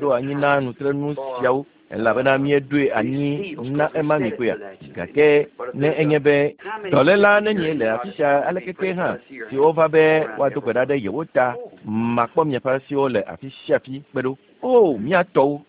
ɖo anyi na nutrenu siawo. Elabena míeɖoe anyi na ema mi koea. Gake ne enye be dɔléla nenie le afi sia aleke ke hã si wova be woado gbe ɖa ɖe yewo ta, makpɔ miaƒe asiwo le afi sia afi kpe ɖo. O, mía tɔwo!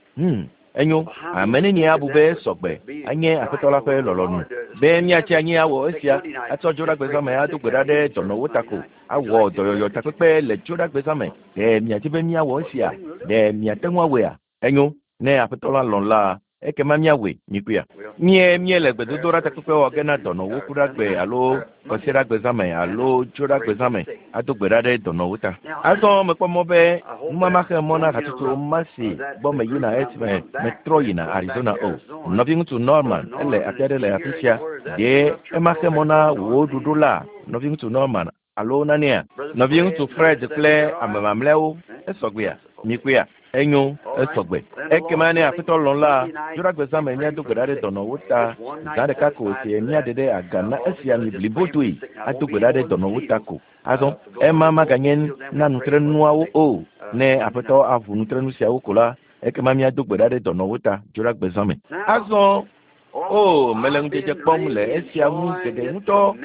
Enyo, ame nenie abu be sɔgbe anye Aƒetɔ la ƒe lɔlɔ̃nu be míatsi anyi awɔ esia, atsɔ dzoɖagbezãme ado gbe ɖa ɖe dɔnɔwo ta ko, awɔ dɔyɔyɔ takpekpe le dzoɖagbezãme? Ɖe miadi be míawɔ esia? Ɖe miate ŋu awɔea? Enyo, ne Aƒetɔ la lɔ̃ la, ekema míawɔe, mikuia. Mie míele gbedodoɖa takpekpe wɔ ge na dɔnɔwo kuɖagbe alo kɔsiɖagbezãme alo dzoɖagbezãme ado gbe ɖa ɖe dɔnɔwo ta. Azɔ mekpɔ mɔ be numama xe mɔ na hatsotso ma si gbɔ meyina esime metrɔ yina Arizona o. Nɔviŋutsu Norman ele afi aɖe le afi sia. Ɖe ema xe mɔ na wò ɖoɖo la, nɔviŋutsu Norman, alo nanea? Nɔviŋutsu Fred kple ame mamlɛawo, esɔgbea? Mikuia? Enyo, esɔgbe. Ekema ne Aƒetɔ lɔ̃ la, dzoɖagbezãme míado gbe ɖa ɖe dɔnɔwo ta. Zã ɖeka ko si míaɖe ɖe aga na esia mi blibodoe ado gbe ɖa ɖe dɔnɔwo ta ko. Azɔ, ema maganye na nutrenuawo o. Ne Aƒetɔ aʋu nutrenu siawo ko la, ekema míado gbe ɖa ɖe dɔnɔwo ta dzoɖagbezãme. Azɔ, o, mele ŋudzedze kpɔm le esia ŋu geɖe ŋutɔ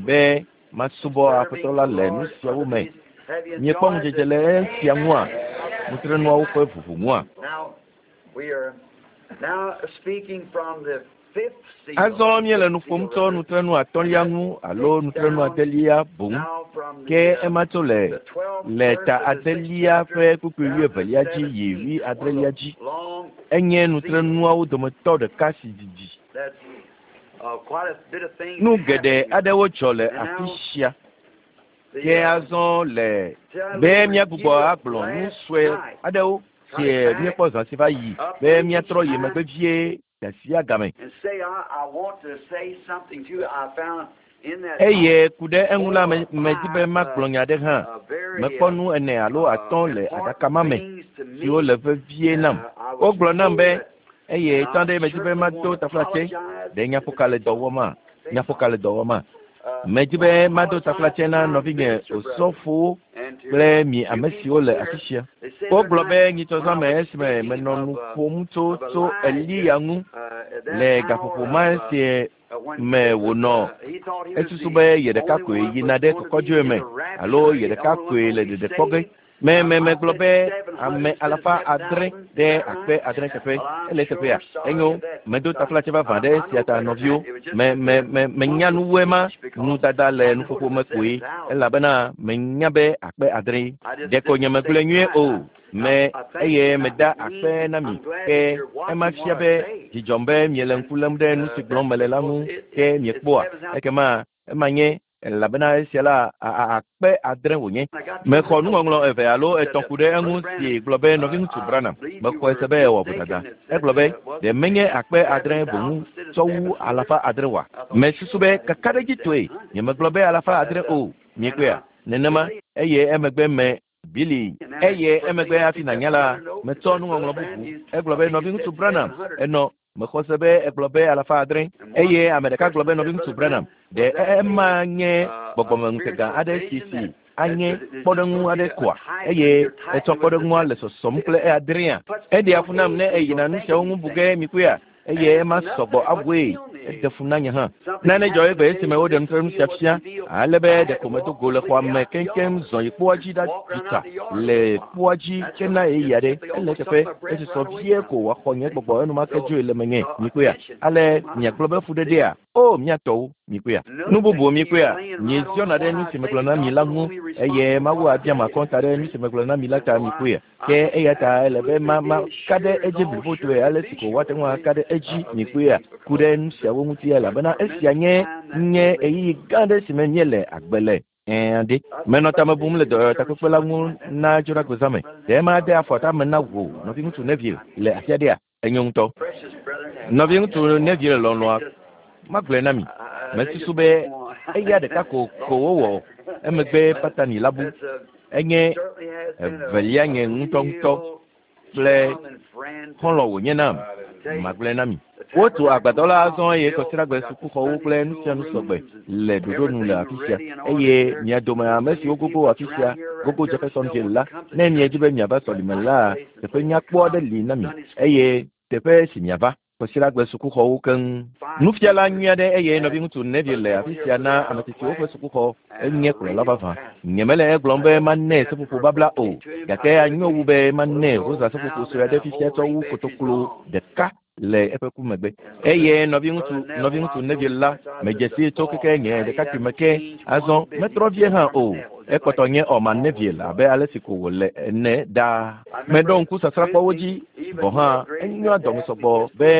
be masubɔ Aƒetɔ la le nu siawo me. Miekpɔ ŋudzedze le esia ŋua? Nutrenuawo ƒe ʋuʋu ŋua? Azɔ míele nu ƒom tso nutrenu atɔ̃lia ŋu alo nutrenu adelia boŋ. Ke ema tso le le ta adelia ƒe kpukpui wuievelia dzi yi wuiadrelia dzi. Enye nutrenuawo dometɔ ɖeka si didi. Nu geɖe aɖewo dzɔ le afi sia. Ke azɔ le be míagbugbɔ agblɔ nu sue aɖewo si míekpɔ zã si va yi be míatrɔ yi megbe vie gasia game. Eye ku ɖe eŋu la, medi be magblɔ nya aɖe hã. Mekpɔ nu ene alo atɔ̃ le aɖaka ma me siwo le vevie nam. Wogblɔ nam be, eye tsã ɖe medi be mado taflatse. Ɖe nyaƒoka le dɔ wɔma? Nyaƒoka le dɔ wɔma? Medi be mado taflatse na nɔvinye osɔfowo kple mi ame siwo le afi sia. Wogblɔ be nyitsɔzãme esime menɔ nu ƒom tso tso Eliya ŋu le gaƒoƒo ma si me wònɔ esusu be ye ɖeka koe yina ɖe kɔkɔdzoe me alo ye ɖeka koe le ɖeɖe kpɔ ge. Me me megblɔ be ame alafa adre ɖe akpe adre teƒe. Ele eteƒea? Enyo, medo taflatse vavã ɖe esia ta nɔviwo. Me me me menya nu wu ema. Nudada le nuƒoƒo me koe elabena menya be akpe adre. Ɖeko nye megblɔe nyuie o. Me eye meda akpe na mi. Ke ema fia be dzidzɔm be miele ŋku lém ɖe nu si gblɔm mele la ŋu ke miekpɔa. Ekema ema nye elabena esia la akpe adre wònye. Mexɔ nuŋɔŋlɔ eve alo etɔ̃ ku ɖe eŋu si gblɔ be nɔviŋutsu Branham mexɔe se be ewɔ vodada. Egblɔ be ɖe menye akpe adre boŋu tsɔ wu alafa adre oa? Mesusu be kakaɖedzitɔe nyemegblɔ be alafa adre o. Miekpɔea? Nenema eye emegbe me Billy eye emegbe hafi nànya la, metsɔ nuŋɔŋlɔ bubu. Egblɔ be nɔviŋutsu Branham enɔ mexɔ se be egblɔ be alafa adre eye ame ɖeka gblɔ be nɔviŋutsu Branham ɖe ema nye gbɔgbɔmeŋutega aɖe si si anye kpɔɖeŋu aɖe koa eye etsɔ kpɔɖeŋua le sɔsɔm kple adrea. Eɖea fu nam ne eyina nu siawo ŋu bu ge mikuia eye ema sɔgbɔ awɔe eɖe fu na nye hã. Nane dzɔ egbe esime woɖe nutrenu sia fia ale be ɖeko medo go le xɔa me keŋkeŋ zɔ yi kpoa dzi ɖaɖi tsa le kpoa dzi ke na ɣeyiɣi aɖe. Ele eteƒe esusɔ vie ko wòaxɔ nye gbɔgbɔ enumake dzoe le menye. Mikpɔea? Ale miagblɔ be fuɖeɖea? O, mía tɔwo, mikpɔea? Nu bubu mikpɔea? Mieziɔna ɖe nu si megblɔ na mi la ŋu eye Mawu abia akɔnta ɖe nu si megblɔ na mi la ta mikpɔea? Ke eya ta ele be ma ma ka ɖe edzi blibotoe ale si ko woate ŋu aka ɖe edzi mikpɔea ku ɖe nu siawo ŋuti elabena esia nye nye ɣeyiɣi gã aɖe si me míele agbe le. Ɛ̃ ɖe. Menɔ tame bum le dɔyɔtakpekpe la ŋu na dzoɖagbezãme. Ɖe made afɔ tame na wò nɔviŋutsu Neville le afi aɖea? Enyo ŋutɔ. Nɔviŋutsu Neville lɔlɔ̃a magblɔe na mi. Mesusu be eya ɖeka ko ko wowɔ emegbe Patani la bu. Enye evelia nye ŋutɔŋutɔ kple xɔlɔ̃ wònye nam. Magblɔe na mi. Wotu agbadɔ la azɔ eye kɔsiɖagbe sukuxɔwo kple nu sia nu sɔgbe le ɖoɖo nu le afi sia. Eye mia dome ame siwo gogo afi sia, gogo Jeffersonville la, ne miedi be miava sɔlime la, teƒe nyakpɔ aɖe li na mi. Eye Teƒe si miava. Kwasiɖagbe sukuxɔwo keŋ. Nufiala nyui aɖe eye nɔviŋutsu Neville le afi sia na ame tsitsiwo ƒe sukuxɔ. Enye kplɔla vavã. Nyemele egblɔm be manɛ seƒoƒo babla o, gake anyo wu be manɛ rosa seƒoƒo sue aɖe fifia tsɔ wu kotoklo ɖeka le eƒe ku megbe. Eye nɔviŋutsu, nɔviŋutsu Neville la, medze sii tso keke nye ɖekakpui me ke. Azɔ, metrɔ vie hã o. Ekpɔtɔ nye Orman Neville abe ale si ko wòle ene ɖaa. Meɖo ŋku sasrãkpɔwo dzi, gɔ̃ hã enyoa dɔme sɔgbɔ be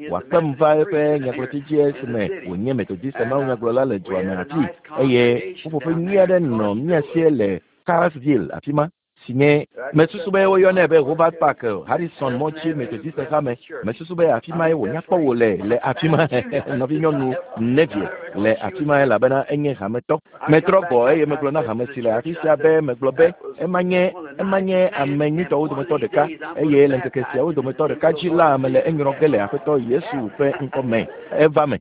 wòakpem va eƒe nyagblɔti dzi esime wònye Metodiste mawunyagblɔla le dua me afii, eye ƒuƒoƒe nyui aɖe nɔ mía si le Carrsville afi ma, si nye, mesusu be woyɔnɛ be Hobart Park, Harrison mɔ dzi Metodiste hame. Mesusu be afi mae wònya kpɔ wò le, le afi ma, nɔvinyɔnu Neville le afi ma elabena enye hametɔ. Metrɔ gbɔ eye megblɔ na hame si le afi sia be megblɔ be ema nye ema nye ame nyuitɔwo dometɔ ɖeka eye le ŋkeke siawo dometɔ ɖeka dzi la mele enyrɔ ge le Aƒetɔ Yesu ƒe ŋkɔ me. Eva me.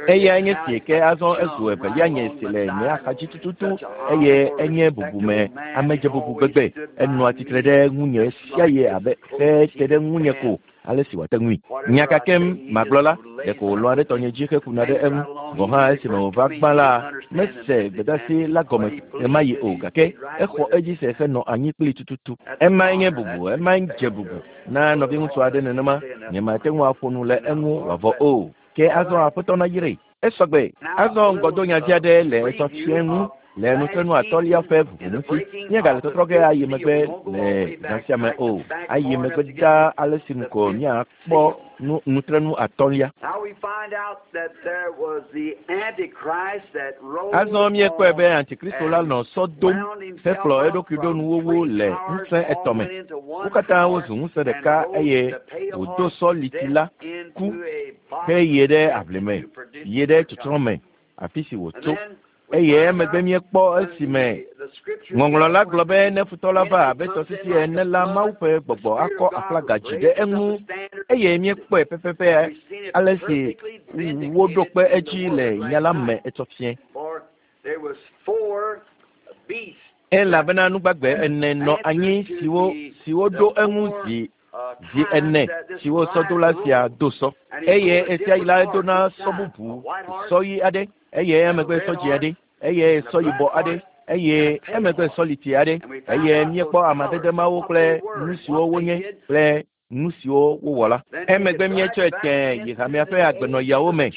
Eyae nye si ke azɔ ezu evelia nye si le nye axadzi tututu eye enye bubume amedzebubu gbegbe. Enɔa tsitre ɖe ŋunye ɣesiaɣi abe xe te ɖe ŋunye ko ale si wòate ŋui. Nya ka kem magblɔ la, ɖeko wòlɔ̃a ɖe tɔnye dzi hekuna ɖe eŋu. Gɔ̃ hã esime wòva gbã la, mese gbedeasi la gɔme ɣemaɣi o, gake exɔ edzi se henɔ anyi kplii tututu. Emae nye bubu, emae dze bubu na nɔviŋutsu aɖe nenema. Nyemate ŋu aƒo nu le eŋu wòavɔ o. Ke azɔ Aƒetɔ nayrae. Esɔ gbe. Azɔ ŋgɔdonyavi aɖe le etɔ fiẽ ŋu le nutrenu atɔ̃lia ƒe ʋuʋu ŋuti. Míegale tɔtrɔ ge ayi megbe le zã sia me o. Ayi megbe ɖaa ale si nu ko míakpɔ nu nutrenu atɔ̃lia. Azɔ míekpɔe be Antikristo la nɔ sɔ dom hekplɔ eɖokui ɖo nuwuwu le ŋusẽ etɔ̃ me. Wo katã wozu ŋusẽ ɖeka eye wòdo sɔ liti la ku heyi ɖe aʋli me, yi ɖe tsɔtsrɔ̃ me, afi si wòtso. Eye emegbe míekpɔ esime Ŋɔŋlɔ la gblɔ be ne futɔ la va abe tɔsisi ene la, Mawu ƒe gbɔgbɔ akɔ aflaga dzi ɖe eŋu. Eye míekpɔe pɛpɛpɛ ale si woɖo kpe edzi le nya la me etsɔ fiẽ. Elabena nugbagbe ene nɔ anyi siwo siwo ɖo eŋu zi zi ene siwo sɔdola sia do sɔ. Eye ɣesiaɣi la edona sɔ bubu, sɔ ɣi aɖe, eye emegbe sɔ dzĩ aɖe, eye sɔ yibɔ aɖe, eye emegbe sɔ liti aɖe. Eye míekpɔ amadede mawo kple nu siwo wonye kple nu siwo wowɔ la. Emegbe míetsɔe tẽe yi hamea ƒe agbenɔɣiawo me,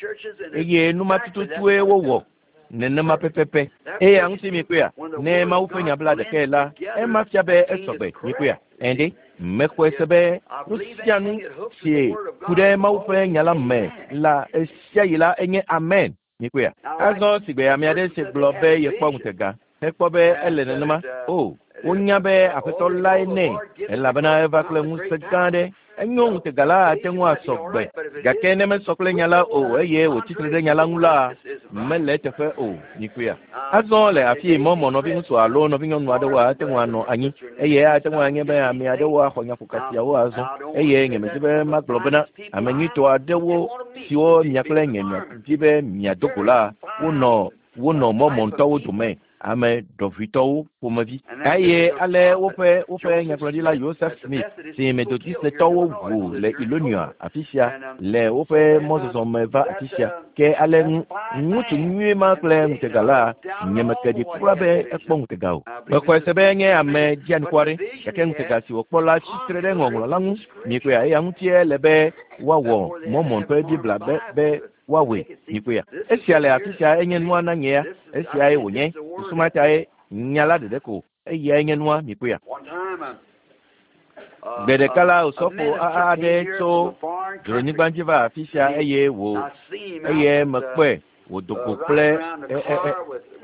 eye nu ma tututue wowɔ nenema pɛpɛpɛ. Eya ŋuti mikpɔea, ne Mawu ƒe nya bla ɖekae la, ema fia be esɔgbe. Mikpɔea? Ɛ̃ ɖe, mexɔe se be nu sia nu si ku ɖe Mawu ƒe nya la me la ɣesiaɣi la enye amen. Mikpɔea? Azɔ sigbe ame aɖe si gblɔ be yekpɔ ŋutega hekpɔ be ele nenema. O, wonya be Aƒetɔ lae nɛ, elabena eva kple ŋusẽ gã aɖe. Enyo ŋutega la ate ŋu asɔ gbe, gake ne mesɔ kple nya la o eye wòtsi tre ɖe nya la ŋu la, mele eteƒe o. Mikpɔea? Azɔ le afii mɔmɔ nɔviŋutsu alo nɔvinyɔnu aɖewo ate ŋu anɔ anyi eye ate ŋu anye be ame aɖewo axɔ nyaƒoka siawo azɔ eye nyemedi be magblɔ bena ame nyuitɔ aɖewo siwo mia kple nye miadi be miado go la, wonɔ wonɔ mɔmɔntɔwo dome ame ɖɔʋuitɔwo ƒomevi. Eye ale woƒe woƒe nyagblɔɖila Joseph Smith si Methodistetɔwo ʋu le Illinois afi sia le woƒe mɔzɔzɔ me va afi sia. Ke ale ŋutsu nyui ma kple ŋutega la, nyemeke ɖi kura be ekpɔ ŋutega o. Mexɔe se be enye ame dzianukware, gake ŋutega si wòkpɔ la tsi tre ɖe ŋɔŋlɔ la ŋu. Mikpɔea, eya ŋutie le be woawɔ Mormon ƒe Biblia be be woawɔe. Mikpɔea? Esia le afi sia enye nua na nyea. Esiae wònye. Susu ma tae nya la ɖeɖe ko. Eyae nye nua. Mikpɔea? Gbe ɖeka la, osɔfo aɖe tso dzronyigba dzi va afi sia eye wò eye mekpɔe wòdo go kple e, e, e,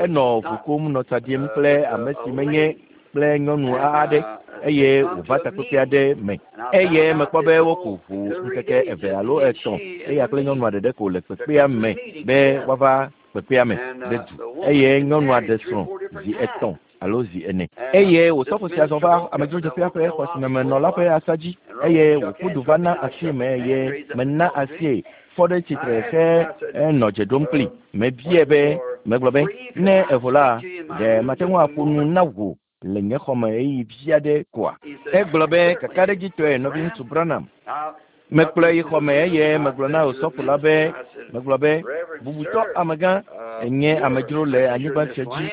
enɔ ʋu kum nɔ tsa ɖim kple ame si menye kple nyɔnu aɖe eye wòva takpekpe aɖe me eye mekpɔ be woku ʋu ŋkeke eve alo etɔ̃ eya kple nyɔnua ɖeɖe ko le kpekpea me be woava kpekpea me ɖe du eye nyɔnua ɖe srɔ̃ zi etɔ̃ alo zi ene eye wòsɔfo sia zɔ va amedzrodzeƒea ƒe xɔ si me menɔ la ƒe asa dzi eye wòƒu du va na asie me eye mena asie fɔ ɖe tsitre he enɔ dze ɖom kpli. Mebiae be, megblɔ be, ne evo la, ɖe mate ŋu aƒo nu na wò le nye xɔ me ɣeyiɣi vi aɖe koa? Egblɔ be, kakaɖedzitɔe, nɔviŋutsu Branham. Mekplɔe yi xɔme eye megblɔ na osɔfo la be, megblɔ be, bubutɔ amegã, enye amedzro le anyigba sia dzi.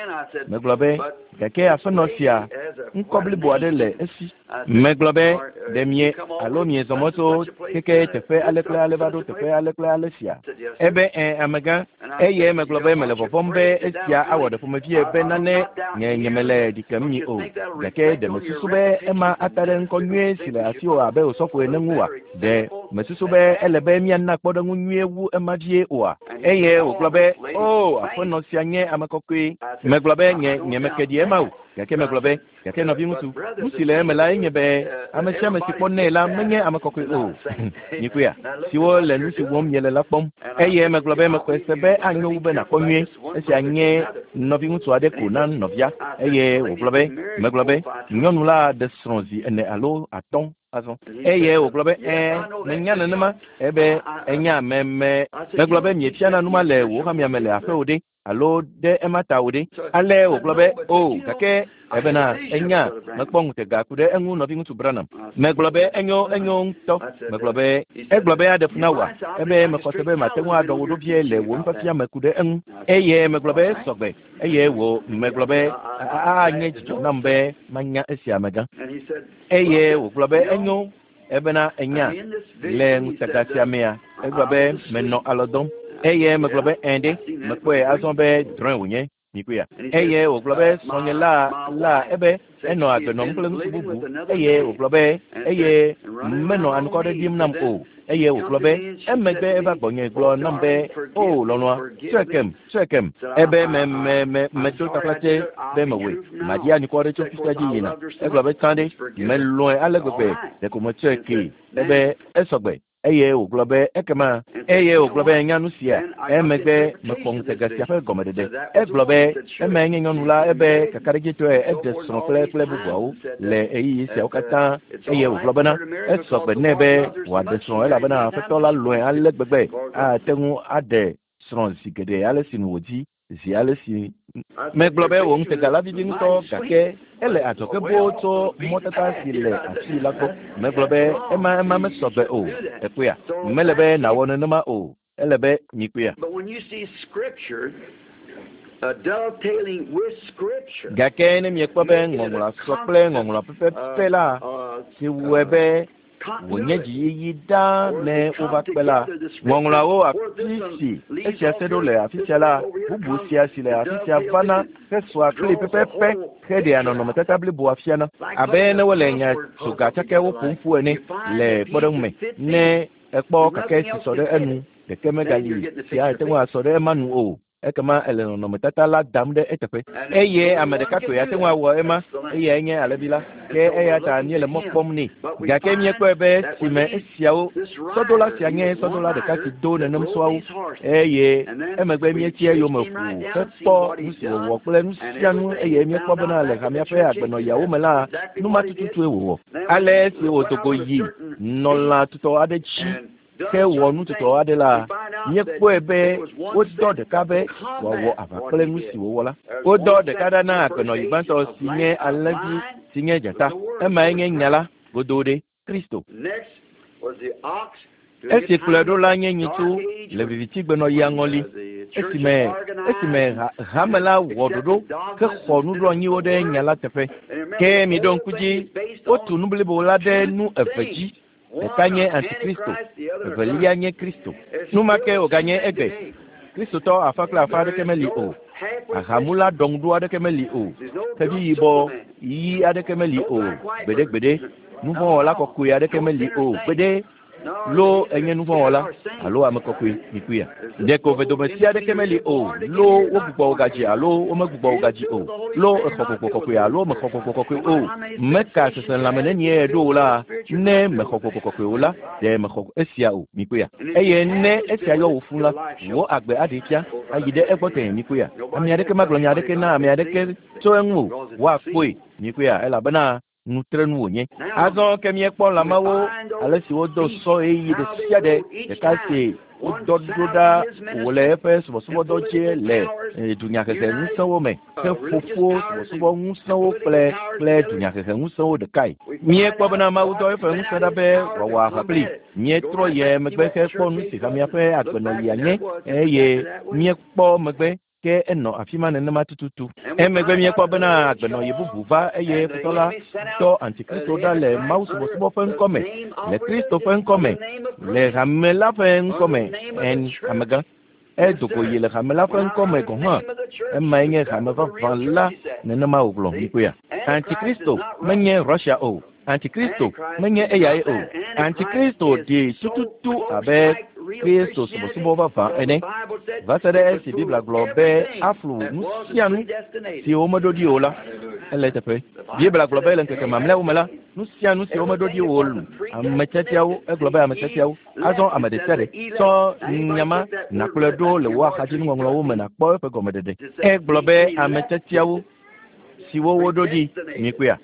Megblɔ be, gake aƒenɔ sia, ŋkɔ blibo aɖe le esi. Megblɔ be, ɖe mie alo miezɔ mɔ tso keke teƒe ale kple ale va ɖo teƒe ale kple ale sia. Ebe ẽ amegã, eye megblɔ be mele vɔvɔ̃m be esia awɔ ɖe ƒomevie be nane nye nyemele ɖi kem mi o. Gake ɖe mesusu be ema ata ɖe ŋkɔ nyuie si le asiwò abe osɔfo ene ŋu oa? Ɖe mesusu be ele be míana kpɔɖeŋu nyuie wu ema vie oa? Eye wògblɔ be, o, aƒenɔ sia nye ame kɔkɔe. Megblɔ be nye nyemeke ɖi ema o. Gake megblɔ be, gake nɔviŋutsu, nu si le eme lae nye be ame sia ame si kpɔnɛ la menye ame kɔkɔe o. Mikpɔea, siwo le nu si wɔm miele la kpɔm. Eye megblɔ be mexɔe se be anyo wu be nàkpɔ nyuie. Esia nye nɔviŋutsu aɖe ko na nɔvia. Eye wògblɔ be, megblɔ be, nyɔnu la ɖe srɔ̃ zi 4 alo 5 azɔ. Eye wògblɔ be, ẽ, menya nenema. Ebe, enya me me. Megblɔ be miefiana nu ma le wò hamea me le aƒewò ɖe, alo ɖe ema ta wò ɖe. Ale wògblɔ be, o, gake ebena enya mekpɔ ŋutega ku ɖe eŋu nɔviŋutsu Branham. Megblɔ be enyo enyo ŋutɔ. Megblɔ be egblɔ be aɖe fu na wòa. Ebe mexɔ se be mate ŋu aɖɔ wò ɖo vie le wò nufiafia me ku ɖe eŋu. Eye megblɔ be sɔgbe. Eye wò megblɔ be anye dzidzɔ nam be manya esia amegã. Eye wògblɔ be enyo. Ebena enya le ŋutega sia mea, egblɔ be menɔ alɔ dɔm. Eye megblɔ be ẽ ɖe, mekpɔe azɔ be drɔ̃e wònye. Mikpɔea? Eye wògblɔ be srɔ̃nye la la ebe enɔ agbe nɔm kple ŋutsu bubu. Eye wògblɔ be eye menɔ anukɔ ɖe ɖim nam o. Eye wògblɔ be emegbe eva gbɔnye gblɔ nam be, o lɔlɔ̃a, tsɔe kem, tsɔe kem. Ebe me me me medo taflatse be mewɔe. Maɖi anukɔ ɖe tso fisia dzi yina. Egblɔ be tsã ɖe, melɔ̃e ale gbegbe ɖeko metsɔe kee. Ebe esɔgbe. Eye wògblɔ be ekema. Eye wògblɔ be enya nu sia. Emegbe mekpɔ ŋutega sia ƒe gɔmeɖeɖe. Egblɔ be emae nye nyɔnu la ebe kakaɖedzitɔe eɖe srɔ̃ kple kple bubuawo le ɣeyiɣi siawo katã. Eye wògblɔ bena esɔgbe nɛ be wòaɖe srɔ̃ elabena Aƒetɔ la lɔ̃e ale gbegbe ate ŋu aɖe srɔ̃ zi geɖe ale si nu wòdi zi ale si. Megblɔ be wò ŋutega la vivi ŋutɔ gake ele adzɔge boo tso mɔtata si le afii la gbɔ. Megblɔ be ema ema mesɔgbe o. Ekpɔea? Mele be nàwɔ nenema o. Ele be mikpɔea? Gake ne miekpɔ be ŋɔŋlɔa sɔ kple ŋɔŋlɔa pɛpɛpɛ la, si wɔe be wònye dziyiyi ɖaa ne wova kpe la, ŋɔŋlɔawo afi si esia se ɖo le afi sia la, bubu sia si le afi sia vana hesɔa kpli pɛpɛpɛ heɖea nɔnɔmetata bliboa fiana. Abe ne wole nya tsoga tsakɛwo ƒom ƒu ene le kpɔɖeŋu me, ne ekpɔ kake si sɔ ɖe enu, ɖeke megali si ate ŋu asɔ ɖe ema nu o. Ekema ele nɔnɔmetata la dam ɖe eteƒe. Eye ame ɖeka koe ate ŋu awɔ ema, eyae nye alẽvi la. Ke eya ta míele mɔ kpɔm nɛ. Gake míekpɔe be esime esiawo, sɔdola sia nye sɔdola ɖeka si do nenem sɔawo, eye emegbe míetsi eyome ʋuu hekpɔ nu si wòwɔ kple nu sia nu eye míekpɔ bena le hamea ƒe agbenɔɣiawo me la, nu ma tututue wòwɔ. Ale esi wòdo go yi nɔ lã tutɔ aɖe dzi hewɔ nu tutɔ aɖe la, míekpɔe be wodɔ ɖeka be wòawɔ aʋa kple nu si wòwɔ la. Wodɔ ɖeka ɖa na agbenɔɣi gbãtɔ si nye alẽvi si nye dzata. Emae nye nya la godoo ɖe Kristo. Esi kplɔe ɖo la nye nyitsu le vivitigbenɔɣia ŋɔli, esime esime hame la wɔ ɖoɖo hexɔ nuɖoanyiwo ɖe nya la teƒe. Ke miɖo ŋku dzi, wotu nu blibo la ɖe nu eve dzi. Ɖeka nye Antikristo, evelia nye Kristo. Nu ma ke wòganye egbe. Kristotɔ afã kple afã aɖeke meli o. Ahamula ɖɔŋuɖo aɖeke meli o. Xevi yibɔ ɣi aɖeke meli o. Gbeɖegbeɖe. Nuvɔ̃wɔla kɔkɔe aɖeke meli o. Gbeɖe. Lo enye nuvɔ̃wɔla alo ame kɔkɔe, mikpɔea? Ɖeko vedomesi aɖeke meli o. Lo wogbugbɔ wò gadzi alo womegbugbɔ wò gadzi o. Lo exɔ gbɔgbɔ kɔkɔe alo mexɔ gbɔgbɔ kɔkɔe o. Meka seselãme nenie ɖo o la, ne mexɔ gbɔgbɔ kɔkɔe o la, ɖe mexɔ esia o, mikpɔea? Eye ne esia yɔ wò fũ la, wò agbe aɖee fia ayi ɖe egbɔ tẽe, mikpɔea? Ame aɖeke magblɔ nya aɖeke na ame aɖeke tso eŋu o. Woakpɔe, mikpɔea? Elabena nutrenu wònye. Azɔ ke míekpɔ lãmawo ale si wodo sɔ ɣeyiɣi ɖe sia ɖe ɖeka si Wodɔ ɖo ɖa wòle eƒe subɔsubɔdɔ dzi le dunyahehe ŋusẽwo me heƒo ƒu subɔsubɔ ŋusẽwo kple kple dunyahehe ŋusẽwo ɖekae. Míekpɔ bena Mawu dɔ eƒe ŋusẽ ɖa be wòawɔ aʋa kplii. Míetrɔ yi megbe hekpɔ nu si hamea ƒe agbenɔɣia nye eye míekpɔ megbe ke enɔ afi ma nenema tututu. Emegbe míekpɔ bena agbenɔɣi bubu va eye futɔ la dɔ Antikristo ɖa le mawusubɔsubɔ ƒe ŋkɔ me, le Kristo ƒe ŋkɔ me, le hame la ƒe ŋkɔ me, en, amegã. Edo go yi le hame la ƒe ŋkɔ me gɔ̃ hã. Emae nye hame vavã la, nenema wògblɔ. Mikpɔea? Antikristo menye Russia o. Antikristo menye eyae o. Antikristo ɖi tututu abe Kristo subɔsubɔ vavã ene, va se ɖe esi Biblia gblɔ be aflu nu sia nu si womeɖo ɖi o la. Ele eteƒe. Biblia gblɔ be le ŋkeke mamlɛawo me la, nu sia nu si womeɖo ɖi o lu ame tiatiawo, egblɔ be ame tiatiawo. Azɔ ame ɖe sia ɖe tsɔ nya ma nàkplɔe ɖo le wò axadzinuŋɔŋlɔwo me nàkpɔ eƒe gɔmeɖeɖe. Egblɔ be ame tiatiawo siwo woɖo ɖi, mikpɔea?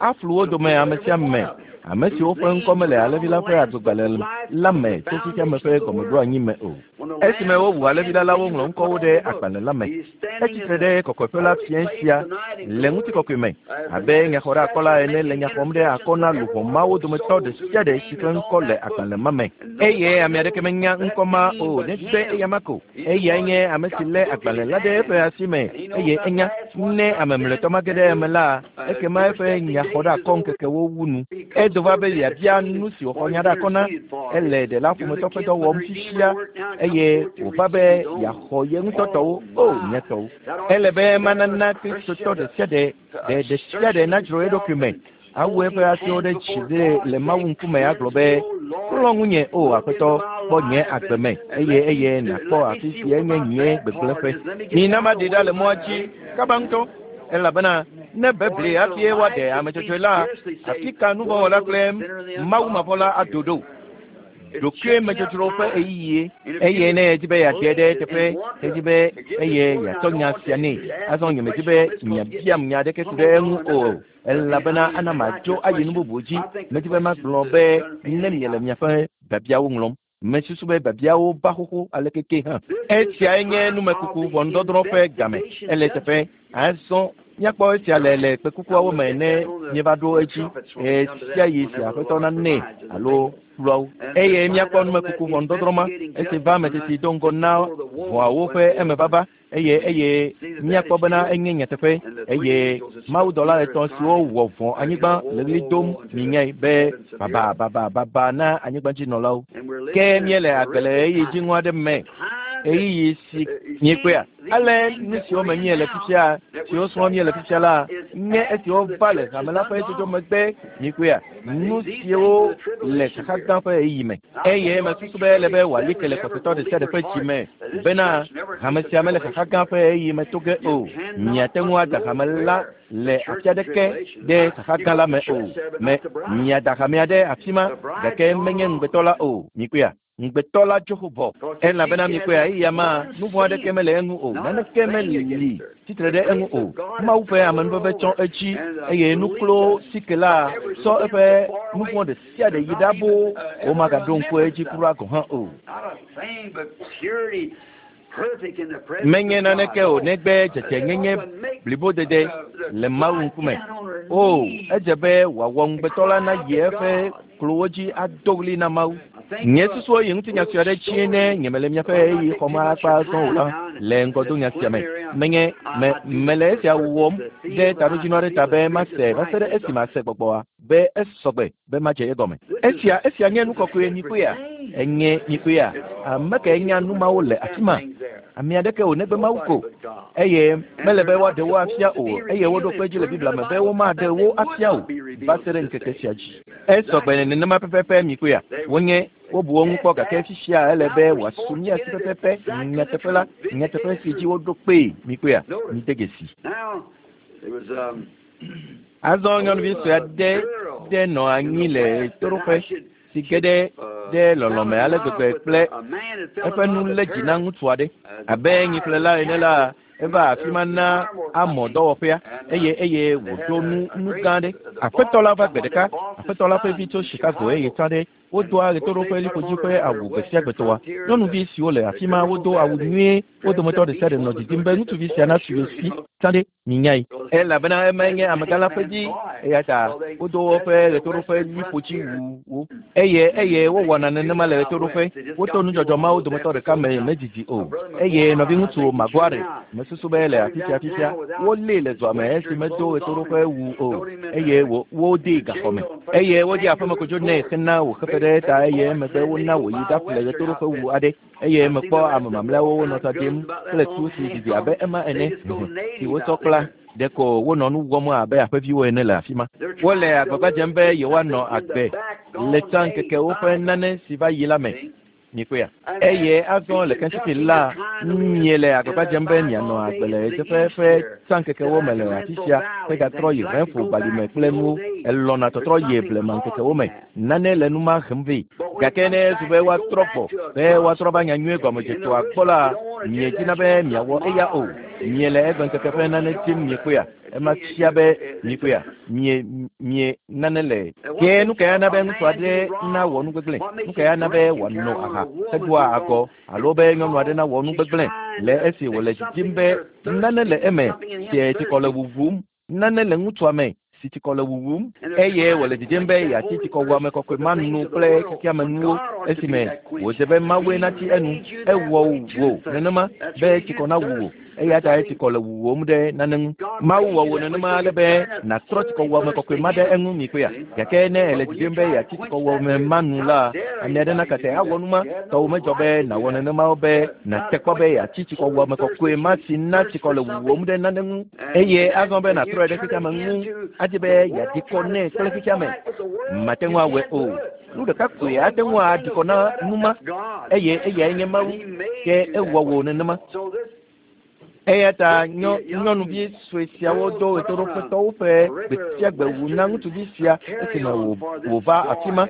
Aflu wo dome ame sia ame, ame siwo ƒe ŋkɔ mele Alẽvi la ƒe agbegbalẽ la me tso xexea me ƒe gɔmeɖoanyi me o. Esime wowu Alẽvi la la, woŋlɔ ŋkɔwo ɖe agbalẽ la me. Etsi tre ɖe kɔkɔeƒe la fiẽ sia le ŋutikɔkɔe me, abe nyaxɔɖeakɔla ene le nya xɔm ɖe akɔ na luʋɔ mawo dometɔ ɖe sia ɖe si ƒe ŋkɔ le agbalẽ ma me. Eye ame aɖeke menya ŋkɔ ma o negbe eyama ko. Eyae nye ame si lé agbalẽ la ɖe eƒe asi me, eye enya ne ame mlɔetɔ mage ɖe eme la, ekema eƒe nyaxɔɖeakɔŋkekewo wu nu. Edo va be yeabia nu si wòxɔ nya ɖe akɔ na. Ele ɖela ƒometɔ ƒe dɔ wɔm fifia, eye wòva be yeaxɔ ye ŋutɔ tɔwo, o nye tɔwo. Ele be manana Kristotɔ ɖe sia ɖe, ɖe ɖe sia ɖe nadzro eɖokui me awu eƒe asiwo ɖe dzi ɖe le Mawu ŋkume agblɔ be, Klɔ ŋunye, o Aƒetɔ, kpɔ nye agbe me, eye eye nàkpɔ afi si enye nye gbegblẽƒe. Mina maɖi ɖa le mɔa dzi kaba ŋutɔ, elabena ne bebli hafi woaɖe ame dzɔdzɔe la, afi ka nuvɔ̃wɔla kple mawumavɔ̃la ado ɖo? Ɖokuimedzodzro ƒe ɣeyiɣie, eye ne edi be yeaɖe ɖe eteƒe, edi be eye yeatsɔ nya sia nɛ. Azɔ nyemedi be miabiam nya aɖeke ku ɖe eŋu o, elabena ana madzo ayi nu bubu dzi. Medi be magblɔ be ne miele miaƒe biabiawo ŋlɔm. Mesusu be biabiawo va xoxo aleke ke hã. Esiae nye numekuku ʋɔnudɔdrɔ̃ ƒe game. Ele eteƒe. Azɔ míakpɔ esia le le kpekukuawo me ne míeva ɖo edzi ɣesiaɣi si Aƒetɔ nanɛ alo kpluawo. Eye míakpɔ numekuku ʋɔnudɔdrɔ̃ ma esi va ame teti do ŋgɔ na ʋɔawo ƒe emevava eye eye míakpɔ bena enye nyateƒe eye mawudɔla etɔ̃ siwo wɔ vɔ̃ anyigba le ɣli dom minyae be baba baba baba na anyigbadzinɔlawo. Ke míele agbe le ɣeyiɣi dziŋɔ aɖe me, ɣeyiɣi si míekpɔea? Ale nu siwo me míele fifia, siwo srɔ̃m míele fifia la, nye esiwo va le hame la ƒe dzodzo megbe. Míekpɔea? Nu siwo le xaxa gã ƒe ɣeyiɣi me. Eye mesusu be ele be wòali ke le xɔsetɔ ɖe sia ɖe ƒe dzi me bena hame sia mele xaxa gã ƒe ɣeyiɣi me to ge o. Miate ŋu ada hame la le afi aɖeke ɖe xaxa gã la me o. Me, miada hamea ɖe afi ma, gake menye ŋugbetɔ la o. Mikpɔea? Ŋugbetɔ la tso xo vɔ, elabena mikpɔea, eya ma, nu vɔ̃ aɖeke mele eŋu o, naneke meli tsitre ɖe eŋu o. Mawu ƒe amenuveve tsɔ edzi, eye nuklo sike la sɔ eƒe nu vɔ̃ ɖe sia ɖe yi ɖa boo, womagaɖo ŋku edzi kura gɔ̃ hã o. Menye naneke o negbe dzedzenyenye blibodede le Mawu ŋkume. O, edze be wòawɔ ŋugbetɔ la nayi eƒe klowo dzi ado ɣli na Mawu. Nye susuwo yi ŋutinya sue aɖe dzie ne nyemele miaƒe ɣeyiɣi xɔm akpa azɔ o la le ŋgɔdonya sia me. Menye me, mele esia wɔm ɖe taɖodzinu aɖe ta be mase va se ɖe esime ase gbɔgbɔa be esɔgbe be madze egɔme. Esia, esia nye nu kɔkɔe, mikpɔea? Enye, mikpɔea? Ame kae nya nu mawo le afi ma? Ame aɖeke o negbe Mawu ko. Eye mele be woaɖe wo afia o, eye woɖo kpe edzi le Biblia me be womaɖe wo afia o va se ɖe ŋkeke sia dzi. Esɔgbe nenema pɛpɛpɛ, mikpɔea? Wonye, wobu wo ŋu kpɔ gake fifia ele be wòasu mía si pɛpɛpɛ, nyateƒe la, nyateƒe si dzi woɖo kpee, mikpɔea? Mide dzesi. Azɔ nyɔnuvi sue aɖe ɖe nɔ anyi le ɣetoɖoƒe si ge ɖe ɖe lɔlɔ̃me ale gbegbe kple eƒe nu lé dzi na ŋutsu aɖe. Abe nyiƒlela ene la, eva afi ma na amɔ dɔwɔƒea eye eye wòɖo nu nu gã aɖe. Aƒetɔ la va gbe ɖeka. Aƒetɔ la ƒe vi tso Chicago eye tsã ɖe. Wodoa ɣetoɖoƒe liƒodzi ƒe awu gbe sia gbe tɔa. Nyɔnuvi siwo le afi ma wodo awu nyuie. Wo dometɔ ɖe sia ɖe nɔ didim be ŋutsuvi sia nasu ye si. Tsã ɖe, minyae. Elabena emae nye amegã la ƒe dzi. Eya ta wodo woƒe ɣetoɖoƒe liƒodziwuwo. Eye eye wowɔna nenema le ɣetoɖoƒe. Woto nudzɔdzɔ mawo dometɔ ɖeka me medidi o. Eye nɔviŋutsu Maguire, mesusu be le afi sia fifia, wolée le dua me esi medo ɣetoɖoƒe wu o. Eye wo, wodee gaxɔ me. Eye wodi aƒemekodzo nɛ hena wòxe fe ɖe eta eye emegbe wona wòyi ɖaƒle ɣetoɖoƒewu aɖe. Eye mekpɔ ame mamlɛawo wonɔ tsa ɖim kple tu si didi abe ema ene, si wotsɔ kpla. Ɖeko wonɔ nu wɔm abe aƒeviwo ene le afi ma. Wole agbagba dzem be yewoanɔ agbe le tsã ŋkekewo ƒe nane si va yi la me. Mikpɔea? Eye azɔ le Kentucky la, miele agbagba dzem be mianɔ agbe le ɣedzeƒe ƒe tsã ŋkekewo me le afi sia hegatrɔ yi Renfro balime kple nuwo. Elɔ̃na tɔtrɔ yi blema ŋkekewo me. Nane le nu ma hem vɛ. Gake ne ezu be woatrɔ gbɔ, be woatrɔ va nyanyuie gɔmedzetoa gbɔ la, miedina be miawɔ eya o. Miele egbeŋkeke ƒe nane dim, miekpɔea? Ema fia be, miekpɔea? Mie, mie, nane le. Ke nu kae ana be ŋutsu aɖe nawɔ nu gbegblẽ? Nu kae ana be wòano aha hedoa agɔ, alo be nyɔnu aɖe nawɔ nu gbegblẽ le esi wòle didim be nane le eme si tsikɔ le wuwum? Nane le ŋutsua me si tsikɔ le wuwum, eye wòle didim be yeatsi tsikɔwuame kɔkɔe ma nu kple xexeame nuwo esime wòdze be Mawue natsi enu. Ewɔ wò nenema be tsikɔ nawu wò, eya tae tsikɔ le wuwòm ɖe nane ŋu. Mawu wɔ wò nenema ale be nàtrɔ tsikɔwuame kɔkɔe ma ɖe eŋu, mikpɔea? Gake ne èle didim be yeatsi tsikɔwuame ma nu la, ame aɖe nakate awɔ nu ma. Tɔwò medzɔ be nàwɔ nenema o be nàte kpɔ be yeatsi tsikɔwuame kɔkɔe ma si na tsikɔ le wuwòm ɖe nane ŋu. Eye azɔ be nàtrɔe ɖe xexeame ŋu, adi be yeaɖi kɔ nɛ kple xexeame. Mate ŋu awɔe o. Nu ɖeka koe ate ŋu aɖi kɔ na nu ma, eye eyae nye Mawu. Ke ewɔ wò nenema. Eya ta nyɔ, nyɔnuvi sue siawo do ɣetoɖoƒetɔwo ƒe gbe sia gbe wu na ŋutsuvi sia esime wò, wòva afi ma.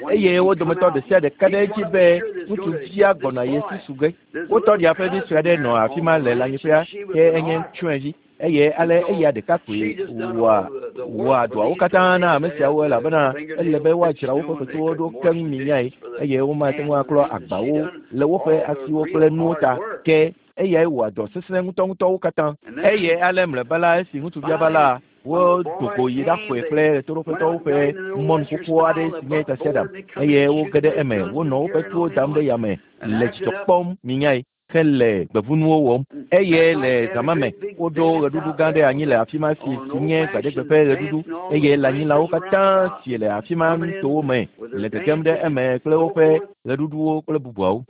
Eye wo dometɔ ɖe sia ɖe ka ɖe edzi be ŋutsuvia gbɔna ye si su ge. Wo tɔɖia ƒe vi sue aɖe nɔ afi ma le lãnyiƒea, ke enye tsyɔ̃evi, eye ale eya ɖeka koe wɔa wɔa dɔawo katã na ame siawo elabena ele be woadzra woƒe fetuwo ɖo keŋ minyae, eye womate ŋu aklɔ agbawo le woƒe asiwo kple nuwo ta. Ke eyae wɔa dɔ sesẽ ŋutɔŋutɔwo katã. Eye ale mlɔeba la, esi ŋutsuvia va la, Wodo go yi ɖaƒoe kple ɣetoɖoƒetɔwo ƒe mɔnu xoxo aɖe si nye tasiaɖam, eye woge ɖe eme. Wonɔ woƒe tuwo dam ɖe yame le dzidzɔ kpɔm, minyae, hele gbevunuwo wɔm. Eye le zã ma me, woɖo ɣeɖuɖu gã aɖe anyi le afi ma si si nye gbaɖegbe ƒe ɣeɖuɖu, eye lãnyilawo katã si le afi ma nutowo me le gegem ɖe eme kple woƒe ɣeɖuɖuwo kple bubuawo.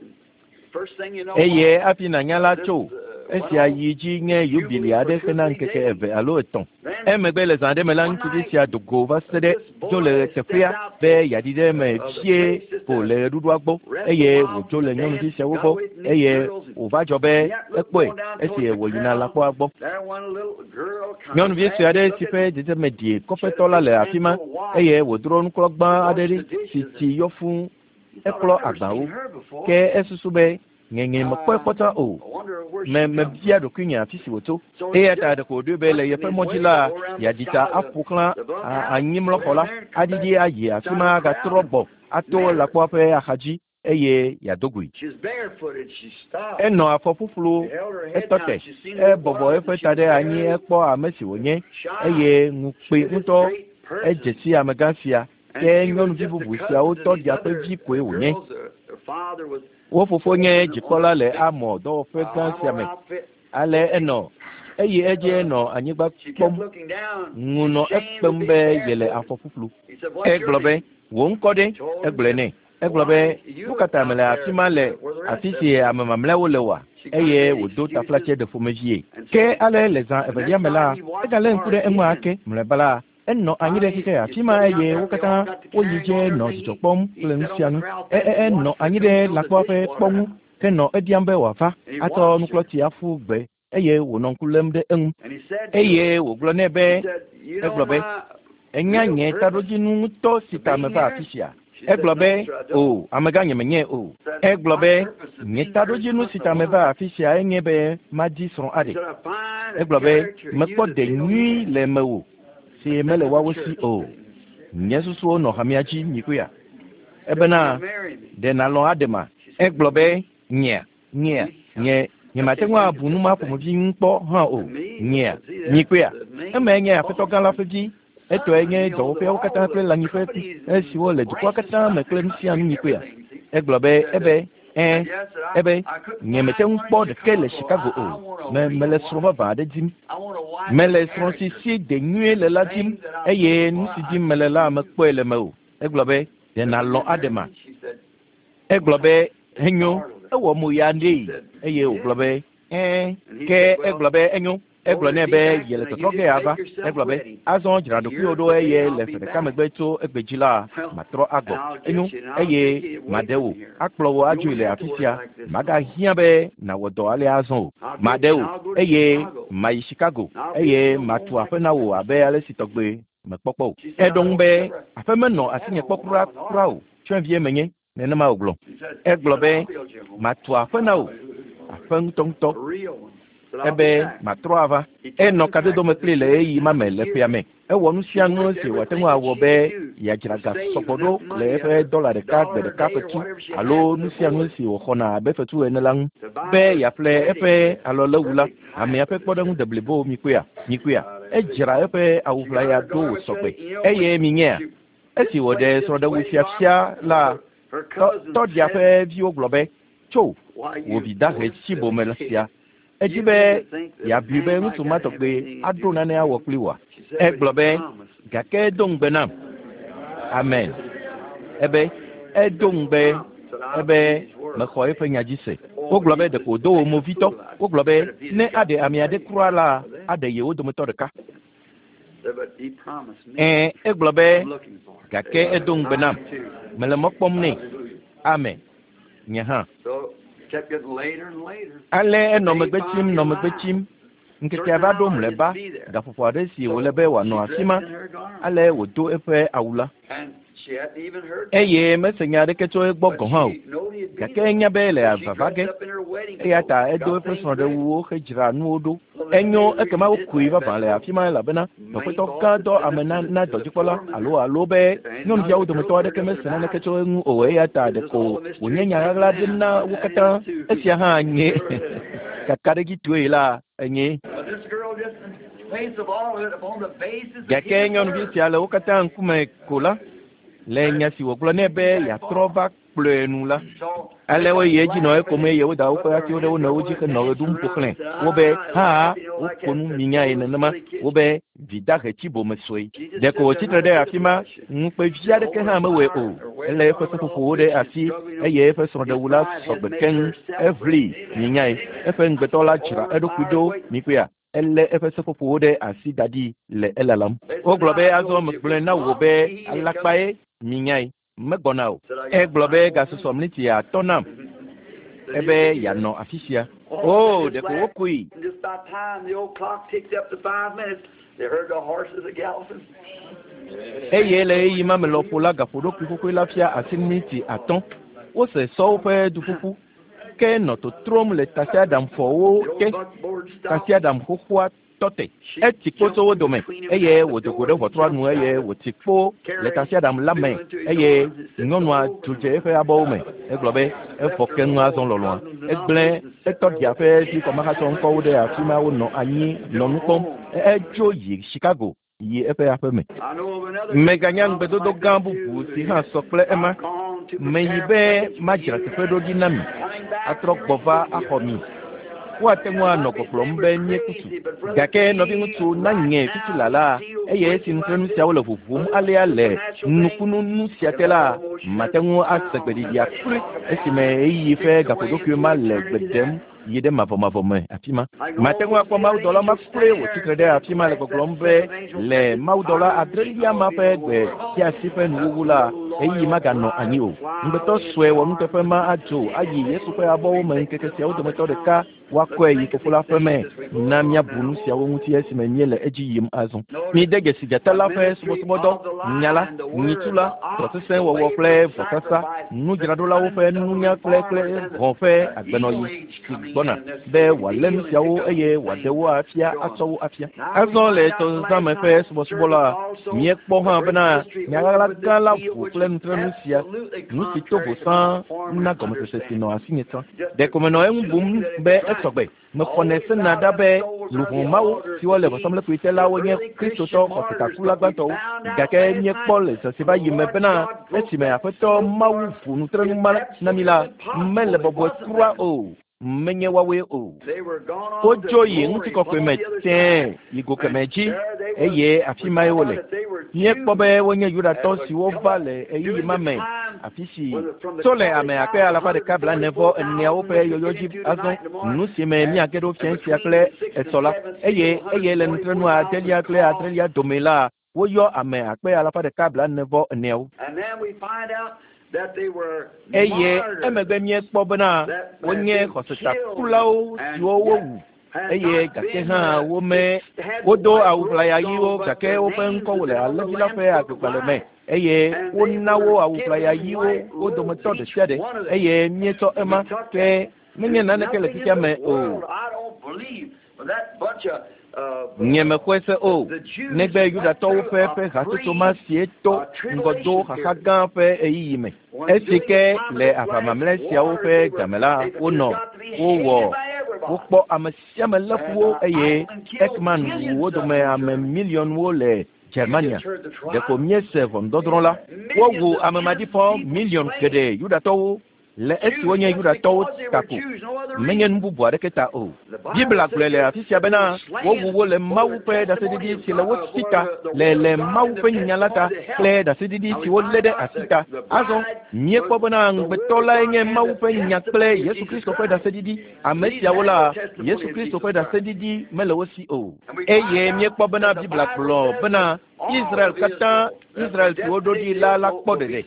Eye hafi nànya la tso esia yi dzi nye yubili aɖe hena ŋkeke eve alo etɔ̃. Emegbe le zã aɖe me la, ŋutsuvi sia do go va se ɖe dzo le teƒea be yeaɖi ɖe eme vie ko le ɣeɖuɖua gbɔ eye wòdzo le nyɔnuvi siawo gbɔ eye wòva dzɔ be ekpɔe esi wòyina lãkpɔa gbɔ. Nyɔnuvi sue aɖe si ƒe dzedzeme ɖi kɔƒetɔ la le afi ma eye wòdro nuklɔgbã aɖe ɖi si tsi yɔ fũu Eklɔ agbawo, ke esusu be, Ŋeŋe mekpɔe kpɔ tsã o. Me, mebia ɖokuinye afi si wòtso. Eya ta ɖeko wòɖoe be le yeƒe mɔ dzi la, yeaɖi ta aƒo xlã a, anyimlɔxɔ la, aɖiɖi ayi afi ma agatrɔ gbɔ ato lãkpoa ƒe axadzi eye yeado goe. Enɔ afɔ ƒuƒlu, etɔ te, ebɔbɔ eƒe ta ɖe anyi ekpɔ ame si wònye, eye ŋu kpee ŋutɔ. Edze si amegã sia. Ke nyɔnuvi bubu siawo tɔɖia ƒe vi koe wònye. Wo fofo nye dzikpɔla le Amɔ dɔwɔƒe gã sia me. Ale enɔ eyi edzi enɔ anyigba kpɔm. Ŋu nɔ ekpem be yele afɔ ƒuƒlu. Egblɔ be, Wò ŋkɔ ɖe? Egblɔe nɛ. Egblɔ be, Nu ka ta mèle afi ma le afi si ame mamlɛawo le oa? Eye wòdo taflatse ɖeƒomevie. Ke ale le zã evelia me la, egalé ŋku ɖe eŋu ake. Mlɔeba la, Enɔ anyi ɖe xexe afi ma eye wo katã woyi dze nɔ dzidzɔ kpɔm kple nu sia nu. E, e, enɔ anyi ɖe lãkpɔa ƒe kpɔ ŋu henɔ ebiam be wòava atɔ nuklɔtsi aƒu gbe eye wònɔ ŋku lém ɖe eŋu. Eye wògblɔ nɛ be, egblɔ be, Ènya nye taɖodzinu ŋutɔ si ta meva afi sia? Egblɔ be, O, amegã nyemenyae o. Egblɔ be, Nye taɖodzinu si ta meva afi sia enye be madi srɔ̃ aɖe. Egblɔ be, Mekpɔ ɖe nyui le mewò si mele woawo si o. Nye susuwo nɔ hamea dzi, mikpɔea? Ebena ɖe nàlɔ̃ aɖema? Egblɔ be nyea nyea nye nyemate ŋu abu nu ma ƒomevi ŋu kpɔ hã o. Nyea nyikpea emae nye aƒetɔ gã la ƒe vi. Etɔe nye dɔwɔƒeawo katã kple lãnyiƒe esiwo le dukɔa katã me kple nu sia nu nyikpea. Egblɔ be ebe ɛ̃ ebe nyemete ŋu kpɔ ɖeke le Chicago o. Me mele srɔ̃ vavã aɖe dim. Mele srɔ̃ si si de nyuie le la dim eye nu si dim mele la mekpɔe le mewò. Egblɔ be ɖe nàlɔ̃ aɖema? Egblɔ be enyo ewɔ mo ya nɛ eye wògblɔ be ɛ̃ ke egblɔ be enyo. Egblɔ nɛ be yele tɔtrɔ ge ava. Egblɔ be azɔ dzra ɖokuiwò ɖo eye le ƒe ɖeka megbe tso egbe dzi la matrɔ agbɔ. Enyo eye maɖe wò akplɔ wò adzoe le afi sia. Magahiã be nàwɔ dɔ alea azɔ o. Maɖe wò eye mayi Chicago eye matu aƒe na wò abe ale si tɔgbe mekpɔkpɔ o. Eɖo ŋu be aƒe menɔ asinye kpɔ kura kura o. Tsyɔ̃evie menye nenema wògblɔ. Egblɔ be matu aƒe na wò aƒe ŋutɔŋutɔ. Ebe matrɔ ava. Enɔ kadodo me kpli le ɣeyiɣi ma me le ƒea me. Ewɔ nu sia nu si wòate ŋu awɔ be yeadzra ga sɔgbɔ ɖo le eƒe dɔla ɖeka gbe ɖeka fetu alo nu sia nu si wòxɔna abe fetu ene la ŋu be yeaƒle eƒe alɔléwu la. Hamea ƒe kpɔɖeŋu deblibo mikpɔea mikpɔea. Edzra eƒe awu ʋlaya ɖo wòsɔgbe eye minyea. Esi wòɖe srɔ̃ɖewu sia fia la, tɔɖia ƒe viwo gblɔ be tso wò vi dahe tsi bome sia. Edzi be yeabui be ŋutsu ma tɔgbe aɖo nane awɔ kpli wòa? Egblɔ be gake edo ŋugbe nam. Amen. Ebe edo ŋugbe ebe mexɔ eƒe nya dzi se. Wogblɔ be ɖeko wòdo wò movitɔ. Wogblɔ be ne aɖe ame aɖe kura la, aɖe yewo dometɔ ɖeka. Ɛ̃, egblɔ be gake edo ŋugbe nam. Mele mɔ kpɔm nɛ. Amen. Nye hã. Ale enɔ megbe tsim nɔ megbe tsim. Ŋkekea va ɖo mlɔeba gaƒoƒo aɖe si wòle be wòanɔ afi ma. Ale wòdo eƒe awu la. Eye mese nya aɖeke tso egbɔ gɔ̃ hã o. Gake enya be ele vava ge. Eya ta edo eƒe srɔ̃ɖewuwo hedzra nuwo ɖo. Enyo ekema wokui vavã le afi ma elabena dɔƒetɔ gã dɔ ame na na dɔdzikpɔla alo alo be nyɔnuviawo dometɔ aɖeke mese naneke tso eŋu o eya ta ɖeko wònye nya ɣaɣla aɖe na wo katã. Esia hã nye kakaɖedzitɔe la enye. Gake nyɔnuvi sia le wo katã ŋkume ko la, le nya si wògblɔ nɛ be yeatrɔ va kplɔe nu la, ale woyi edzi nɔ ekom eye woda woƒe asiwo ɖe wo nɔewo dzi henɔ ɣe ɖum ƒo xlãe. Wobe hã woko nu minyae nenema. Wobe vi dahe tsi bome sue. Ɖeko wòtsi tre ɖe afi ma, ŋukpe vi aɖeke hã mewɔe o. Elé eƒe seƒoƒowo ɖe asi eye eƒe srɔ̃ɖewu la sɔgbe keŋ. Eʋli minyae. Eƒe ŋugbetɔ la dzra eɖokui ɖo mikpɔea. Elé eƒe seƒoƒowo ɖe asi da ɖi le elalam. Wogblɔ be azɔ megblɔe na wò be alakpae minyae. Megbɔna o. Egblɔ be gasusɔ miniti atɔ̃ nam ebe yeanɔ afi sia. O, ɖeko wokui. And just by time the old clock ticked up to 5 minutes, they heard the horses a galloping. Eye le ɣeyiɣi ma me lɔƒo la gaƒoɖokui xoxoe la fia asi miniti atɔ̃. Wose sɔwo ƒe duƒuƒu ke nɔ totrom le tasiaɖamfɔwo te. Tasiaɖam xoxoa tɔ te. Etsi kpo tso wo dome eye wòdo go ɖe ʋɔtrua nu eye wòtsi kpo le tasiaɖam la me eye nyɔnua dzo dze eƒe abɔwo me. Egblɔ be evɔ keŋ azɔ lɔlɔ̃a. Egblẽ etɔɖia ƒe vi kɔmahatsɔ ŋkɔwo ɖe afi ma wonɔ anyi nɔ nu kpɔm. Edzo yi Chicago yi eƒe aƒe me. I know of another Meganya ŋugbedodo gã bubu si hã sɔ kple ema. Meyi be madzra teƒe ɖo ɖi na mi atrɔ gbɔ va axɔ mi. Woate ŋu anɔ gbɔgblɔm be míeku tu. Gake nɔviŋutsu nanye fifila la eye esi nutrenu siawo le ʋuʋum alea le nukunu nu sia te la, mate ŋu ase gbeɖiɖia kloe esime ɣeyiɣi ƒe gaƒoɖokui ma le gbe ɖem yi ɖe mavɔmavɔ me afi ma. Mate ŋu akpɔ mawudɔla ma kloe wòtsi tre ɖe afi ma le gbɔgblɔm be le mawudɔla adrelia ma ƒe gbe fiasi ƒe nuwuwu la, ɣeyiɣi maganɔ anyi o. Ŋugbetɔ sue wɔnuteƒe ma adzo ayi Yesu ƒe abɔwo me ŋkeke siawo dometɔ ɖeka. Woakɔe yi fofo la ƒe me. Na míabu nu siawo ŋuti esime míele edzi yim azɔ. Mide dzesi dzata la ƒe subɔsubɔdɔ, nya la, nyitsu la, dɔ sesẽ wɔwɔ kple vɔsasa, nudzraɖolawo ƒe nunya kple kple hɔ̃ ƒe agbenɔɣi si gbɔna be wòalé nu siawo eye wòaɖe wo afia atsɔ wo afia. Azɔ le tɔzazã me ƒe subɔsubɔ la, míekpɔ hã bena nya ɣaɣla gã la ʋu kple nutrenu sia, nu si to vo sãa na gɔmesese si nɔ asinye tsã. Ɖeko menɔ eŋu bum be esɔgbe. Mexɔnɛ sena ɖa be luʋɔ mawo siwo le vɔsamlekpui te la wonye Kristotɔ xɔsetakula gbãtɔwo. Gake míekpɔ le zã si va yi me bena esime Aƒetɔ Mawu ʋu nutrenu ma na mí la, mele bɔbɔe kura o. Menye woawoe o. Wodzo yi ŋutikɔkɔe me tẽe yi go kemɛ dzi, eye afi mae wole. Míekpɔ be wonye Yudatɔ siwo va le ɣeyiɣi ma me, afi si tso le ame akpe alafa ɖeka blaene vɔ eneawo ƒe yɔyɔ dzi azɔ, nu si me míage ɖo fiẽ sia kple esɔ la, eye eye le nutrenu adelia kple adrelia dome la, woyɔ ame akpe alafa ɖeka blaene vɔ eneawo. Eye emegbe míekpɔ bena wonye xɔsetakulawo siwo wowu, eye gake hã wome wodo awu ʋlaya ɣiwo gake woƒe ŋkɔwo le alẽvi la ƒe agbegbalẽ me, eye wona wo awu ʋlaya ɣiwo wo dometɔ ɖe sia ɖe, eye míetsɔ ema ke menye naneke le xexea me o. Nyemexɔe se o, negbe Yudatɔwo ƒe ƒe hatsotso ma sie to ŋgɔdo xaxa gã ƒe ɣeyiɣi me. Esi ke le aʋa mamlɛ siawo ƒe game la, wonɔ, wowɔ, wokpɔ ame sia ame lé fu wo eye Eichmann wu wo dome ame miliɔnwo le Germania. Ɖeko míese ʋɔnudɔdrɔ̃ la. Wowu ame maɖifɔ miliɔn geɖe Yudatɔwo le esi wonye Yudatɔwo ta ko, menye nu bubu aɖeke ta o. Biblia gblɔe le afi sia bena wowu wo le Mawu ƒe ɖaseɖiɖi si le wo si ta, le le Mawu ƒe nya la ta kple ɖaseɖiɖi si wolé ɖe asi ta. Azɔ míekpɔ bena ŋugbetɔ lae nye Mawu ƒe nya kple Yesu Kristo ƒe ɖaseɖiɖi. Ame siawo la, Yesu Kristo ƒe ɖaseɖiɖi mele wo si o. Eye míekpɔ bena Biblia gblɔ bena Israel katã, Israel si woɖo ɖi la la kpɔ ɖeɖe.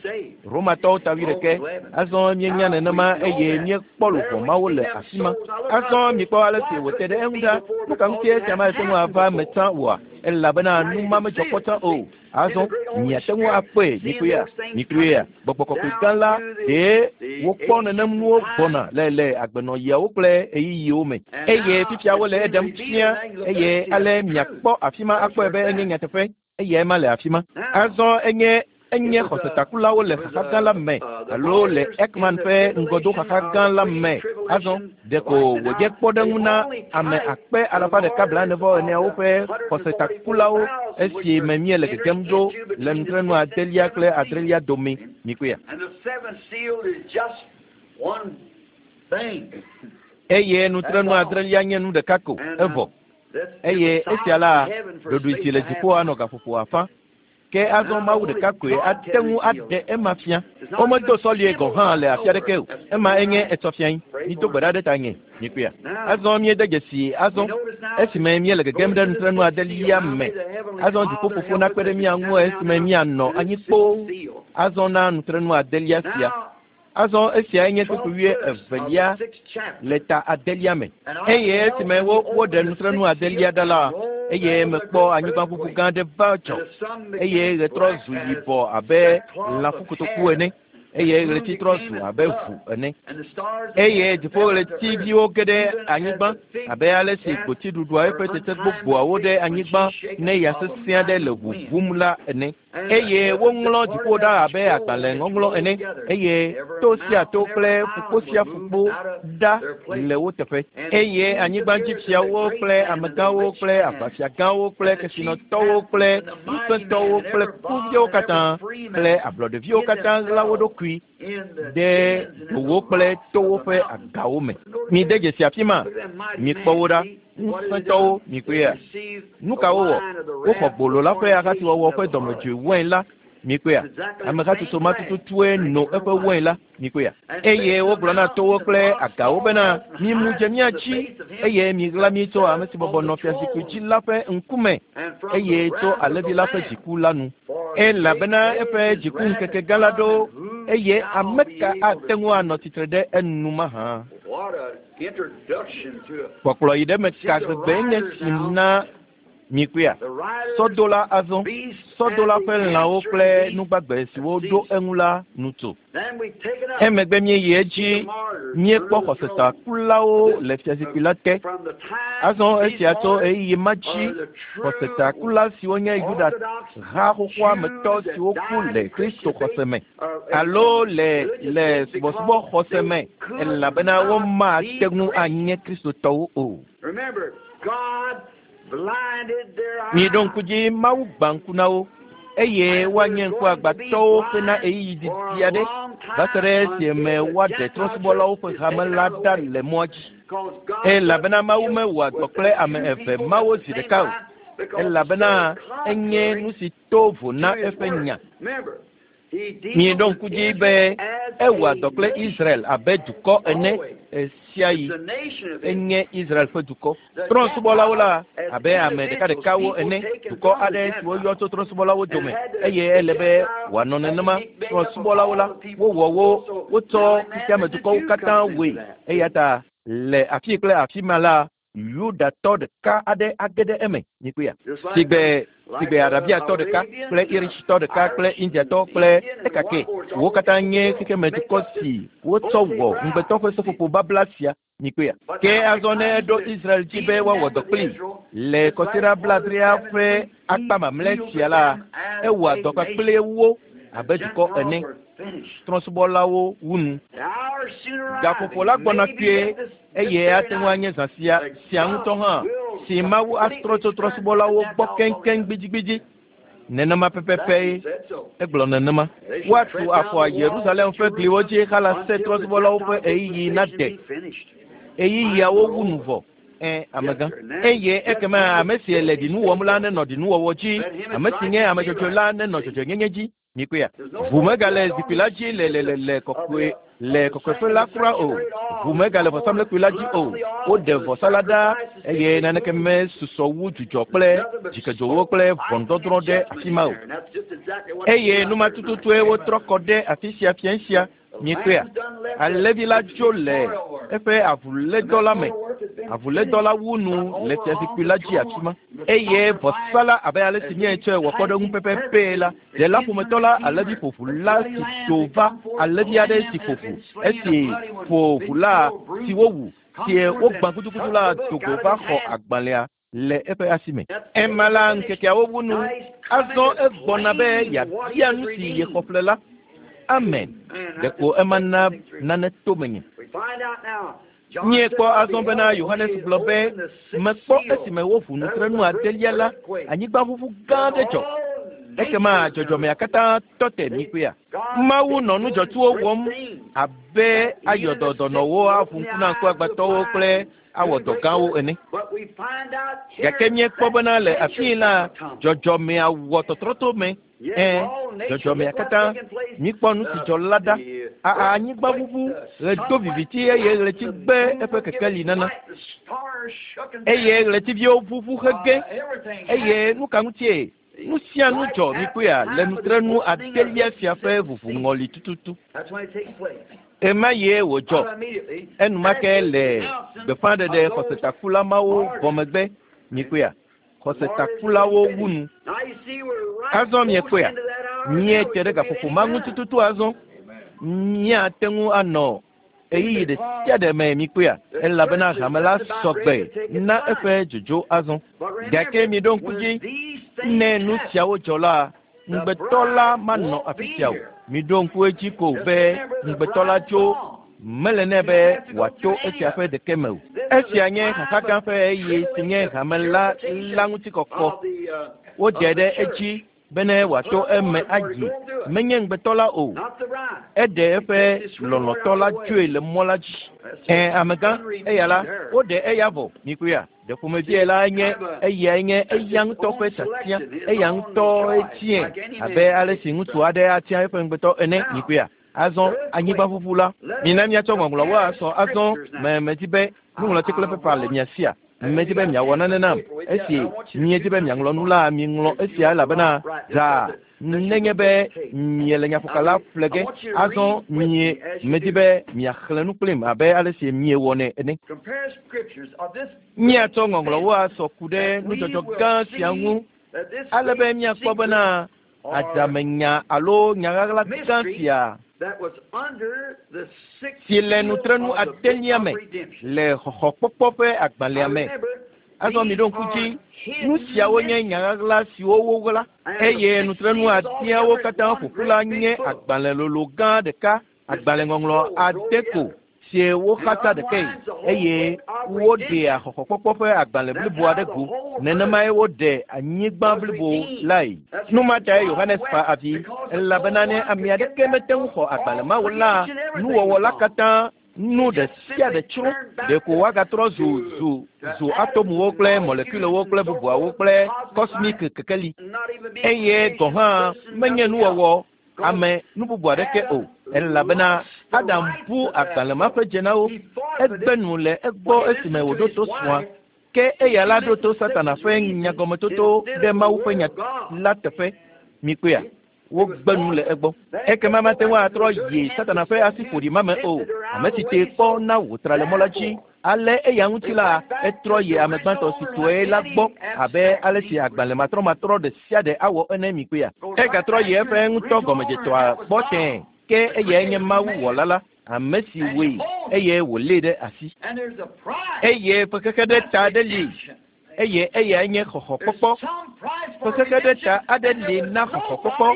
Romatɔwo ta wuiɖekɛ. Azɔ míenya nenema eye míekpɔ luʋɔ mawo le afi ma. Azɔ mikpɔ ale si wòte ɖe eŋu ɖa. Nu ka ŋutie esia mate ŋu ava eme tsã oa? Elabena nu ma medzɔ kpɔ tsã o. Azɔ miate ŋu akpɔe, mikpɔea? Mikpɔea? Gbɔgbɔ kɔkɔe gã la ɖee wokpɔ nenem nuwo gbɔna le le agbenɔɣiawo kple ɣeyiɣiwo me. Eye fifia wole eɖem fia, eye ale miakpɔ afi ma akpɔe be enye nyateƒe. Eyae ma le afi ma. Azɔ enye enye xɔsetakulawo le xaxa gã la me alo le Eichmann ƒe ŋgɔdoxaxa gã la me. Azɔ ɖeko wòdze kpɔɖeŋu na ame akpe alafa ɖeka blaene vɔ eneawo ƒe xɔsetakulawo esi me míele gegem ɖo le nutrenu adelia kple adrelia dome. Mikpɔea? And the seventh seal is just one thing. Eye nutrenu adrelia nye nu ɖeka ko, evɔ. Eye esia la, ɖoɖoe si le dziƒo anɔ gaƒoƒo afã. Ke azɔ Mawu ɖeka koe ate ŋu aɖe ema fia. Womedo sɔlie gɔ̃ hã le afi aɖeke o. Ema enye etsɔ fiae. Mido gbe ɖa ɖe tanye. Mikpɔea? Azɔ míede dzesi azɔ esime míele gegem ɖe nutrenu adelia me. Azɔ dziƒofofo nakpe ɖe mía ŋu esime míanɔ anyi kpoo azɔ na nutrenu adelia sia. Azɔ esiae nye kpukpui wuievelia le ta adelia me. Eye esime wo woɖe nutrenu adelia ɖa la, eye mekpɔ anyigbaʋuʋu gã aɖe va dzɔ, eye ɣe trɔ zu yibɔ abe lãfukotoku ene, eye ɣleti trɔ zu abe ʋu ene. Eye dziƒoɣletiviwo ge ɖe anyigba abe ale si gboti ɖuɖua eƒe tsetse gbogboawo ɖe anyigba ne ya sesẽ aɖe le ʋuʋum la ene. Eye woŋlɔ dziƒo ɖa abe agbalẽ ŋɔŋlɔ ene, eye to sia to kple ƒukpo sia ƒukpo ɖa le wo teƒe. Eye anyigbadzifiawo kple amegãwo kple aʋafiagãwo kple kesinɔtɔwo kple ŋusẽtɔwo kple kuviawo katã kple ablɔɖeviwo katã ɣla wo ɖokui ɖe dowo kple towo ƒe agawo me. Mide dzesi afi ma, mikpɔ wo ɖa, ŋusẽtɔwo, mikpɔea? Nu ka wowɔ? Woxɔ gbolo la ƒe ahasiwɔwɔ ƒe dɔmedzoe wain la, mikpɔea? Ame hatsotso ma tututue no eƒe wain la, mikpɔea? Eye wogblɔ na towo kple agawo bena, Mimu dze mía dzi, eye miɣla mí tso ame si bɔbɔ nɔ fiazikpui dzi la ƒe ŋkume, eye tso alẽvi la ƒe dziku la nu. Elabena eƒe dzikuŋkeke gã la ɖo, eye ame ka ate ŋu anɔ tsitre ɖe enu mahã? Kpɔkplɔ yi ɖe eme ka gbegbe nye si na mikpɔea? Sɔdola azɔ, sɔdola ƒe lãwo kple nugbagbe siwo ɖo eŋu la nu tso. Emegbe míeyi edzi míekpɔ xɔsetakulawo le fiazikpui la te. Azɔ esia tso ɣeyiɣi ma dzi xɔsetakula siwo nye Yuda ha xoxoa me tɔ siwo ku le Kristo xɔse me alo le le subɔsubɔ xɔse me elabena womate ŋu anye Kristotɔwo o. Miɖo ŋku dzi Mawu gbã ŋku na wo eye woanye ŋkuagbãtɔwo hena ɣeyiɣi didi aɖe va se ɖe esime woaɖe trɔ̃subɔlawo ƒe hame la ɖa le mɔa dzi. Elabena Mawu mewɔa dɔ kple ame eve mawo zi ɖeka o, elabena enye nu si to vo na eƒe nya. Mieɖo ŋku dzi be ewɔa dɔ kple Israel abe dukɔ ene ɣesiaɣi. Enye Israel ƒe dukɔ. Trɔ̃subɔlawo la abe ame ɖekaɖekawo ene, dukɔ aɖe si woyɔ tso trɔ̃subɔlawo dome eye ele be wòanɔ nenema. Trɔ̃subɔlawo la, wowɔ wo, wotsɔ xexeamedukɔwo katã wɔe. Eya ta le afi kple afi ma la, Yudatɔ ɖeka aɖe age ɖe eme, mikpɔea? Sigbe, sigbe Arabiatɔ ɖeka kple Irishtɔ ɖeka kple Indiatɔ kple ekake. Wo katã nye xexemedukɔ si wotsɔ wɔ ŋugbetɔ ƒe seƒoƒo babla sia, mikpɔea? Ke azɔ ne eɖo Israel dzi be woawɔ dɔ kplii le kɔsiɖa blaadrea ƒe akpa mamlɛ sia la, ewɔa dɔ kpakple wo abe dukɔ ene. Trɔ̃subɔlawo wu nu. Gaƒoƒo la gbɔna kpuie eye ate ŋu anye zã sia sia ŋutɔ hã si Mawu atrɔ tso trɔ̃subɔlawo gbɔ keŋkeŋ gbidigbidi. Nenema pɛpɛpɛ egblɔ nenema. Woatu afɔ Yerusalem ƒe gliwo dzi halase trɔ̃subɔlawo ƒe ɣeyiɣi nade. Ɣeyiɣiawo wu nu vɔ. Ẽ, amegã. Eye ekema ame si le ɖinu wɔm la nenɔ ɖinuwɔwɔ dzi, ame si nye ame dzɔdzɔe la nenɔ dzɔdzɔenyenye dzi. Mikpɔea? Ʋu megale zikpui la dzi le le le le kɔkɔe le kɔkɔeƒe la kura o. Ʋu megale vɔsamlekpui la dzi o. Woɖe vɔsa la ɖa eye naneke mesusɔ wu dzudzɔ kple dzikedzowo kple ʋɔnudɔdrɔ̃ ɖe afi ma o. Eye nu ma tututue wotrɔ kɔ ɖe afi sia fiẽ sia. Miekpɔea? Alẽvi la dzo le eƒe avulédɔ la me. Avulédɔ la wu nu le fiazikpui la dzi afi ma. Eye vɔsa la, abe ale si míetsɔe wɔ kpɔɖeŋu pɛpɛpɛ la, ɖela ƒometɔ la, alẽvi ƒoʋu la si tso va, alẽvi aɖe si ƒo ʋu, esi ƒo ʋu la, si wowu, si wogbã gudugudu la do go va xɔ agbalẽa le eƒe asi me. Ema la ŋkekeawo wu nu. Azɔ egbɔna be yeabia nu si yexɔ ƒle la. Amen. Ɖeko ema na nane to menye. Míekpɔ azɔ bena Yohanes gblɔ be, Mekpɔ esime woʋu nutrenu adelia la, anyigbaʋuʋu gã aɖe dzɔ. Ekema dzɔdzɔmea katã tɔ te mikpɔea? Mawu nɔ nu dzɔtsuwo wɔm abe ayɔ dɔ dɔnɔwo, aʋu ŋku na ŋkuagbãtɔwo kple awɔ dɔ gãwo ene. Gake míekpɔ bena le afii la, dzɔdzɔmea wɔ tɔtrɔto me. Ẽ, dzɔdzɔmea katã. Míkpɔ nu si dzɔ la ɖa. A anyigbaʋuʋu, ɣe do viviti eye ɣleti gbe eƒe kekeli nana. Eye ɣletiviwo ʋuʋu hege. Eye nu ka ŋutie? Nu sia nu dzɔ mikpɔea le nutrenu adelia sia ƒe ʋuʋuŋɔli tututu. Ɣemaɣie wòdzɔ. Enumake le gbeƒãɖeɖe xɔsetakula mawo vɔ megbe, mikpɔea, xɔsetakulawo wu nu. Azɔ miekpɔea, míete ɖe gaƒoƒo ma ŋu tututu azɔ. Míate ŋu anɔ ɣeyiɣi ɖe sia ɖe me mikpɔea, elabena hame la sɔgbe na eƒe dzodzo azɔ. Gake miɖo ŋku dzi, ne nu siawo dzɔ la, ŋugbetɔ la manɔ afi sia o. Miɖo ŋku edzi ko be ŋugbetɔ la tso mele nɛ be wòato esia ƒe ɖeke me o. Esia nye xaxa gã ƒe ɣeyiɣi si nye hame la la ŋutikɔkɔ. Wodze ɖe edzi bene wòato eme ayi. Menye ŋugbetɔ la o. Eɖe eƒe lɔlɔ̃tɔ la dzoe le mɔ la dzi. Ẽ, amegã, eya la, woɖe eya vɔ. Mikpɔea? Ɖe ƒomevie la nye eyae nye eya ŋutɔ ƒe tiatia, eya ŋutɔe tiae abe ale si ŋutsu aɖe atia eƒe ŋugbetɔ ene. Mikpɔea? Azɔ anyigbaʋuʋu la, mina míatsɔ ŋɔŋlɔwo asɔ azɔ. Me medi be nuŋlɔti kple pepa le mia sia. Medi be miawɔ nane nam. Esi miedi be miaŋlɔ nu la, miŋlɔ esia elabena zaa. Nenye be miele nyaƒokala ƒle ge, azɔ mie medi be miaxlẽ nu kplim abe ale si miewɔnɛ ene. Míatsɔ ŋɔŋlɔwo asɔ ku ɖe nudzɔdzɔ gã sia ŋu ale be míakpɔ bena adzamenya alo nyaɣaɣla gã sia si le nutrenu adelia me le xɔxɔkpɔkpɔ ƒe agbalẽa me. Azɔ miɖo ŋku dzi, nu siawo nye nyaɣaɣla siwo woɣla eye nutrenu adeawo katã ƒoƒu la nye agbalẽ lolo gã ɖeka, agbalẽŋɔŋlɔ ade ko sie woxatsa ɖekae eye woɖea xɔxɔkpɔkpɔ ƒe agbalẽ blibo aɖe go. Nenemae woɖe anyigba blibo lae. Nu ma tae Yohanes fa avi elabena ne ame aɖeke mete ŋu xɔ agbalẽ ma o la, nuwɔwɔ la katã nu ɖe sia ɖe tsrɔ̃. Ɖeko woagatrɔ zu zu zu atomuwo kple molekulewo kple bubuawo kple kɔsmik kekeli. Eye gɔ̃ hã menye nuwɔwɔ ame nu bubu aɖeke o elabena Adam bu agbalẽ ma ƒe dze na wo. Egbe nu le egbɔ esime wòɖo to srɔ̃a. Ke eya la ɖo to Satana ƒe nyagɔmetoto ɖe Mawu ƒe nya la teƒe. Mikpɔea? Wogbe nu le egbɔ. Ekema mate ŋu atrɔ yi Satana ƒe asi ƒoɖi ma me o. Ame si tee kpɔ na wòtra le mɔ la dzi. Ale eya ŋuti la, etrɔ yi ame gbãtɔ si tɔe la gbɔ abe ale si agbalẽ matrɔmatrɔ ɖe sia ɖe awɔ ene mikpɔea. Egatrɔ yi eƒe ŋutɔ gɔmedzetɔa gbɔ tẽe. Ke eyae nye Mawu wɔla la, ame si wɔe eye wòlée ɖe asi. Eye ƒe xexe ɖe ta aɖe li eye eyae nye xɔxɔkpɔkpɔ. Ƒe xexe ɖe ta aɖe li na xɔxɔkpɔkpɔ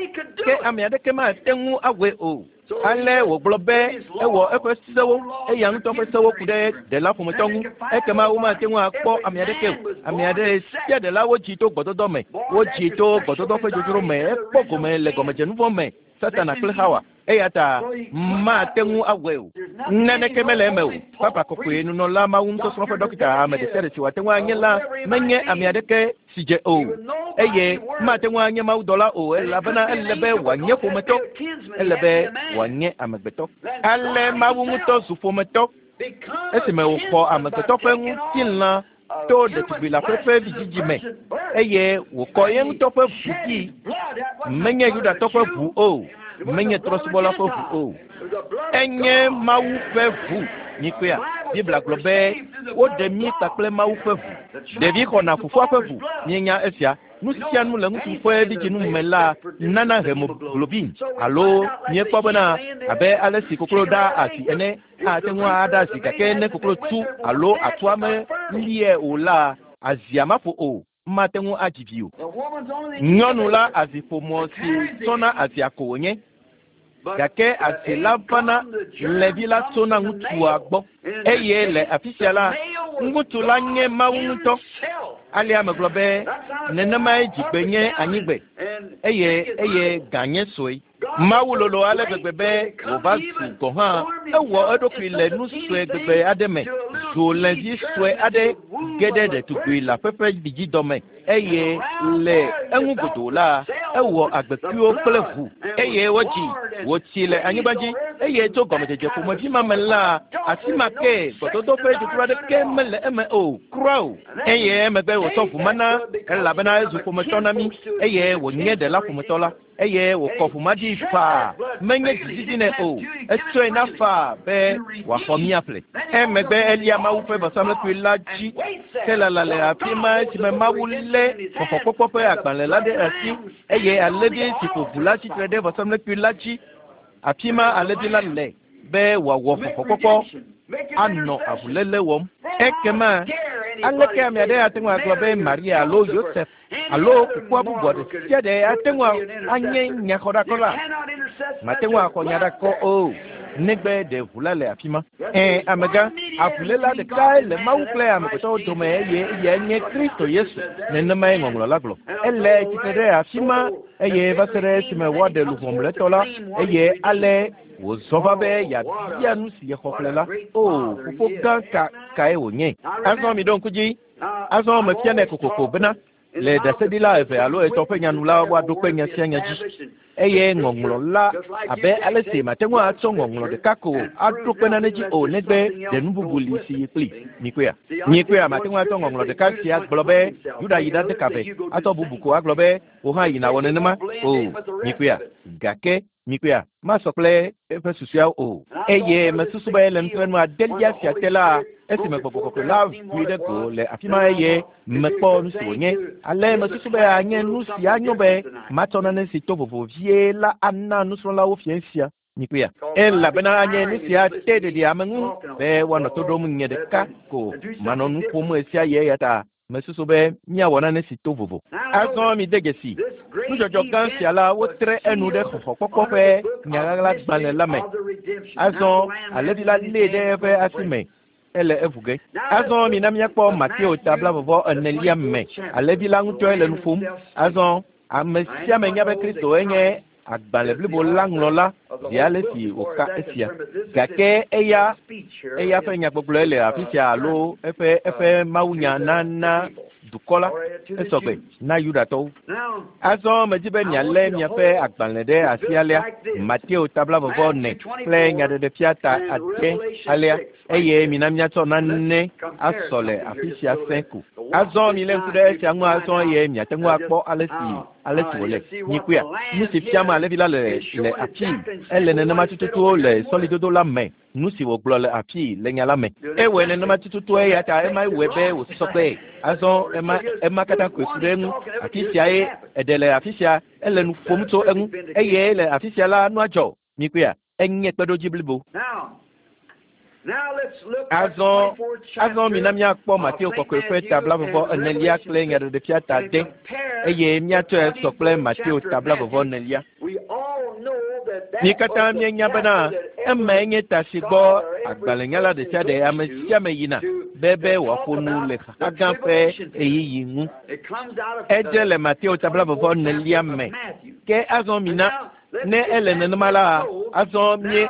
ke ame aɖeke mate ŋu awɔe o. Ale wògblɔ be ewɔ eƒe sewo, eya ŋutɔ ƒe sewo ku ɖe ɖela ƒometɔ ŋu. Ekema womate ŋu akpɔ ame aɖeke o. Ame aɖe sia ɖela wodzi to gbɔdɔdɔ me, wodzi to gbɔdɔdɔ ƒe dzodzro me, ekpɔ gome le gɔmedzenuvɔ me, Satana kple Hawa. Eya ta mate ŋu awɔe o. Naneke mele eme o. Papa kɔkɔe nunɔla Mawu nusɔsrɔ̃ ƒe dɔkita ame ɖe sia ɖe si wòate ŋu anye la menye ame aɖeke si dze o. Eye mate ŋu anye mawudɔla o elabena ele be wòanye ƒometɔ. Ele be wòanye amegbetɔ. Ale Mawu ŋutɔ zu ƒometɔ esime wòxɔ amegbetɔ ƒe ŋutilã to ɖetugbi la ƒe vidzidzi me eye wòkɔ ye ŋutɔ ƒe ʋu dzi. Menye Yudatɔ ƒe ʋu o, menye trɔ̃subɔla ƒe ʋu o. Enye Mawu ƒe ʋu. Mikpɔea? Biblia gblɔ be woɖe mí kpakple Mawu ƒe ʋu. Ɖevi xɔna fofoa ƒe ʋu. Míenya esia. Nu sia nu le ŋutsu ƒe vidzinu me la nana hemoglobin alo míekpɔ bena abe ale si koklo ɖaa asi ene ate ŋu aɖa azi gake ne koklo tu alo atua melie o la, azia maƒo o, mate ŋu adzi vi o. Nyɔnu la aziƒomɔ si tsɔna azia ko wònye. Gake azi la vana lẽvi la tsona ŋutsua gbɔ. Eye le afi sia la, ŋutsu la nye Mawu ŋutɔ. Alea megblɔ be nenemae dzigbe nye anyigbe eye eye gã nye sue. Mawu lolo ale gbegbe be wòva zu gɔ̃ hã ewɔ eɖokui le nu sue gbegbe aɖe me zu lẽvi sue aɖe ge ɖe ɖetugbi leaƒe ƒe vidzidɔ me eye le eŋu godoo la ewɔ agbekuiwo kple ʋu eye wodzi wòtsi le anyigba dzi eye tso gɔmedzedze ƒomevi ma me la asi ma ke gbɔdɔdɔ ƒe dzodzro aɖeke mele eme o kura o. Eye emegbe wòtsɔ ʋu ma na elabena ezu ƒometɔ na mí eye wònye ɖela ƒometɔ la. Eye wòkɔ ʋu ma ɖi faa, menye dzididi nɛ o, etsɔe na faa be wòaxɔ mía ƒle. Emegbe elia Mawu ƒe vɔsamlekpui la dzi ke lala le afi ma esime Mawu lé xɔxɔkpɔkpɔ ƒe agbalẽ la ɖe asi eye alẽvi si ƒo ʋu la tsitre ɖe vɔsamlekpui la dzi. Afi ma alẽvi la le be wòawɔ xɔxɔkpɔkpɔ anɔ avuléle wɔm. Ekema aleke ame aɖe ate ŋu agblɔ be Maria alo Yosef alo kukua bubu aɖe sia ɖe ate ŋu anye nyaxɔɖakɔla? Mate ŋu axɔ nyaɖakɔ o, negbe ɖe ʋu la le afi ma. Ẽ, amegã, avuléla ɖekae le Mawu kple amegbetɔwo dome eye eyae nye Kristo Yesu. Nenemae ŋɔŋlɔ la gblɔ. Ele tsitre ɖe afi ma eye va se ɖe esime woaɖe luʋɔ mlɔetɔ la eye ale wòzɔ va be yeabia nu si yexɔ ƒle la. O, fofo gã ka kae wònye? Azɔ miɖo ŋku dzi. Azɔ mefianɛ kokoko bena Le ɖaseɖila eve alo etɔ̃ ƒe nya nu la, woaɖo kpe nya sia nya dzi. Eye ŋɔŋlɔ la, abe ale si mate ŋu atsɔ ŋɔŋlɔ ɖeka ko aɖo kpe nane dzi o negbe ɖe nu bubu li si yi kpli. Mikpɔea? Mikpɔea? Mate ŋu atsɔ ŋɔŋlɔ ɖeka sia gblɔ be Yuda yi ɖade ka ve, atsɔ bubu ko agblɔ be wò hã yi nàwɔ nenema. O, mikpɔea? Gake mikpɔea? Masɔ kple eƒe susuawo o. Eye mesusu be le nutrenu adelia sia te la, esime Gbɔgbɔ Kɔkɔe la ʋui ɖe go le afi ma eye mekpɔ nu si wònye. Ale mesusu be anye nu si anyo be matsɔ nane si to vovo vie la ana nusrɔ̃lawo fiẽ sia. Mikpɔea? Elabena anye nu si ate ɖeɖi ame ŋu be woanɔ to ɖom nye ɖeka ko manɔ nu ƒom ɣesiaɣi eya ta mesusu be míawɔ nane si to vovo. Azɔ mide dzesi, nudzɔdzɔ gã sia la, wotre enu ɖe xɔxɔkpɔkpɔ ƒe nyaɣaɣlagbalẽ la me. Azɔ alẽvi la lée ɖe eƒe asi me ele eʋu ge. Azɔ mina míakpɔ Mateo ta blaeve-vɔ-enelia me. Alẽvi la ŋutɔe le nu ƒom. Azɔ ame sia ame nya be Kristo enye agbalẽ blibo la ŋlɔla zi ale si wòka esia. Gake eya eya ƒe nyagbɔgblɔe le afi sia alo eƒe eƒe mawunya nana dukɔ la esɔgbe na Yudatɔwo. Azɔ medi be mialé miaƒe agbalẽ ɖe asi alea, Mateo ta blaeve-vɔ-ene kple Nyaɖeɖefia ta ade alea, eye mina míatsɔ nane asɔ le afi sia sẽ ko. Azɔ milé ŋku ɖe esia ŋu azɔ eye miate ŋu akpɔ ale si ale si wòle. Mikpɔea? Nu si fiam alẽvi la le le afii, ele nenema tututu le sɔlidodo la me, nu si wògblɔ le afii le nya la me. Ewɔe nenema tututu eya ta emae wɔe be wòsusɔ kpee. Azɔ ema ema katã koe ku ɖe eŋu. Afi siae eɖe le afi sia, ele nu ƒom tso eŋu eye le afi sia la nua dzɔ. Mikpɔea? Enye kpeɖodzi blibo. Azɔ, azɔ mina míakpɔ Mateo kɔkɔe ƒe ta blaeve-vɔ-enelia kple Nyaɖeɖefia ta ade, eye míatsɔe sɔ kple Mateo ta blaeve-vɔ-enelia. Mí katã míenya bena emae nye ta si gbɔ agbalẽnyala ɖe sia ɖe ame sia ame yina be be wòaƒo nu le xaxa gã ƒe ɣeyiɣi ŋu. Edze le Mateo ta blaeve-vɔ-enelia me. Ke azɔ mina Ne ele nenema la, azɔ mie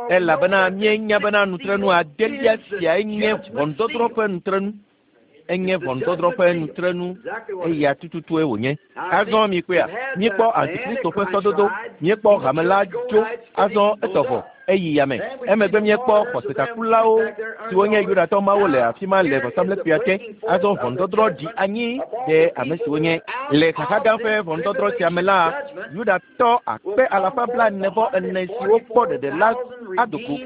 elabena míenya bena nutrenu adelia siae nye ʋɔnudɔdrɔ̃ ƒe nutrenu. Enye ʋɔnudɔdrɔ̃ ƒe nutrenu, eya tututue wònye. Azɔ mikpɔea, míekpɔ Antikristo ƒe sɔdodo, míekpɔ hame la dzo, azɔ etɔ vɔ. Eyi yame. Emegbe míekpɔ xɔsetakulawo siwo nye Yudatɔ mawo le afi ma le vɔsamlekpuia te. Azɔ ʋɔnudɔdrɔ̃ ɖi anyi ɖe ame siwo nye le xaxa gã ƒe ʋɔnudɔdrɔ̃ sia me la, Yudatɔ akpe alafa blaene-vɔ-ene siwo kpɔ ɖeɖe la ado go.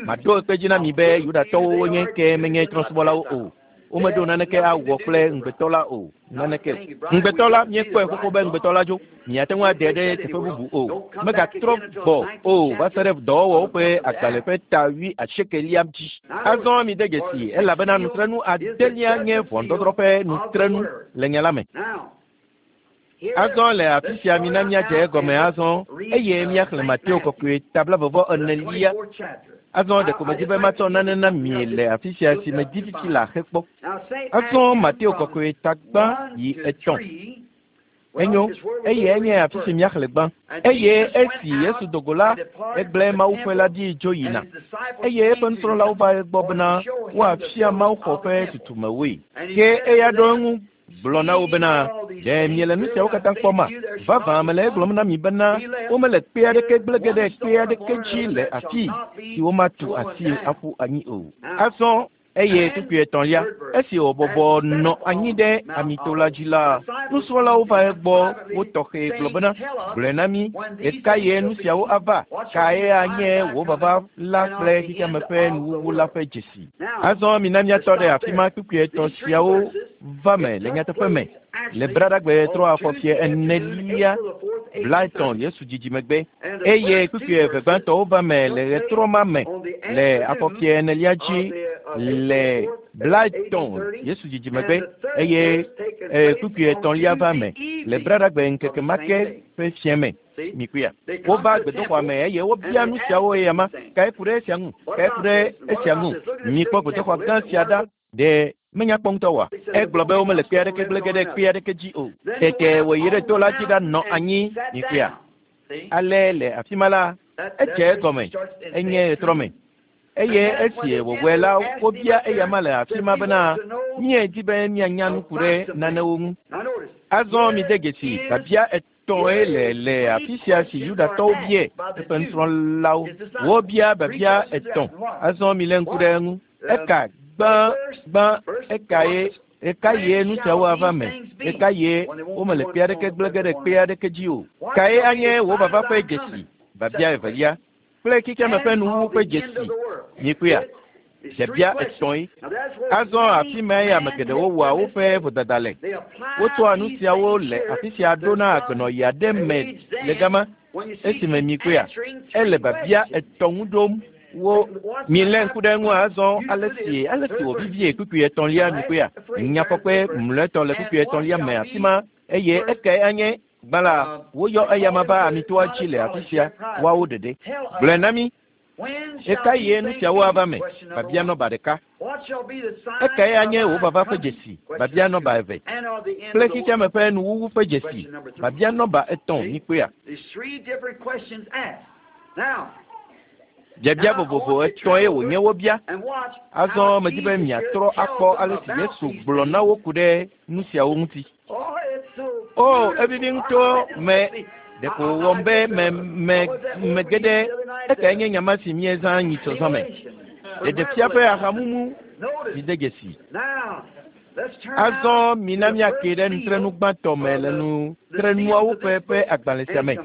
Maɖo ekpe dzi na mi be Yudatɔwo wonye ke menye trɔ̃subɔlawo o. Womeɖo naneke awɔ kple ŋugbetɔ la o. Naneke o. Ŋugbetɔ la, míekpɔe xoxo be ŋugbetɔ la dzo. Miate ŋu aɖe ɖe teƒe bubu o. Megatrɔ gbɔ o va se ɖe dɔwɔwɔwo ƒe agbalẽ ƒe ta wuiasiekelia dzi. Azɔ mide dzesi, elabena nutrenu adelia nye ʋɔnudɔdrɔ̃ ƒe nutrenu le nya la me. Azɔ le afi sia mina míadze egɔme azɔ eye míaxlẽ Mateo kɔkɔe ta blaeve-vɔ-enelia. Azɔ ɖeko medi be matsɔ nane na mi le afi sia si medi fifi le axe kpɔ. Azɔ Mateo kɔkɔe ta gbã yi etɔ̃. Enyo, eye enye afi si míaxlẽ gbã. Eye esi Yesu do go la, egblẽ mawuƒe la ɖi dzo yina. Eye eƒe nusrɔ̃lawo va egbɔ bena woafia mawuxɔ ƒe tutumewoe. Ke eya ɖo eŋu gblɔ na wo bena, Ɖe miele nu siawo katã kpɔma? Vavã mele egblɔm na mi bena, womele kpe aɖeke gblẽ ge ɖe kpe aɖeke dzi le afii si womatu asi aƒu anyi o. Azɔ eye kpukpui etɔ̃lia, esi wòbɔbɔ nɔ anyi ɖe amito la dzi la, nusrɔ̃lawo va egbɔ wo tɔxɛ gblɔ bena, Gblɔe na mí, ɣekaɣie nu siawo ava? Kae anye wò vava la kple xexeame ƒe nuwuwu la ƒe dzesi? Azɔ mina míatɔ ɖe afi ma kpukpui etɔ̃ siawo va me le nyateƒe me le Braɖagbe trɔ afɔfie enelia blaetɔ̃ Yesu dzidzi megbe eye kpukpui eve gbãtɔwo va me le ɣetrɔ ma me le afɔfie enelia dzi le blaetɔ̃ Yesu dzidzi megbe eye kpukpui etɔ̃lia va me le Braɖagbe ŋkeke ma ke ƒe fiẽ me. Mikpɔea? Wova gbedoxɔa me eye wobia nu siawo eya ma. Kae ku ɖe esia ŋu? Kae ku ɖe esia ŋu? Mikpɔ gbedoxɔ gã sia ɖa. Ɖe menya kpɔ ŋutɔ oa? Egblɔ be womele kpe aɖeke gblẽ ge ɖe kpe aɖeke dzi o. Tete wòyi ɖe to la dzi ɖanɔ anyi. Mikpɔea? Ale le afi ma la, edze egɔme. Enye ɣetrɔ me. Eye esi wòwɔe la, wobia eyama le afi ma bena, míedi be míanya nu ku ɖe nanewo ŋu. Azɔ mide dzesi biabia etɔ̃e le afi sia si Yudatɔwo bia eƒe nusrɔ̃lawo. Wobia biabia etɔ̃. Azɔ milé ŋku ɖe eŋu. Eka gbã ekae ɣekaɣie nu siawo ava me? Ɣekaɣie womele kpe aɖeke gblẽ ge ɖe kpe aɖeke dzi o? Kae anye wò vava ƒe dzesi? Biabia evelia kple xexeame ƒe nuwuwu ƒe dzesi. Mikpɔea? Biabia etɔ̃e. Azɔ afi mae ame geɖewo wɔa woƒe vodada le. Wotsɔa nu siawo le afi sia ɖona agbenɔɣi aɖe me le gama. Esime mikpɔea, ele biabia etɔ̃ ŋu ɖom. Wo milé ŋku ɖe eŋu azɔ ale si wòvivie kpukpui etɔ̃lia mikpɔea. Nyafɔkpe mlɔetɔ le kpukpui etɔ̃lia me afi ma eye ekae anye gbã la woyɔ eyama va amitoa dzi le afi sia woawo ɖeɖe. Gblɔe na mí ɣekaɣie nu siawo ava me? Biabia nɔba ɖeka. Ekae anye wò vava ƒe dzesi? Biabia nɔba eve. Kple xexeame ƒe nuwuwu ƒe dzesi? Biabia nɔba etɔ̃ mikpɔea. Biabia vovovo etɔ̃e wònye wobia. Azɔ medi be miatrɔ akpɔ ale si Yesu gblɔ na wo ku ɖe nu siawo ŋuti. O, evivi ŋutɔ me ɖeko wɔm be mege ɖe ekae nye nyama si míezã nyitsɔzɔ me. Ɖeɖefia ƒe ahamumu mide dzesi. Azɔ mina míake ɖe nutrenu gbãtɔ me le nutrenuawo ƒe agbalẽ sia me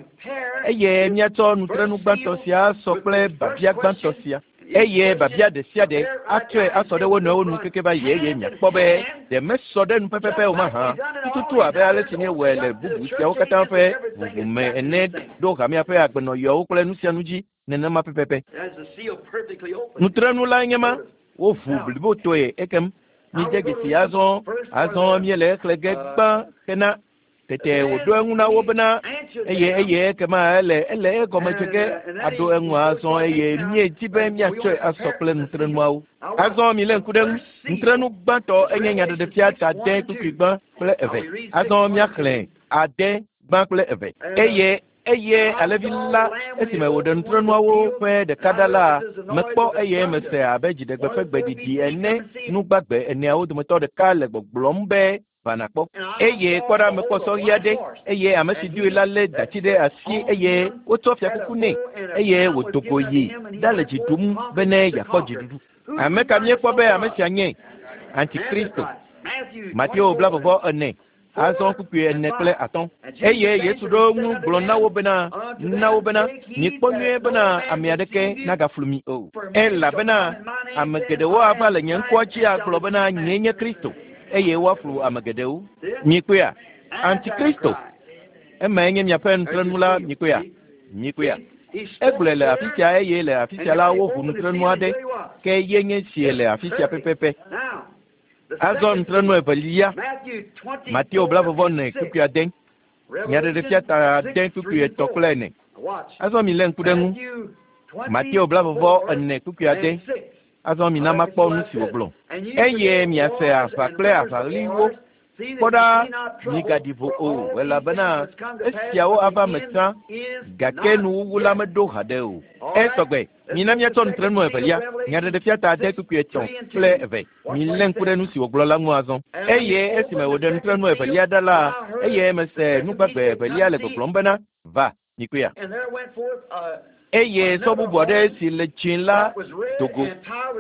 eye míatsɔ nutrenu gbãtɔ sia sɔ kple biabia gbãtɔ sia. Eye biabia ɖe sia ɖe atsɔe asɔ ɖe wo nɔewo nu keke va yi eye miakpɔ be ɖe mesɔ ɖe nu pɛpɛpɛ o mahã. Tututu abe ale si míewɔe le bubu siawo katã ƒe ʋuʋu me ene ɖo hamea ƒe agbenɔɣiawo kple nu sia nu dzi nenema pɛpɛpɛ. Nutrenu lae nye ma woʋu blibotɔe ekem. Mide dzesi azɔ míele exlẽ ge gbã hena tete wòɖo eŋu na wo bena eye ekema ele egɔme dze ge aɖo eŋu azɔ eye míedi be míatsɔe asɔ kple nutrenuawo. Azɔ milé ŋku ɖe eŋu. Nutrenu gbãtɔ enye nyaɖeɖefia ta ade kpukpui gbã kple eve. Azɔ míaxlẽ ade gbã kple eve. Eye alẽvi la esime wòɖe nutrenuawo ƒe ɖeka ɖa la, mekpɔ eye mese abe dziɖegbe ƒe gbeɖiɖi ene nugbagbe eneawo dometɔ ɖeka le gbɔgblɔm be va nakpɔ. Eye kpɔ ɖa mekpɔ sɔ ɣi aɖe eye ame si doe la lé dati ɖe asi eye wotsɔ fiakuku nɛ eye wòdo go yi ɖale dzi ɖum bene yeakpɔ dziɖuɖu. Ame ka míekpɔ be ame sia nye? Antikristo. Mateo 24. Azɔ kpukpui 4 kple 5. Eye Yesu ɖo ŋu gblɔ na wo bena, mikpɔ nyuie bena ame aɖeke nagaflu mi o. Elabena ame geɖewo ava le nye ŋkɔa dzi agblɔ bena nyee nye Kristo, eye woaflu ame geɖewo. Mikpɔea? Antikristo. Emae nye miaƒe nutrenu la, mikpɔea? Mikpɔea? Egblɔe le afi sia eye le afi sia la woʋu nutrenu aɖe, ke ye nye sie le afi sia pɛpɛpɛ. Azɔ nutrenu evelia, Mateo 24 kpukpui 6, Nyaɖeɖefia ta 6 kpukpui 3 kple 4. Azɔ milé ŋku ɖe ŋu. Mateo 24 kpukpui 6. Azɔ mina makpɔ nu si wògblɔ. Eye miase aʋa kple aʋaɣliwo. Kpɔ ɖa, migaɖi vo o, elabena esiawo ava me sã, gake nuwuwu la meɖo haɖe o. Esɔgbe. Mina míatsɔ nutrenu evelia, nyaɖeɖefia ta 6 kpukpui 3 kple 2. Milé ŋku ɖe nu si wògblɔ la ŋu azɔ. Eye esime wòɖe nutrenu evelia ɖa la, eye mese nugbagbe evelia le gbɔgblɔm bena, va, mikpɔea. Eye sɔ bubu aɖe si le dzĩ la do go.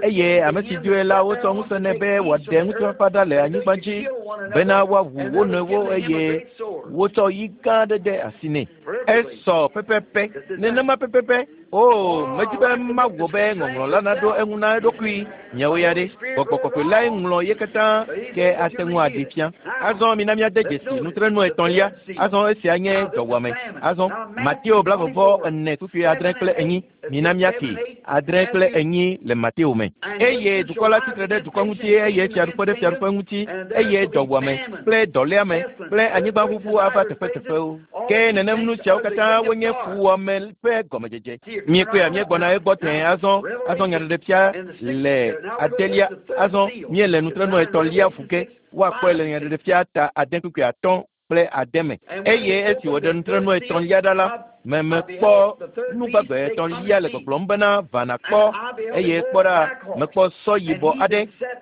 Eye ame si doe la wotsɔ ŋusẽ nɛ be wòaɖe ŋutifafa ɖa le anyigba dzi bena woawu wo nɔewo eye wotsɔ yi gã aɖe de asi nɛ. Esɔ pɛpɛpɛ, nenema pɛpɛpɛ. O, medi be mawɔ be ŋɔŋlɔ la naɖo eŋu na eɖokui. Miawo ya ɖe, gbɔgbɔ kɔkɔe lae ŋlɔ ye katã ke ate ŋu aɖee fia. Azɔ mina míade dzesi nutrenu etɔ̃lia. Azɔ esia nye dɔwɔame. Azɔ Mateo 24 kpukpui 6 kple 4. Mina míake 6 kple 4 le Mateo me. Eye dukɔ la tsitre ɖe dukɔ ŋuti eye fiaɖuƒe ɖe fiaɖuƒe ŋuti eye dɔwɔame kple dɔléame kple anyigbaʋuʋu ava teƒeteƒewo. Ke nenem nu siawo katã wonye fuwɔame ƒe gɔmedzedze. Míekpɔea míegbɔna egbɔ tẽe azɔ. Azɔ nyaɖeɖefia le adelia. Azɔ míele nutrenu etɔ̃lia ƒu ge. Woakpɔe le nyaɖeɖefia ta 6 kpukpui 5 kple ade me. Eye esi wòɖe nutrenu etɔ̃lia ɖa la, mekpɔ nugbagbe etɔ̃lia le gbɔgblɔm bena va nàkpɔ, eye kpɔ ɖa, mekpɔ sɔ yibɔ aɖe,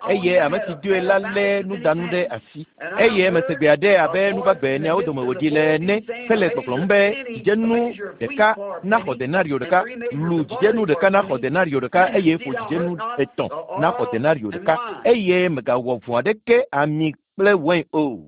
eye ame si doe la lé nudanu ɖe asi. Eye mese gbe aɖe abe nugbagbe eneawo dome wòɖi le ene hele gbɔgblɔm be dzidzenu ɖeka naxɔ denario ɖeka, lu dzidzenu ɖeka naxɔ denario ɖeka, eye ƒo dzidzenu etɔ̃ naxɔ denario ɖeka, eye mègawɔ vɔ̃ aɖeke ami kple wain o.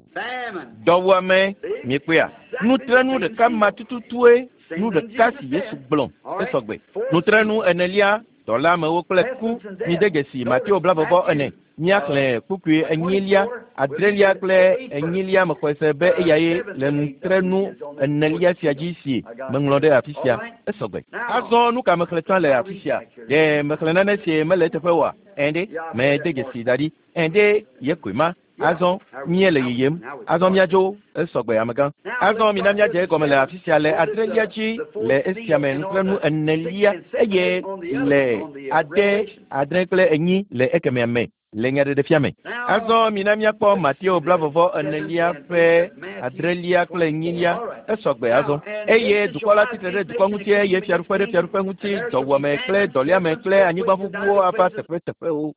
Dɔwuame, miekpɔea? Nutrenu ɖeka ma tututue nu ɖeka si Yesu gblɔ esɔgbe. Nutrenu enelia, dɔléamewo kple ku. Mide dzesi Mateo 24. Míaxlẽ kpukpui enyilia, adrelia kple enyilia mexɔe se be eyae le nutrenu enelia sia dzi si meŋlɔ ɖe afi sia. Esɔgbe. Azɔ nu ka mexlẽ tsã le afi sia? Ɖe mexlẽ nane si mele eteƒe oa? Ɛ̃ ɖe, mede dzesi da ɖi. Ɛ̃ ɖe, ye koe ma. Azɔ míele yiyim. Azɔ míadzo esɔgbe amegã. Azɔ mina míadze egɔme le afi sia le adrelia dzi le esia me nutrenu enelia eye le ade, adre kple enyi le ekemea me le nyaɖeɖefia me. Azɔ mina míakpɔ Mateo 24 ƒe adrelia kple enyilia esɔgbe azɔ. Eye dukɔ la tsitre ɖe dukɔ ŋuti eye fiaɖuƒe ɖe fiaɖuƒe ŋuti, dɔwuame kple dɔléame kple anyigbaʋuʋuwo ava teƒeteƒewo.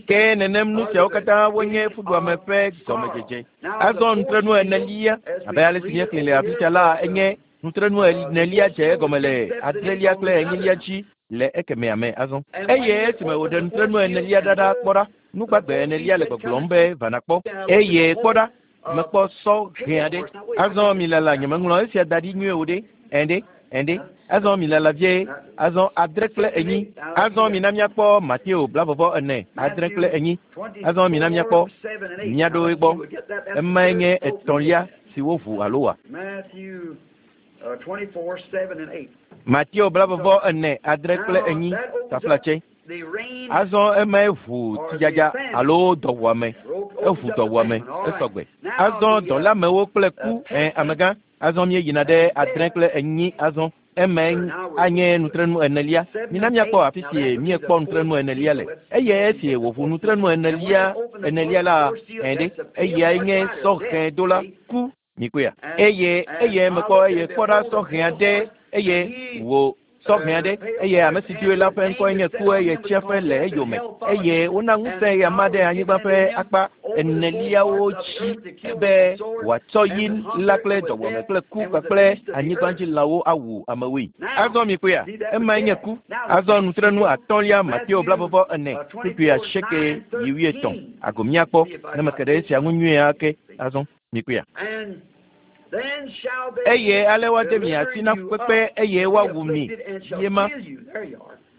Ke nenem nu siawo katã wonye fuɖuame ƒe gɔmedzedze. Azɔ nutrenu enelia, abe ale si míexlẽ le afi sia la, enye nutrenu enelia dze egɔme le adrelia kple enyilia dzi le ekemea me azɔ. Eye esime wòɖe nutrenu enelia ɖa ɖa kpɔ ɖa, nugbagbe enelia le gbɔgblɔm be va nàkpɔ. Eye kpɔ ɖa, mekpɔ sɔ hẽ aɖe. Azɔ milala, nyemeŋlɔ esia da ɖi nyuie o ɖe. Ɛ̃ ɖe, ɛ̃ ɖe. Azɔ milala vie, azɔ adre kple enyi. Azɔ mina míakpɔ Mateo 24, adre kple enyi. Azɔ mina míakpɔ míaɖo egbɔ. Emae nye etɔ̃lia si woʋu alo wa. Matthew 24, 7 and 8. Mateo 24, adre kple enyi, taflatse. Azɔ emae ʋu tsidzadza alo dɔwuame. Eʋu dɔwuame esɔgbe. Azɔ dɔléamewo kple ku, ɛ̃ amegã. Azɔ míeyina ɖe adre kple enyi azɔ. Emae anye nutrenu enelia. Mina míakpɔ afi si míekpɔ nutrenu enelia le. Eye esi wòʋu nutrenu enelia enelia la, ɛ̃ ɖe, eyae nye sɔhɛdola ku. Mikpɔea? Eye eye mekpɔ eye kpɔ ɖa sɔhɛ aɖe eye wò sɔhɛ aɖe eye ame si doe la ƒe ŋkɔe nye ku eye tsiẽƒe le eyome eye wona ŋusẽ eya ma ɖe anyigba ƒe akpa eneliawo dzi be wòatsɔ yi la kple dɔwuame kple ku kpakple anyigbadzilãwo awu amewoe. Azɔ mikpɔea? Emae nye ku. Azɔ nutrenu atɔ̃lia Mateo 24 kpukpui asieke yi wuietɔ̃. Ago míakpɔ ne meke ɖe esia ŋu nyuie ake azɔ. Mikpɔea? Eye ale woade mi asi na fukpekpe eye woawu mi yema.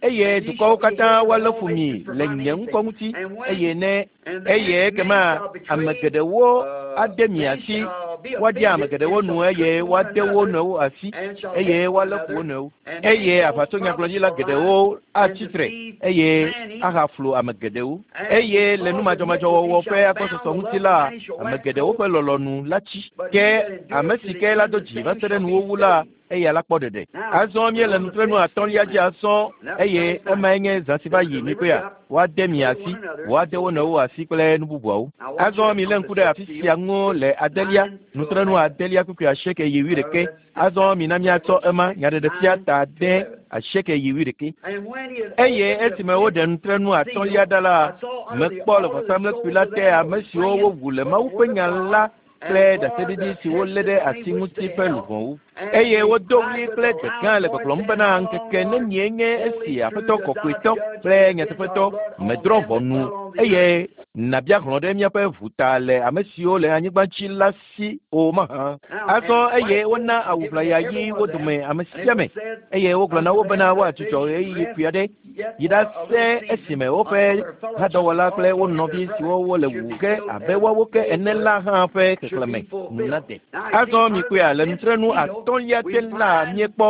Eye dukɔwo katã woalé fu mi le nye ŋkɔ ŋuti eye ne eye ekema ame geɖewo ade mi asi, woaɖia ame geɖewo nu eye woade wo nɔewo asi eye woalé fu wo nɔewo. Eye aʋatsonyagblɔɖila geɖewo atsi tre eye ahaflu ame geɖewo. Eye le numadzɔmadzɔwɔwɔ ƒe agbɔsɔsɔ ŋuti la, ame geɖewo ƒe lɔlɔ̃nu la tsi. Ke ame si ke la do dzi va se ɖe nuwuwu la, eya la kpɔ ɖeɖe. Azɔ míele nutrenu atɔ̃lia dzi azɔ eye emae nye zã si va yi mikpɔea? Woade mi asi, woade wo nɔewo asi kple nu bubuawo. Azɔ milé ŋku ɖe afi sia ŋu le adelia, nutrenu adelia kpukpui asieke yi wuiɖeke. Azɔ mina míatsɔ ema nyaɖeɖefia ta ade asieke yi wuiɖeke. Eye esime woɖe nutrenu atɔ̃lia ɖa la, mekpɔ le vɔsamlekpui la te ame siwo wowu le Mawu ƒe nya la kple ɖaseɖiɖi si wolé ɖe asi ŋuti ƒe luʋɔwo. Eye wodo ɣli kple gbe gã le gbɔgblɔm bena ŋkeke nenie nye esi Aƒetɔ kɔkɔetɔ kple nyateƒetɔ medrɔ̃ ʋɔnu eye nàbia hlɔ̃ ɖe míaƒe ʋu ta le ame siwo le anyigba dzi la si o mahã. Azɔ eye wona awu ʋlaya ɣi wo dome ame sia ame eye wogblɔ na wo bena woadzudzɔ ɣeyiɣi kpui aɖe yi ɖase esime woƒe hadɔwɔla kple wo nɔvi siwo wole wu ge abe woawo ke ene la hã ƒe xexlẽme nu nade. Azɔ mikpɔea le nutrenu atɔ̃ Atɔ̃lia te la míekpɔ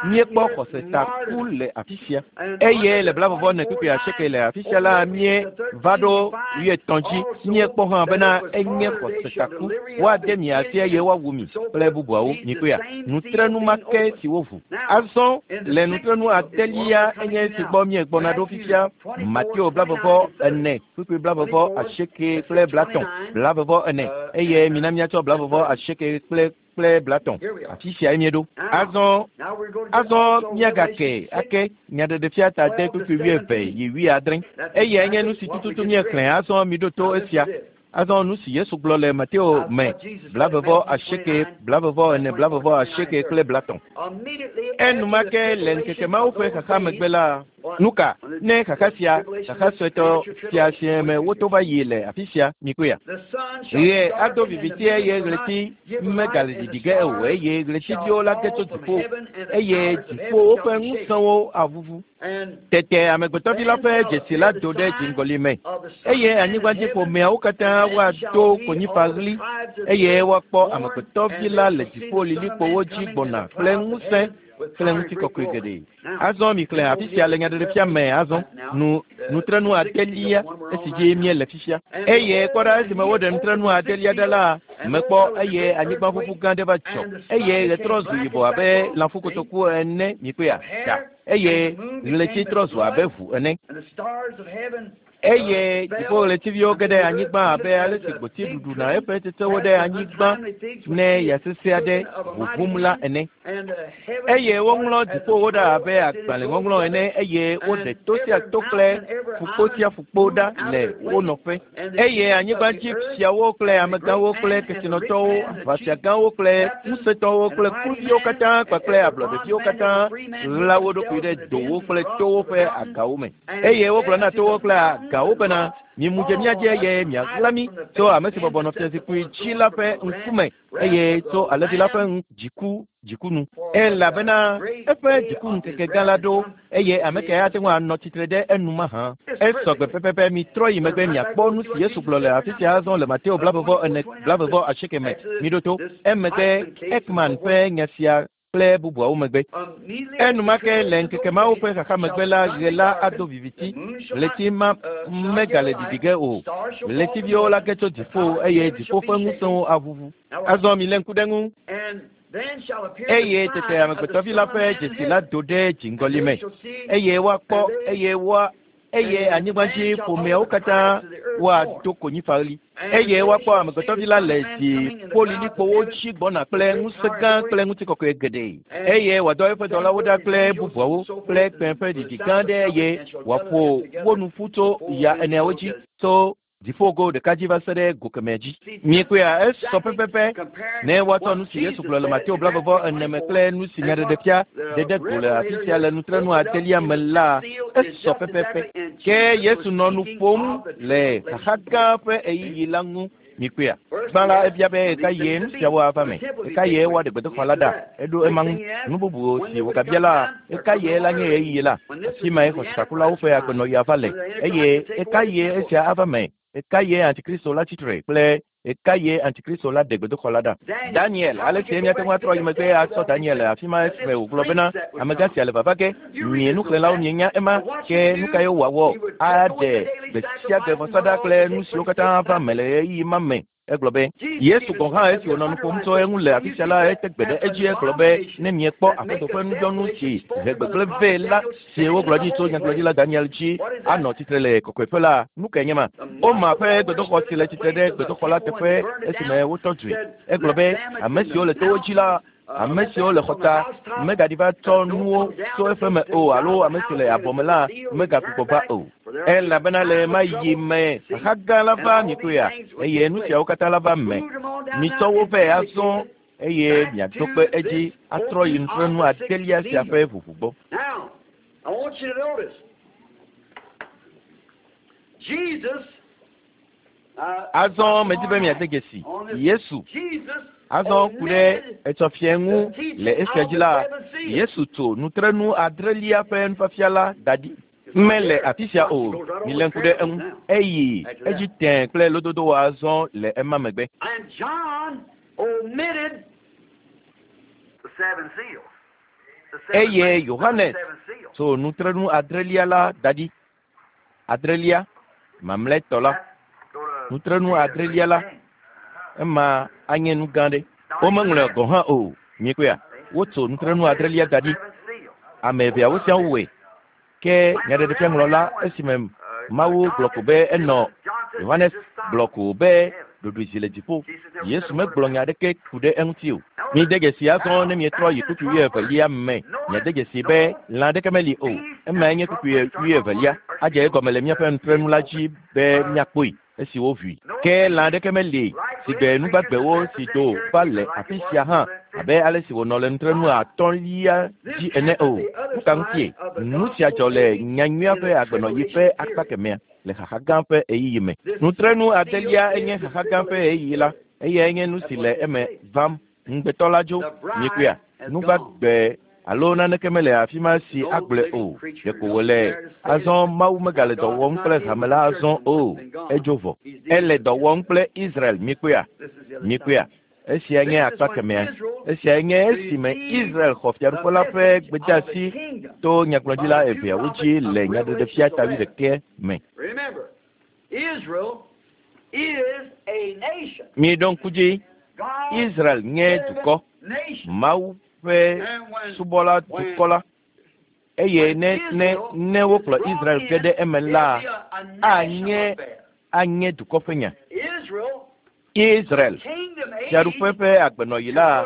míekpɔ xɔsetaku le afi sia. Eye le 88 le afi sia la míeva ɖo 80 dzi. Míekpɔ hã bena enye xɔsetaku. Woade mi asi eye woawu mi kple bubuawo. Mikpɔea? Nutrenu ma ke si woʋu. Azɔ le nutrenu adelia enye si gbɔ míegbɔna ɖo fifia. Mateo 24 kpukpui 28 kple 30 24 eye mina míatsɔ 28 kple 30. Afi sia míeɖo. Azɔ azɔ míagake ake nyaɖeɖefia ta de kpukpui 20 yi 70. Eyae nye nu si tututu míexlẽ. Azɔ miɖo to esia. Azɔ nu si Yesu gblɔ le Mateo me 28, 24, 28 kple 30. Enumake le ŋkeke mawo ƒe xaxa megbe la, nuka ne xaxa sia, xaxa suetɔ sia si me woto va yi le afi sia, mikpɔea? Ɣe ado viviti eye ɣleti megale ɖiɖi ge o eye ɣletiviwo la ge tso dziƒo eye dziƒowo ƒe ŋusẽwo aʋuʋu. Tete amegbetɔvi la ƒe dzesi la do ɖe dziŋgɔli me eye anyigbadziƒomeawo katã woado konyifaɣli eye woakpɔ amegbetɔvi la le dziƒo lilikpowo dzi gbɔna kple ŋusẽ kple ŋutikɔkɔe geɖe. Azɔ mixlẽ afi sia le nyaɖeɖefia me azɔ nu nutrenu adelia esi dzi míele fifia. Eye kpɔ ɖa esime woɖe nutrenu adelia ɖa la, mekpɔ eye anyigbaʋuʋu gã aɖe va dzɔ eye ɣe trɔ zu yibɔ abe lãfukotoku ene mikpɔea ɖa eye ɣleti trɔ zu abe ʋu ene. Eye dziƒoɣletiviwo ge ɖe anyigba abe ale si gboti ɖuɖuna eƒe tsetsewo ɖe anyigba ne ya sesẽ aɖe ʋuʋum la ene. Eye woŋlɔ dziƒowo ɖa abe agbalẽŋɔŋlɔ ene eye woɖe to sia to kple ƒukpo sia ƒukpo ɖa le wo nɔƒe. Eye anyigbadzi fiawo kple amegãwo kple kesinɔtɔwo, aʋafiagãwo kple ŋusẽtɔwo kple kluviwo katã kpakple ablɔɖeviwo katã ɣla wo ɖokui ɖe dowo kple towo ƒe agawo me. Eye wogblɔ na towo kple agawo bena, mimu dze mía dzi eye miaɣla mí tso ame si bɔbɔ nɔ fiazikpui dzi la ƒe ŋkume eye tso alẽvi la ƒe dziku dziku nu. Elabena eƒe dziku ŋkeke gã la ɖo eye ame kae ate ŋu anɔ tsitre ɖe enu mahã. Esɔ gbe pɛpɛpɛ mitrɔ yi megbe miakpɔ nu si Yesu gblɔ le afi sia azɔ le Mateo 24 28 me. Miɖo to. Emegbe Ekman ƒe nya sia kple bubuawo megbe. Enumake le ŋkeke mawo ƒe xaxa megbe la, ɣe la ado viviti, ɣleti ma megale ɖiɖi ge o. Ɣletiviwo la ge tso dziƒo eye dziƒo ƒe ŋusẽwo aʋuʋu. Azɔ milé ŋku ɖe ŋu. Eye tete amegbetɔvi la ƒe dzesi la do ɖe dziŋgɔli me eye woakpɔ eye woa eye anyigbadzi ƒomeawo katã woado konyifaɣli eye woakpɔ amegbetɔvi la le dziƒolilikpowo dzi gbɔna kple ŋusẽ gã kple ŋutikɔkɔe geɖe eye wòadɔ eƒe dɔlawo ɖa kple bubuawo kple kpẽ ƒe ɖiɖi gã aɖe eye wòaƒo wo nu ƒu tso ya eneawo dzi tso dziƒogo ɖeka dzi va se ɖe go kemɛ dzi. Miekpɔea esɔ pɛpɛpɛ ne woatsɔ nu si Yesu gblɔ le Mateo 24 me kple nu si nyaɖeɖefia ɖe ɖe go le afi sia le nutrenu adelia me la, esɔ pɛpɛpɛ. Ke Yesu nɔ nu ƒom le xaxa gã ƒe ɣeyiɣi la ŋu. Mikpɔea? Gbã la ebia be ɣeka ɣie nu siawo ava me, ɣeka ɣie woaɖe gbedoxɔ la ɖa. Eɖo ema ŋu. Nu bubu si wògabia la, ɣeka ɣie la nye ɣeyiɣi la, afi mae xɔsetakulawo ƒe agbenɔɣi ava le eye ɣeka ɣie esia ava me, ɣeka ɣie Antikristo la tsitre kple ɣeka ɣie Antikristo la ɖe gbedoxɔ la ɖa. Daniel, ale si míate ŋu atrɔ yi megbe atsɔ Daniel le afi ma esime wògblɔ bena amegã sia le vava ge, mie nuxlẽlawo mienya ema, ke nu kae wòawɔ? Aɖe gbe sia gbe vɔsa ɖa kple nu siwo katã ava me le ɣeyiɣi ma me. Egblɔ be Yesu gɔ̃ hã esi wònɔ nu ƒom tso eŋu le afi sia la, ete gbe ɖe edzi egblɔ be ne miekpɔ Aƒetɔ ƒe nudzɔnu si he gbegblẽ vɛ la si wogblɔ ɖi tso nyagblɔɖila Daniel dzi anɔ tsitre le kɔkɔeƒe la, nu kae nye ma? Woma ƒe gbedoxɔ si le tsitre ɖe gbedoxɔ la teƒe esime wotɔ dzoe. Egblɔ be ame siwo le towo dzi la, ame siwo le xɔta megaɖi va tsɔ nuwo tso eƒe me o alo ame si le abɔ me la megagbugbɔ va o. Elabena le ma yi me xaxa gã la va mikpɔea eye nu siawo katã la va me. Mitsɔ wo vɛ azɔ eye miaɖo kpe edzi atrɔ yi nutrenu adelia sia ƒe ʋuʋu gbɔ. Now, I want you to notice Jesus. Azɔ medi be miade dzesi Yesu. Azɔ ku ɖe etsɔfiɛ ŋu le esia dzi la, Yesu tso nutrenu adrelia ƒe nufiafia la da ɖi. Mele afi sia o, milé ŋku ɖe eŋu. Eyi edzi tẽe kple lododo azɔ le ema megbe. And John omitted Eye Yohanes tso nutrenu adrelia la da ɖi. Adrelia, mamlɛtɔ la. Nutrenu adrelia la, ema anye nu gã ɖe. Womeŋlɔe gɔ̃ hã o. Miekpɔea? Wotso nutrenu adrelia da ɖi. Ame eveawo siaa wowɔe. Ke nyaɖeɖefiaŋlɔla esime Mawu gblɔ ko be enɔ Yohanes gblɔ ko be ɖoɖoe zi le dziƒo. Yesu megblɔ nya aɖeke ku ɖe eŋuti o. Mide dzesi azɔ ne mietrɔ yi kpukpui wuievelia me. Miade dzesi be lã aɖeke meli o. Emae nye kpukpui wuievelia. Adze egɔme le míaƒe nutrenu la dzi be míakpɔe esi woʋui. Ke lã aɖeke meli si gbe nugbagbewo si do va le afi sia hã abe ale si wònɔ le nutrenu atɔ̃lia dzi ene o. Nu ka ŋutie? Nu sia dzɔ le nyanyuia ƒe agbenɔɣi ƒe akpa kemɛa le xaxa gã ƒe ɣeyiɣi me. Nutrenu adelia enye xaxa gã ƒe ɣeyiɣi la. Eyae nye nu si le eme vam. Ŋugbetɔ la dzo. Miekpɔea? Nugbagbe alo naneke mele afi ma si agblɔe o. Ɖeko wòle azɔ Mawu megale dɔ wɔm kple hame la azɔ o. Edzo vɔ. Ele dɔ wɔm kple Israel. Miekpɔea? Miekpɔea? Esia nye akpa kemɛa. Esiae nye esime Israel xɔ fiaɖuƒe la ƒe gbedeasi to nyagblɔɖila eveawo dzi le nyaɖeɖefia ta wuiɖekɛ me. Remember, Israel is a nation. Miɖo ŋku dzi, God's Israel nye dukɔ, nation. Mawu ƒe subɔla dukɔ la. Eye ne ne ne wokplɔ Israel ge ɖe eme la, anye anye dukɔ ƒe nya. Israel, Israel, kingdom age, fiaɖuƒe ƒe agbenɔɣi la,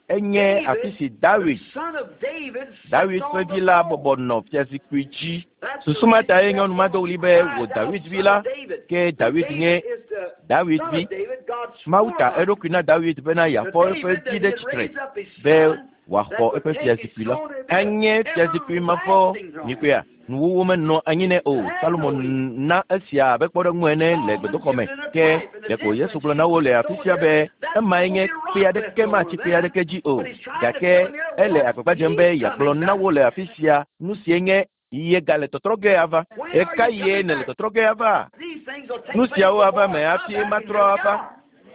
enye afi si Dawid, son of David, sits Dawid on ƒe the vi la throne. bɔbɔ nɔ fiazikpui dzi. That's the Susu ma tae reason nyɔnu ma do ɣli be wò cried out, Dawid vi son la, of David. ke Dawid David nye is the Dawid son vi. of David, God's Mawu ta forerunner. eɖokui na Dawid bena To yeafɔ eƒe David vi that ɖe he'd tsitre raise up his be son wòaxɔ that would eƒe take his fiazikpui la. throne and be Enye an fiazikpui mavɔ everlasting throne. mikpɔea? Nuwuwu menɔ anyi nɛ o. Salomo na esia abe kpɔɖeŋu ene le Solomon gbedoxɔ me. gives it a Ke type in the ɖeko temple, Yesu and gblɔ na wo Jesus le afi told sia them be that emae won't nye be rock kpe left aɖeke over matsi kpe there. aɖeke dzi o. But he's trying to Gake tell them here ele what agbagba dzem be he's yeagblɔ coming na back. wo le afi sia nu sie nye ye gale tɔtrɔ ge ava. When are you Ɣekaɣie coming nèle back? tɔtrɔ ge ava? These things will take Nu place siawo ava before me I come hafi back, and matrɔ here we ava. are.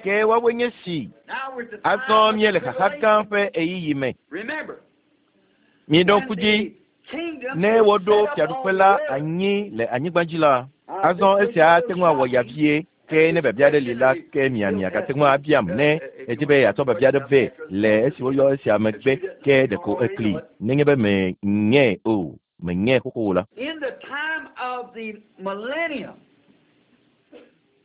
Ke woawoe nye si. Now we're at the Azɔ time of the míele xaxa gã tribulation. ƒe ɣeyiɣi me. Remember, Miɖo when ŋku dzi the kingdom ne is woɖo set up fiaɖuƒe on la the earth. anyi le anyigba dzi la, Now, azɔ this esia will ate ŋu awɔ shock ya you. vie. Ke And ne this biabia aɖe li question, la, and ke mia he'll miagate test ŋu you abiam ne if edi you be want yeatsɔ to biabia question aɖe up vɛ after le esi woyɔ esia that megbe you didn't, ke you don't ɖeko already ekli know it. nenye be menyae o, menyae xoxo o la. In the time of the millennium,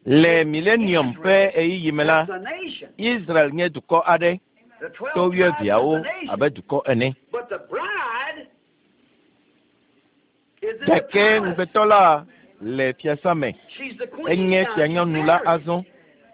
Le it's millennium ƒe Israel ɣeyiɣi me la, that's a nation. Israel nye dukɔ aɖe The to 12 tribes is wuieveawo a nation. abe dukɔ ene. But the bride is in the Gake palace. ŋugbetɔ la le fiasã me. She's the queen Enye now. She's fianyɔnu la married. azɔ.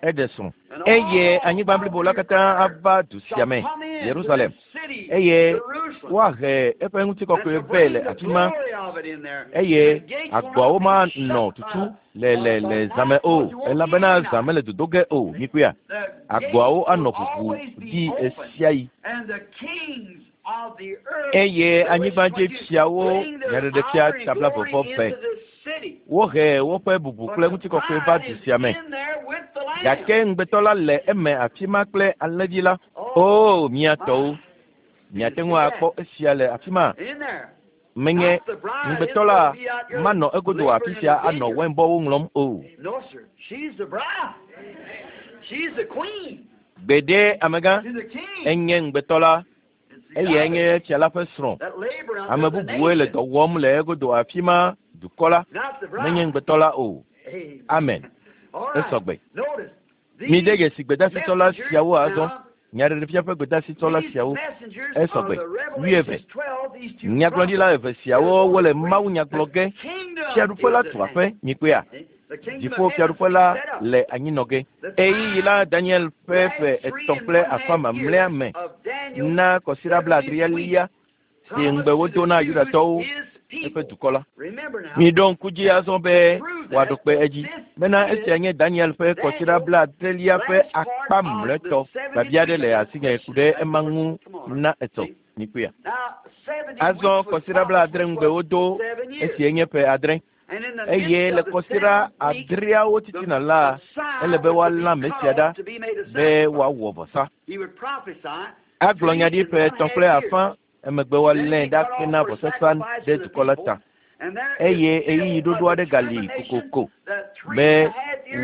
Eɖe srɔ̃. And Eye all anyigba of blibo la the katã earth ava du sia shall me, come into this Yerusalem. city, Eye Jerusalem, woahe eƒe and ŋutikɔkɔe to vɛ le bring the afi ma glory of it in there. eye The gates will agboawo not manɔ be shut tutu by, le le by le zã me night, o because you won't be elabena any zã night. mele dodo ge o. Mikpɔea? The gates Agboawo will anɔ ʋuʋu always be ɖi open, ɣesiaɣi. and the kings of the earth, Eye Revelation 22, anyigbadziefiawo bring their nyaɖeɖefia honor and tabla glory vɔvɔ vɛ. into this city. Wohe woƒe bubu But kple the ŋutikɔkɔe va bride du is sia me. in there with the Lamb. Gake ŋugbetɔ la le eme afi ma kple alẽvi la. Oh, O mia tɔwo, my. Do you miate see ŋu that? akpɔ esia le afi ma. In there. Menye Not the bride isn't ŋugbetɔ going la to be out here manɔ egodo afi laboring in sia the anɔ vineyard. wainbɔwo ŋlɔm o. No, sir. She's the bride. She's the queen Gbeɖe amegã to the king. enye ŋugbetɔ la It's the eye others enye fia la ƒe srɔ̃. that labor Ame unto the bubuwoe le nation, dɔ wɔm le egodo afi ma dukɔ la not the menye bride. ŋugbetɔ la o. Amen. Amen. All right. Esɔgbe. Notice Mide these dzesi gbedasitsɔla messengers siawo azɔ. now, Nyaɖeɖefia ƒe gbedasitsɔla these siawo messengers are esɔgbe. the Wuieve. Revelations 12, these two Nyagblɔɖila prophets eve that are siawo going wole to preach Mawu nya the gblɔ ge. kingdom Fiaɖuƒe la is at tu hand. aƒe. Mikpɔea? See? The kingdom Dziƒo of heaven's fiaɖuƒe been la set up. le anyinɔ ge. The Ɣeyiɣi la time, Daniel ƒe last ƒe three etɔ̃ and kple one afã half years mamlɛa me of Daniel's na kɔsiɖa 70th week, blaadrelia si ŋugbe promised to wodo the na Jews, Yudatɔwo his eƒe people. dukɔ la. Remember now, Miɖo ŋku dzi that azɔ be to prove wòaɖo that kpe edzi this bena is esia nye Daniel ƒe kɔsiɖa Daniel's blaadrelia ƒe last part akpa of the mlɔetɔ. 70th Biabia week. aɖe I le got a asinye ku question ɖe on that ema before. ŋu Come on. na etɔ. See? Mikpɔea? Now, 70 Azɔ weeks was kɔsiɖa promised, blaadre which ŋugbe was wodo 7 years. esie nye ƒe adre. And in the Eye midst le of the kɔsiɖa seventh week, adreawo the titina la, ele Messiah be was to be woalã cut Mesia ɖa off to be made a be sacrifice. woawɔ vɔsa. He would prophesy Agblɔ nya ɖi ƒe 3.5, emegbe woalée ɖa hena vɔsasa ɖe dukɔ la ta. Eye ɣeyiɣi ɖoɖo aɖe gali kokoko be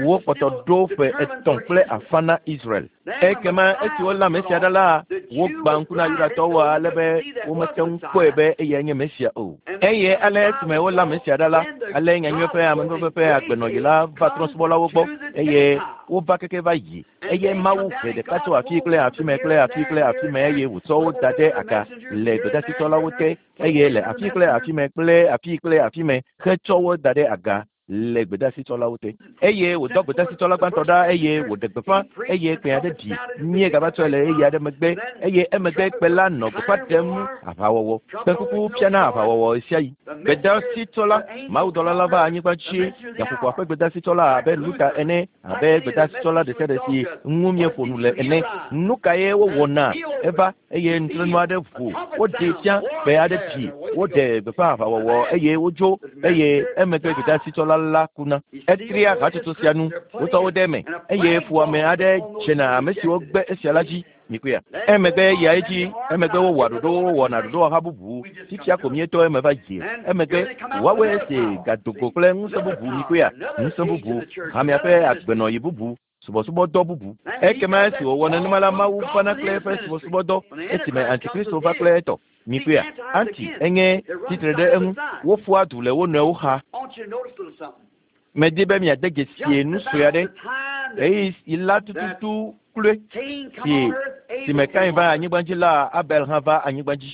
wokpɔtɔ ɖo ƒe 3.5 na Israel. Ekema esi wolé ame sia ɖa la, wogbã ŋku na Yudatɔwo ale be womete ŋu kpɔe be eyae nye Mesia o. Eye ale esime wolé ame sia ɖa la, ale nyanyui ƒe amenuveve ƒe agbenɔɣi la va trɔ̃subɔlawo gbɔ, eye wova keke va yi. Eye Mawu he ɖeka tso afi kple afi me kple afi kple afi me, eye wòtsɔ wo da ɖe aga le gbedasitsɔlawo te, eye le afi kple afi me kple afi kple afi me hetsɔ wo da ɖe aga le gbedasitsɔlawo te. Eye wòdɔ gbedasitsɔla gbãtɔ ɖa, eye wòɖe gbeƒã, eye kpẽ aɖe ɖi. Míegava tsɔe le ɣeyiɣi aɖe megbe, eye emegbe kpẽ la nɔ gbeƒã ɖem aʋawɔwɔ. Kpẽkuku fiana aʋawɔwɔ ɣesiaɣi. Gbedasitsɔla, mawudɔla la va anyigba dzi, gaƒoƒoa ƒe gbedasitsɔla abe Luta ene, abe gbedasitsɔla ɖe sia ɖe si ŋu míeƒo nu le ene. Nu kae wowɔna? Eva eye nutrenu aɖe ʋu, woɖee fia, kpẽ aɖe ɖi, woɖe gbeƒã aʋawɔwɔ eye wodzo, eye emegbe gbedasitsɔla la kuna. Etria hatsotso sia nu, wotsɔ wo ɖe eme, eye fuwɔame aɖe dzena ame siwo gbe esia la dzi. Mikpɔea? Emegbe yia edzi, emegbe wowɔa ɖoɖowo, wɔna ɖoɖowɔha bubu. Fifia ko míetɔ eme va yie. Emegbe woawoe esi gado go kple ŋusẽ bubu. Mikpɔea? Ŋusẽ bubu, hamea ƒe agbenɔɣi bubu, subɔsubɔdɔ bubu. Ekema esi wòwɔ nenema la, Mawu vana kple eƒe subɔsubɔdɔ esime Antikristo va kple etɔ. Mikpɔea? Anti enye tsitre ɖe eŋu. Woƒua du le wo nɔewo xa. Medi be miade dzesi nu sue aɖe. Ɣeyiɣi la tututu kloe si si me Kain va anyigba dzi la, Abel hã va anyigba dzi.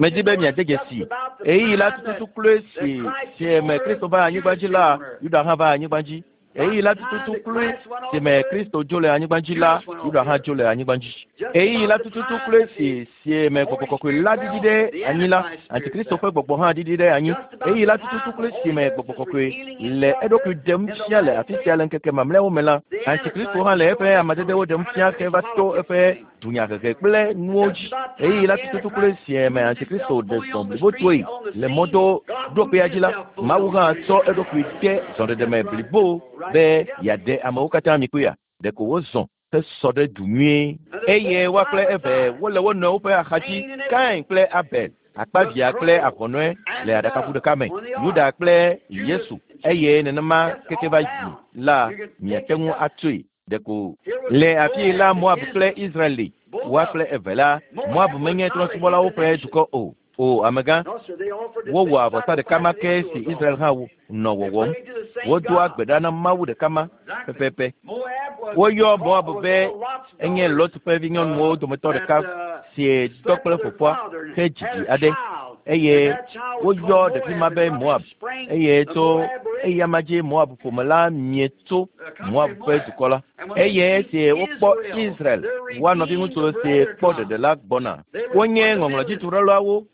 Medi be miade dzesi ɣeyiɣi la tututu kloe si si me Kristo va anyigba dzi la, Yuda hã va anyigba dzi. Ɣeyiɣi la tututu kloe si me Kristo dzo le anyigba dzi la, Yuda hã dzo le anyigba dzi. Ɣeyiɣi la tututu kloe si si me Gbɔgbɔ Kɔkɔe la ɖiɖi ɖe anyi la, Antikristo ƒe gbɔgbɔ hã ɖiɖi ɖe anyi. Ɣeyiɣi la tututu kloe si me Gbɔgbɔ Kɔkɔe le eɖokui ɖem fia le afi sia le ŋkeke mamlɛawo me la, Antikristo hã le eƒe amadedewo ɖem fia heva to eƒe dunyahehe kple nuwo dzi. Ɣeyiɣi la tututu kloe si me Antikristo ɖe zɔ blibotoe le mɔdo ɖokpea dzi la, Mawu hã tsɔ eɖokui de zɔɖeɖe me blibo be yeaɖe amewo katã. Mikpɔea? Ɖeko wozɔ hesɔ ɖe du nyuie. Eye woa kple eve wole wo nɔewo ƒe axadzi, Kain kple Abel, akpavia kple ahɔnɔe le aɖakaʋu ɖeka me, Yuda kple Yesu, eye nenema keke va yi la, miate ŋu atsoe. Ɖeko le afii la Moab kple Israel li, woa kple eve la, Moab menye trɔ̃subɔlawo ƒe dukɔ o. O, amegã, wowɔa vɔsa ɖeka ma ke si Israel hã nɔ wɔwɔm. Wodoa gbe ɖa na Mawu ɖeka ma pɛpɛpɛ. Woyɔ Moab be enye Lot ƒe vinyɔnuwo dometɔ ɖeka si dɔ kple fofoa he dzidzi aɖe, eye woyɔ ɖevi ma be Moab, eye tso eyama dzi Moab ƒome la mie tso Moab ƒe dukɔ la. Eye esi wokpɔ Israel, woa nɔviŋutsu si kpɔ ɖeɖe la gbɔna. Wonye ŋɔŋlɔdzituɖelawo,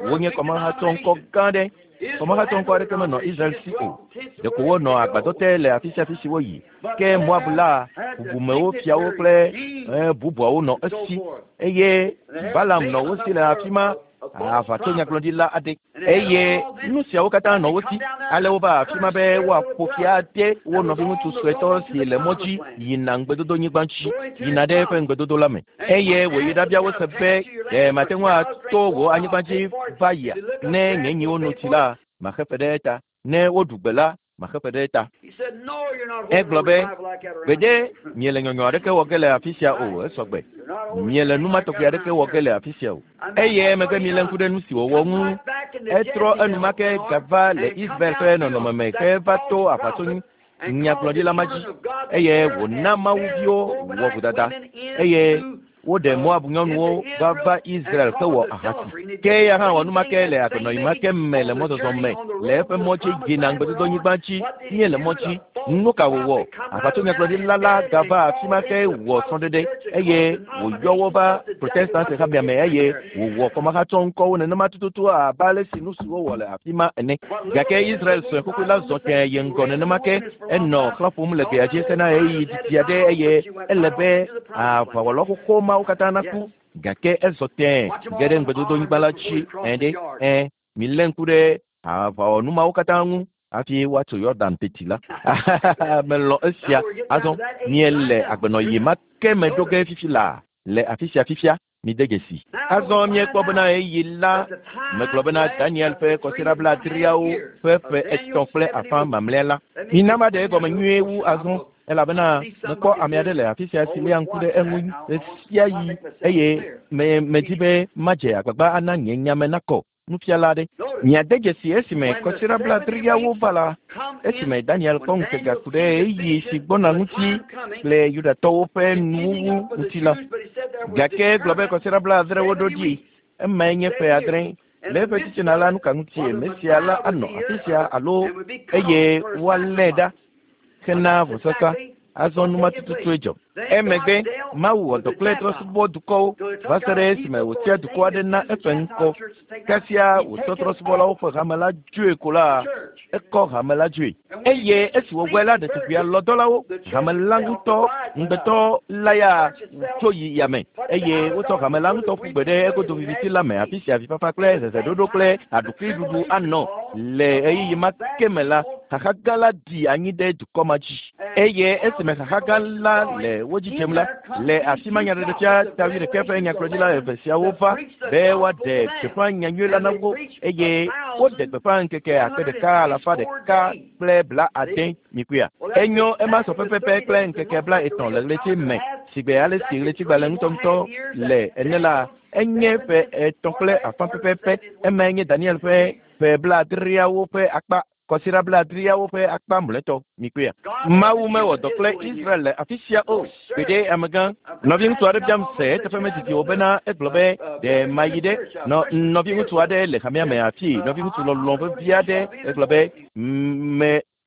wonye kɔmahatsɔŋkɔ gã aɖe. Kɔmahatsɔŋkɔ aɖeke menɔ Israel si o. Ɖeko wonɔ agbadɔ te le afi sia afi si woyi. Ke Moab la, bubumewo, fiawo kple bubuawo nɔ esi, eye Balaam nɔ wo si le afi ma. Aʋatsonyagblɔɖila aɖe, eye nu siawo katã nɔ wo si. Ale wova afi ma be woaƒo fi ade wo nɔviŋutsu suetɔ si le mɔ dzi yina ŋugbedodonyigba dzi, yina ɖe eƒe ŋugbedodo la me. Eye wòyi ɖabia wo se be, Ɖe mate ŋu ato wò anyigba dzi va yia? Ne nye nyiwo nu tsi la, maxe fe ɖe eta. Ne woɖu gbe la, maxe fe ɖe eta. Egblɔ be, Gbeɖe, miele nyɔnyɔ aɖeke wɔ ge le afi sia o, esɔ gbe. Miele nu ma tɔgbi aɖeke wɔ ge le afi sia o. Eye emegbe milé ŋku ɖe nu si wòwɔ ŋu. Etrɔ enumake gava le Israel ƒe nɔnɔme me heva to aʋatsonyi nyagblɔɖila ma dzi, eye wòna mawuviwo wɔ vodada, eye woɖe Moab nyɔnuwo va va Israel hewɔ ahasi. Ke eya hã wɔ nu ma ke le agbenɔɣi ma ke me le mɔzɔzɔ me le eƒe mɔ dzi yina ŋugbedodonyigba dzi míele mɔ dzi. Nu ka wòwɔ? Aʋatsonyagblɔɖila la gava afi ma ke wɔ srɔ̃ɖeɖe eye wòyɔ wo va Protestant hamea me eye wòwɔ kɔmahatsɔŋkɔwo nenema tututu abe ale si nu si wowɔ le afi ma ene. Gake Israel sue xoxoe la zɔ tẽe yi ŋgɔ nenema ke. Enɔ xlã ƒom le gbea dzi hena ɣeyiɣi didi aɖe eye ele be aʋawɔla xoxo mawo katã naku. Gake ezɔ tẽe ge ɖe ŋugbedodonyigba la dzi. Ɛ̃ ɖe, ɛ̃, milé ŋku ɖe aʋawɔnu mawo katã ŋu hafi woatso Yordan teti la. Melɔ̃ esia. Azɔ míele agbenɔɣi ma ke me ɖo ge fifi laa le afi sia fifia. Mide dzesi. Azɔ míekpɔ bena ɣeyiɣi la megblɔ bena Daniel ƒe kɔsiɖa blaadreawo ƒe ƒe 3.5 mamlɛa la. Mina maɖe egɔme nyuie wu azɔ, elabena mekpɔ ame aɖe le afi sia si léa ŋku ɖe eŋu ɣesiaɣi eye medi be madze agbagba ana nye nyame nakɔ. Nufiala aɖe. Miade dzesi esime kɔsiɖa blaadreawo va la, esime Daniel kpɔ ŋutega ku ɖe ɣeyiɣi si gbɔna ŋuti kple Yudatɔwo ƒe nuwuwu ŋuti la. Gake egblɔ be kɔsiɖa 70 ɖo ɖi, emae nye ƒe 6. Le eƒe titina la, nuka ŋutie Mesia la anɔ afi sia alo eye woalée ɖa hena vɔsasa? Azɔ numa tututue dzɔ. Emegbe Mawu wɔ dɔ kple trɔ̃subɔdukɔwo va se ɖe esime wòtia dukɔ aɖe na eƒe ŋkɔ. Kasia wòtsɔ trɔ̃subɔlawo ƒe hame la dzoe ko la, ekɔ hame la dzoe. Eye esi wòwɔe la, ɖetugbuia lɔ dɔlawo, hame la ŋutɔ, ŋugbetɔ la ya tso yi yame, eye wotsɔ hame la ŋutɔ ƒu gbe ɖe egodo viviti la me, afi sia avifafa kple heheɖoɖo kple aɖukliɖuɖu anɔ. Le ɣeyiɣi ma ke me la, xaxa gã la ɖi anyi ɖe dukɔ ma dzi. Eye esime xaxa gã la le wo dzi dzem la, le afi ma nyaɖeɖefia ta 11 ƒe nyagblɔɖila eve siawo va be woaɖe gbeƒã nyanyui la na wo, eye woɖe gbeƒã ŋkeke 1170 mikuia. Enyo ema sɔ pɛpɛpɛ kple ŋkeke 30 le ɣleti me, sigbe ale si ɣletigbalẽ ŋutɔŋutɔ le ene la, enye ƒe 3.5 pɛpɛpɛ. Emae nye Daniel ƒe ƒe 70 ƒe akpa, kɔsiɖa 70 ƒe akpa mlɔetɔ mikuia. Mawu mewɔ dɔ kple Israel le afi sia o. Gbeɖe amegã. Nɔviŋutsu aɖe biam se eteƒe medidi o bena egblɔ be ɖe mayi ɖe nɔviŋutsu aɖe le hamea me afi, nɔviŋutsu lɔlɔ̃ vevi aɖe, egblɔ be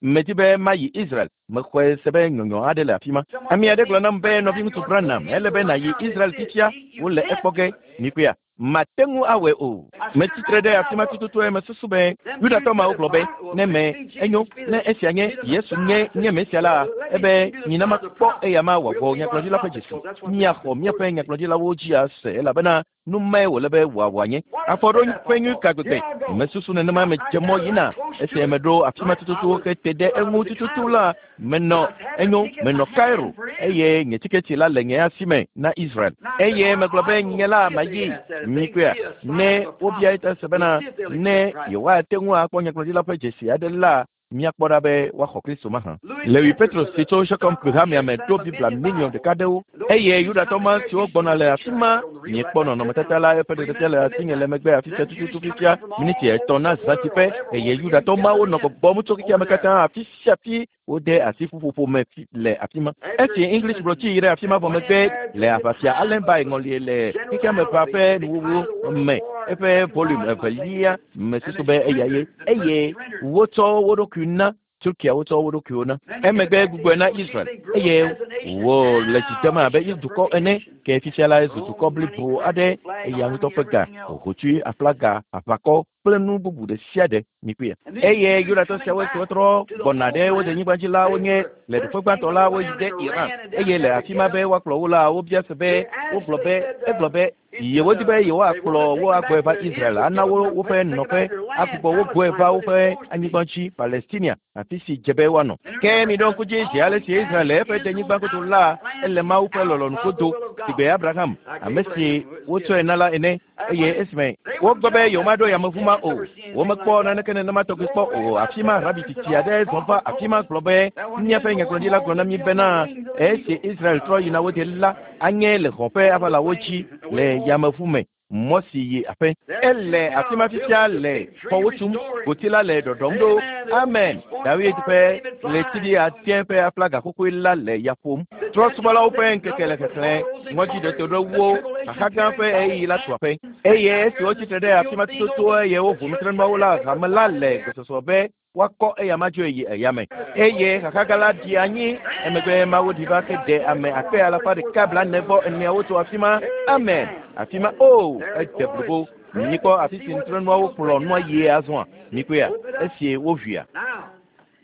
medi be mayi Israel. Mexɔe se be nyɔnyɔ aɖe le afi ma. Ame aɖe gblɔ nam be nɔviŋutsu Branham, ele be nàyi Israel fifia, wole ekpɔ ge. Mikuia. Mate ŋu awɔe o. Metsitre ɖe afi ma tututue mesusu be Yudatɔ mawo gblɔ be ne me enyo, ne esia nye Yesu nye nye Mesia la, ebe mina makpɔ eya ma wòawɔ nyagblɔɖila ƒe dzesi. Míaxɔ míaƒe nyagblɔɖilawo dzi ase elabena nu mae wòle be wòawɔ anye. Afɔɖoƒe nyui ka gbegbe. Mesusu nenema medze mɔ yina. Esi meɖo afi ma tututu hete ɖe eŋu tututu la, menɔ enyo, menɔ Cairo, eye nye tiketi la le nye asi me na Israel. Eye megblɔ be nye la mayi mikuia. Ne wobia eta se bena ne yewoate ŋu akpɔ nyagblɔɖila ƒe dzesi aɖe la, míakpɔ ɖa be woaxɔ Kristo mahã. Lewi Petros si tso Shechem hamea me ɖo Biblia miliɔn 1 ɖewo, eye Yudatɔ ma siwo gbɔna le afi ma, miekpɔ nɔnɔmetata la eƒe ɖeɖefia le asinye le megbe afi sia tututu fifia, miniti 3 na zãtiƒe, eye Yudatɔ mawo nɔ gbɔgbɔm tso xexea me katã afi sia afi wode asi ƒuƒoƒo me le afi ma. Esi English gblɔ tsi yi ɖe afi ma vɔ megbe le aʋafia Allenby ŋɔlie le xexea me ʋa ƒe nuwuwu me, eƒe volume 2 mesusu be eya ye, eye wotsɔ wo ɖokui na Turkia, wotsɔ wo ɖokuiwo na. Emegbe gbugbɔe na Israel, eye wole dzi dem abe dukɔ ene, ke fifia la ezu dukɔ blibo aɖe, eya ŋutɔ ƒe ga, hotsui, aflaga, aʋakɔ kple nu bubu ɖe sia ɖe mikuia. Eye Yudatɔ siawo siwo trɔ gbɔna ɖe wo denyigba dzi la wonye le ɖoƒe gbãtɔ la woyi ɖe Iran, eye le afi ma be woakplɔ wo la, wobia se be wogblɔ be egblɔ be yewodi be yewoakplɔ wo agbɔe va Israel, ana wo woƒe nɔƒe, agbugbɔ wo gbɔe va woƒe anyigba dzi, Palestinia, afi si dze be woanɔ. Ke miɖo ŋku dzi zi ale si Israel le eƒe denyigba godo la, ele Mawu ƒe lɔlɔ̃nu godo, sigbe Abraham, ame si wotsɔe na la ene, eye esime wogblɔ be yewomaɖo yameʋu ma o, womekpɔ naneke nenema tɔgbi kpɔ o. Afi ma rabi tsitsi aɖe zɔ va afi ma gblɔ be míaƒe nyagblɔɖila gblɔ na mí bena esi Israel trɔ yina wo de la, anye le xɔ ƒe aʋalawo dzi le yameʋu me, mɔ si yi aƒe. Ele afi ma fifia le xɔwo tum, goti la le ɖɔɖɔm ɖo. Amen. Dawid ƒe ɣletivi ade ƒe aflaga xoxoe la le ya ƒom. Trɔ̃subɔlawo ƒe ŋkeke le xexlẽ, ŋɔdzi ɖeto ɖe wo, xaxa gã ƒe ɣeyiɣi la tu aƒe. Eye esi wotsitre ɖe afi ma tututu eye woʋu nutrenuawo la, hame la le gbesɔsɔ be woakɔ eya ma dzoe yi eya me. Eye xaxa gã la ɖi anyi, emegbe Mawu ɖi va ke ɖe ame 144,000 tso afi ma. Amen. Afi ma, o, ede blibo. Mikpɔ afi si nutrenuawo kplɔ nua yie azɔa? Mikpɔea? Esi woʋuia.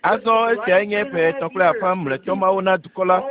Azɔ esiae nye ƒe 3.5 mlɔetɔ mawo na dukɔ la.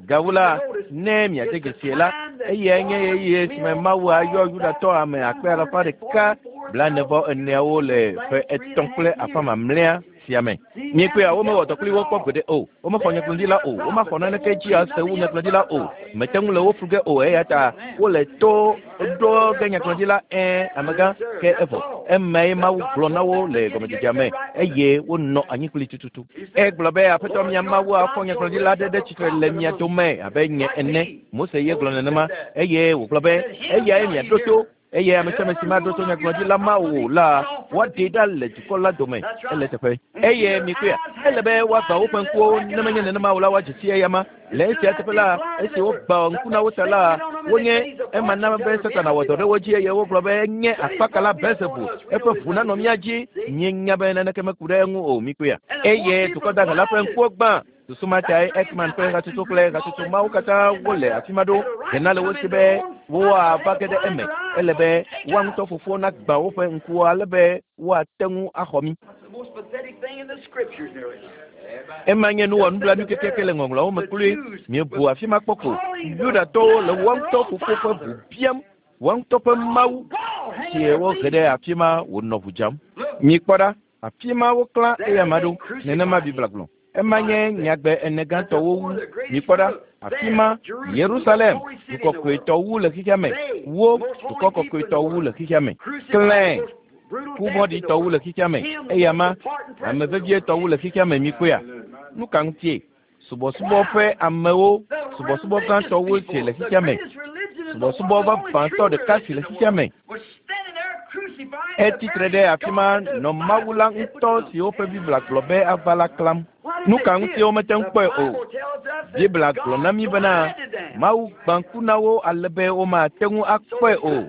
Gawu la, ne miade dzesie la, eyae nye ɣeyiɣi esime Mawu ayɔ Yudatɔ ame 144,000 le ƒe 3.5 mamlɛa sia me. Miekpɔea, womewɔ dɔ kpli wo kpɔ gbeɖe o. Womexɔ nyagblɔɖila o. Womaxɔ naneke dzi ase wu nyagblɔɖila o. Mete ŋu le wo flu ge o eya ta wole to ɖo ge nyagblɔɖila ɛ̃ amegã ke evɔ. Emae Mawu gblɔ na wo le gɔmedzedzea me eye wonɔ anyi kpli tututu. Egblɔ be Aƒetɔ mia Mawu afɔ nyagblɔɖila aɖe ɖe tsitre le mia dome abe nye ene. Mose ye gblɔ nenema eye wògblɔ be eyae miaɖo to eye ame sia ame si maɖo to nyagblɔɖila ma o la, woaɖee ɖa le dukɔ la dome. Ele eteƒe. Eye mikpɔea, ele be woagbã woƒe ŋkuwo, ne menye nenema o la, woadze si eyama. Le esia teƒe la, esi wogbã ŋku na wo ta la, wonye ema na be Satana wɔ dɔ ɖe wo dzi eye wogblɔ be enye akpakala Belzebul, eƒe ʋu nanɔ mía dzi. Míenya be naneke meku ɖe eŋu o, mikpɔea. Eye dukɔ dahe la ƒe ŋkuwo gbã. Susu ma tae Ekman ƒe hatsotso kple hatsotso mawo katã wole afi ma ɖo hena le wo si be woava ge ɖe eme. Ele be woa ŋutɔ fofowo nagbã woƒe ŋkuwo ale be woate ŋu axɔ mí. Ema nye nu wɔnublanui kekeake le Ŋɔŋlɔawo me kloe. Miebu afi ma kpɔ ko. Yudatɔwo le woa ŋutɔ fofo ƒe ʋu biam woa ŋutɔ ƒe Mawu si wohe ɖe afi ma wònɔ ʋu dzam. Mikpɔ ɖa, afi ma woklã eyama ɖo. Nenema Biblia gblɔ. Ema nye nyagbe ene gãtɔwo wu. Mikpɔ ɖa, afi ma Yerusalem, dukɔ kɔkɔetɔ wu le xexea me. Wo, dukɔ kɔkɔetɔ wu le xexea me. Klẽ, ku vɔ̃ɖitɔ wu le xexea me. Eyama, ame vevietɔ wu le xexea me. Mikpɔea? Nu ka ŋutie? Subɔsubɔ ƒe amewo, subɔsubɔ gãtɔwo si le xexea me. Subɔsubɔ vavãtɔ ɖeka si le xexea me. Etsitre ɖe afi ma nɔ Mawu la ŋutɔ si woƒe Biblia gblɔ be ava la klãm. Nu ka ŋutie womete ŋu kpɔe o? Biblia gblɔ na mí bena Mawu gbã ŋku na wo ale be womate ŋu akpɔe o.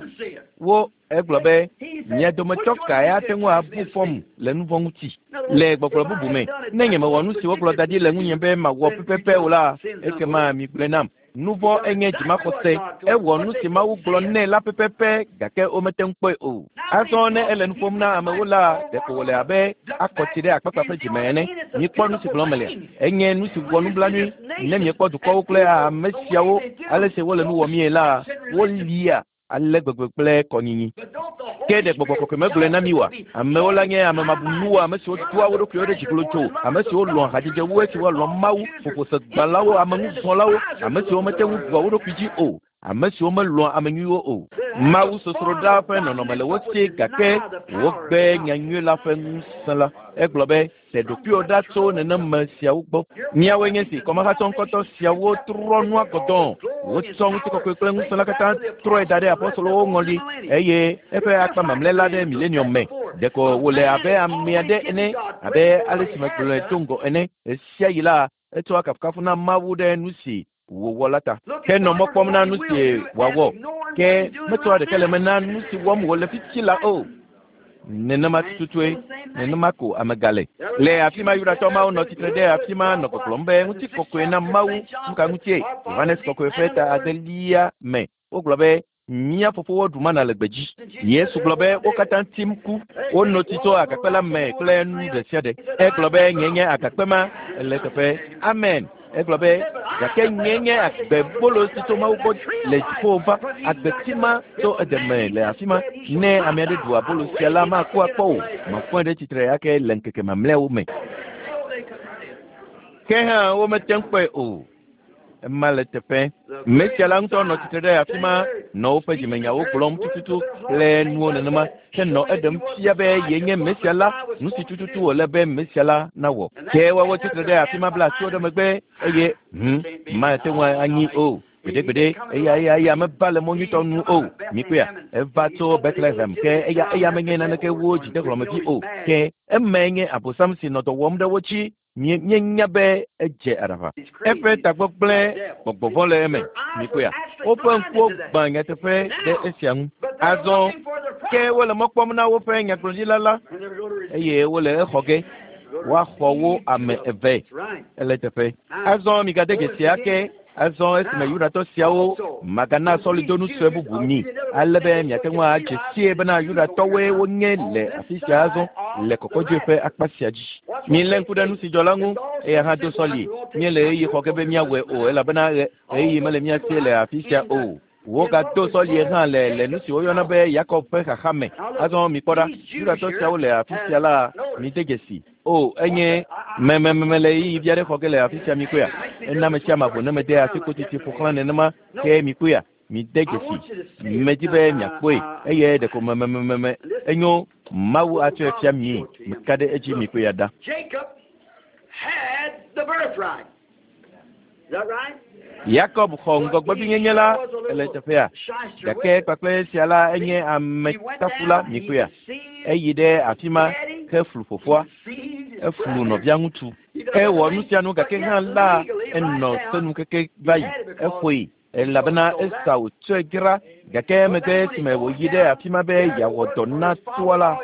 Wo egblɔ be mia dometɔ kae ate ŋu abu fɔm le nu vɔ̃ ŋuti? Le gbɔgblɔ bubu me, ne nyemewɔ nu si wogblɔ da ɖi le ŋunye be mawɔ pɛpɛpɛ o la, ekema migblɔe nam. Nu vɔ̃ enye dzimaxɔse. Ewɔ nu si Mawu gblɔ nɛ la pɛpɛpɛ gake womete ŋu kpɔe o. Azɔ ne ele nu ƒom na amewo la, ɖeko wòle abe akɔ tsi ɖe akpakpa ƒe dzime ene. Mikpɔ nu si gblɔm melea? Enye nu si wɔ nublanui ne miekpɔ dukɔwo kple ame siawo ale si wole nu wɔmie la, wolia ale gbegbe kple kɔnyinyi. Ke ɖe gbɔgbɔ kɔkɔe megblɔe na mí oa? Amewo la nye ame mabunuwo, ame siwo doa wo ɖokuiwo ɖe dzi glodzo, ame siwo lɔ̃a hadzedze wu esi woalɔ̃ Mawu, ƒoƒosegbalẽwo, ameŋuzɔlawo, ame siwo mete ŋu ɖua wo ɖokui dzi o, ame siwo melɔ̃a ame nyuiwo o. Mawu sosroɖa ƒe nɔnɔme le wo si gake wogbe nyanyui la ƒe ŋusẽ la. Egblɔ be, Te ɖokuiwò ɖa tso neneme siawo gbɔ. Míawoe nye si kɔmahatsɔ ŋkɔtɔ siawo trɔ nua gɔdɔ̃. Wotsɔ ŋutikɔkɔe kple ŋusẽ la katã trɔe da ɖe apostolowo ŋɔli eye eƒe akpa mamlɛ la ɖe milenium me. Ɖeko wòle abe ame aɖe ene, abe ale si megblɔe do ŋgɔ ene. Ɣesiaɣi la, etsɔa kafukafu na Mawu ɖe nu si wòwɔ la ta. Ke nɔ mɔ kpɔm na nu si wòawɔ, ke metsɔa ɖeke le eme na nu si wɔm wòle fifi la o. Nenema tututue, nenema ko ame gale. Le afi ma Yudatɔ mawo nɔ tsitre ɖe afi ma nɔ gbɔgblɔm be ŋutikɔkɔe na Mawu. Nu ka ŋutie? Yohanes Kɔkɔe ƒe ta adelia me wogblɔ be mía fofowo ɖu mana le gbedzi. Yesu gblɔ be wo katã tim ku. Wono tsi tso agakpe la me kple nu ɖe sia ɖe. Egblɔ be nye nye agakpe ma le teƒe. Amen. Egblɔ be gake nye nye agbebolo si tso Mawu gbɔ le dziƒo va. Agbeti ma tso edeme le afi ma. Ne ame aɖe ɖu abolo sia la, maku akpɔ o. Mafɔe ɖe tsitre ake le ŋkeke mamlɛawo me. Ke hã womete ŋu kpɔe o. Ema le teƒe. Mesia la ŋutɔ nɔ tsitre ɖe afi ma nɔ woƒe dzimenyawo gblɔm tututu kple nuwo nenema ke nɔ eɖem fia be yenye Mesia la, nu si tututu wòle be Mesia la nawɔ. Ke woawo tsitre ɖe afi ma bla asiwo ɖe megbe eye hm, mate ŋu anyi o. Gbeɖegbeɖe, eya eya eya meva le mɔ nyuitɔ nu o. Mikpɔea, eva tso Bethlehem ke eya eya menye naneke wu dzidehlɔ̃mevi o. Ke emae nye Abosam si nɔ dɔ wɔm ɖe wo dzi. Míenya be edze aɖaʋa. Eƒe tagbɔ gblẽ gbɔgbɔ vɔ̃ le eme. Mikpɔea? Woƒe ŋkuwo gbã nyateƒe ɖe esia ŋu. Azɔ ke wole mɔ kpɔm na woƒe nyagblɔɖila la eye wole exɔ ge. Woaxɔ wo ame eve. Ele teƒe. Azɔ migade dzesi ake. Azɔ esime Yudatɔ siawo magana sɔlidonu sue bubu mi ale be miate ŋu adze sie bena Yudatɔwoe wonye le afi sia azɔ le kɔkɔdzoe ƒe akpa sia dzi. Milé ŋku ɖe nu si dzɔ la ŋu, eya hã do sɔli. Míele ɣeyiɣi xɔ ge be míawɔe o elabena ɣeyiɣi mele mía si le afi sia o. Wogado sɔlie hã le le nu si woyɔna be Yakob ƒe xaxa me. Azɔ mikpɔ ɖa, Yudatɔ siawo le afi sia la, Mide dzesi. O, enye memememe le ɣeyiɣi vi aɖe xɔ ge le afi sia mikpɔea. Ena ame sia ame vo ne mede asi kotiti ƒo xlã nenema ke mikpɔea. Mide dzesi. Medi be miakpɔe eye ɖeko memememe enyo Mawu atsɔe fia mie. Meka ɖe edzi mikpɔea ɖa. Jacob had the birthright. Is that right? Yakob xɔ ŋgɔgbevinyenye la le teƒea. Gake kpakple esia la enye ametafula mikpɔea. Eyi ɖe afi ma heflu fofoa. Eflu nɔvia ŋutsu. Ewɔ nu sia nu gake hã la enɔ senu keke va yi. Eƒoe elabena Esau tsɔe dzra gake emegbe esime wòyi ɖe afi ma be yeawɔ dɔ na toa la,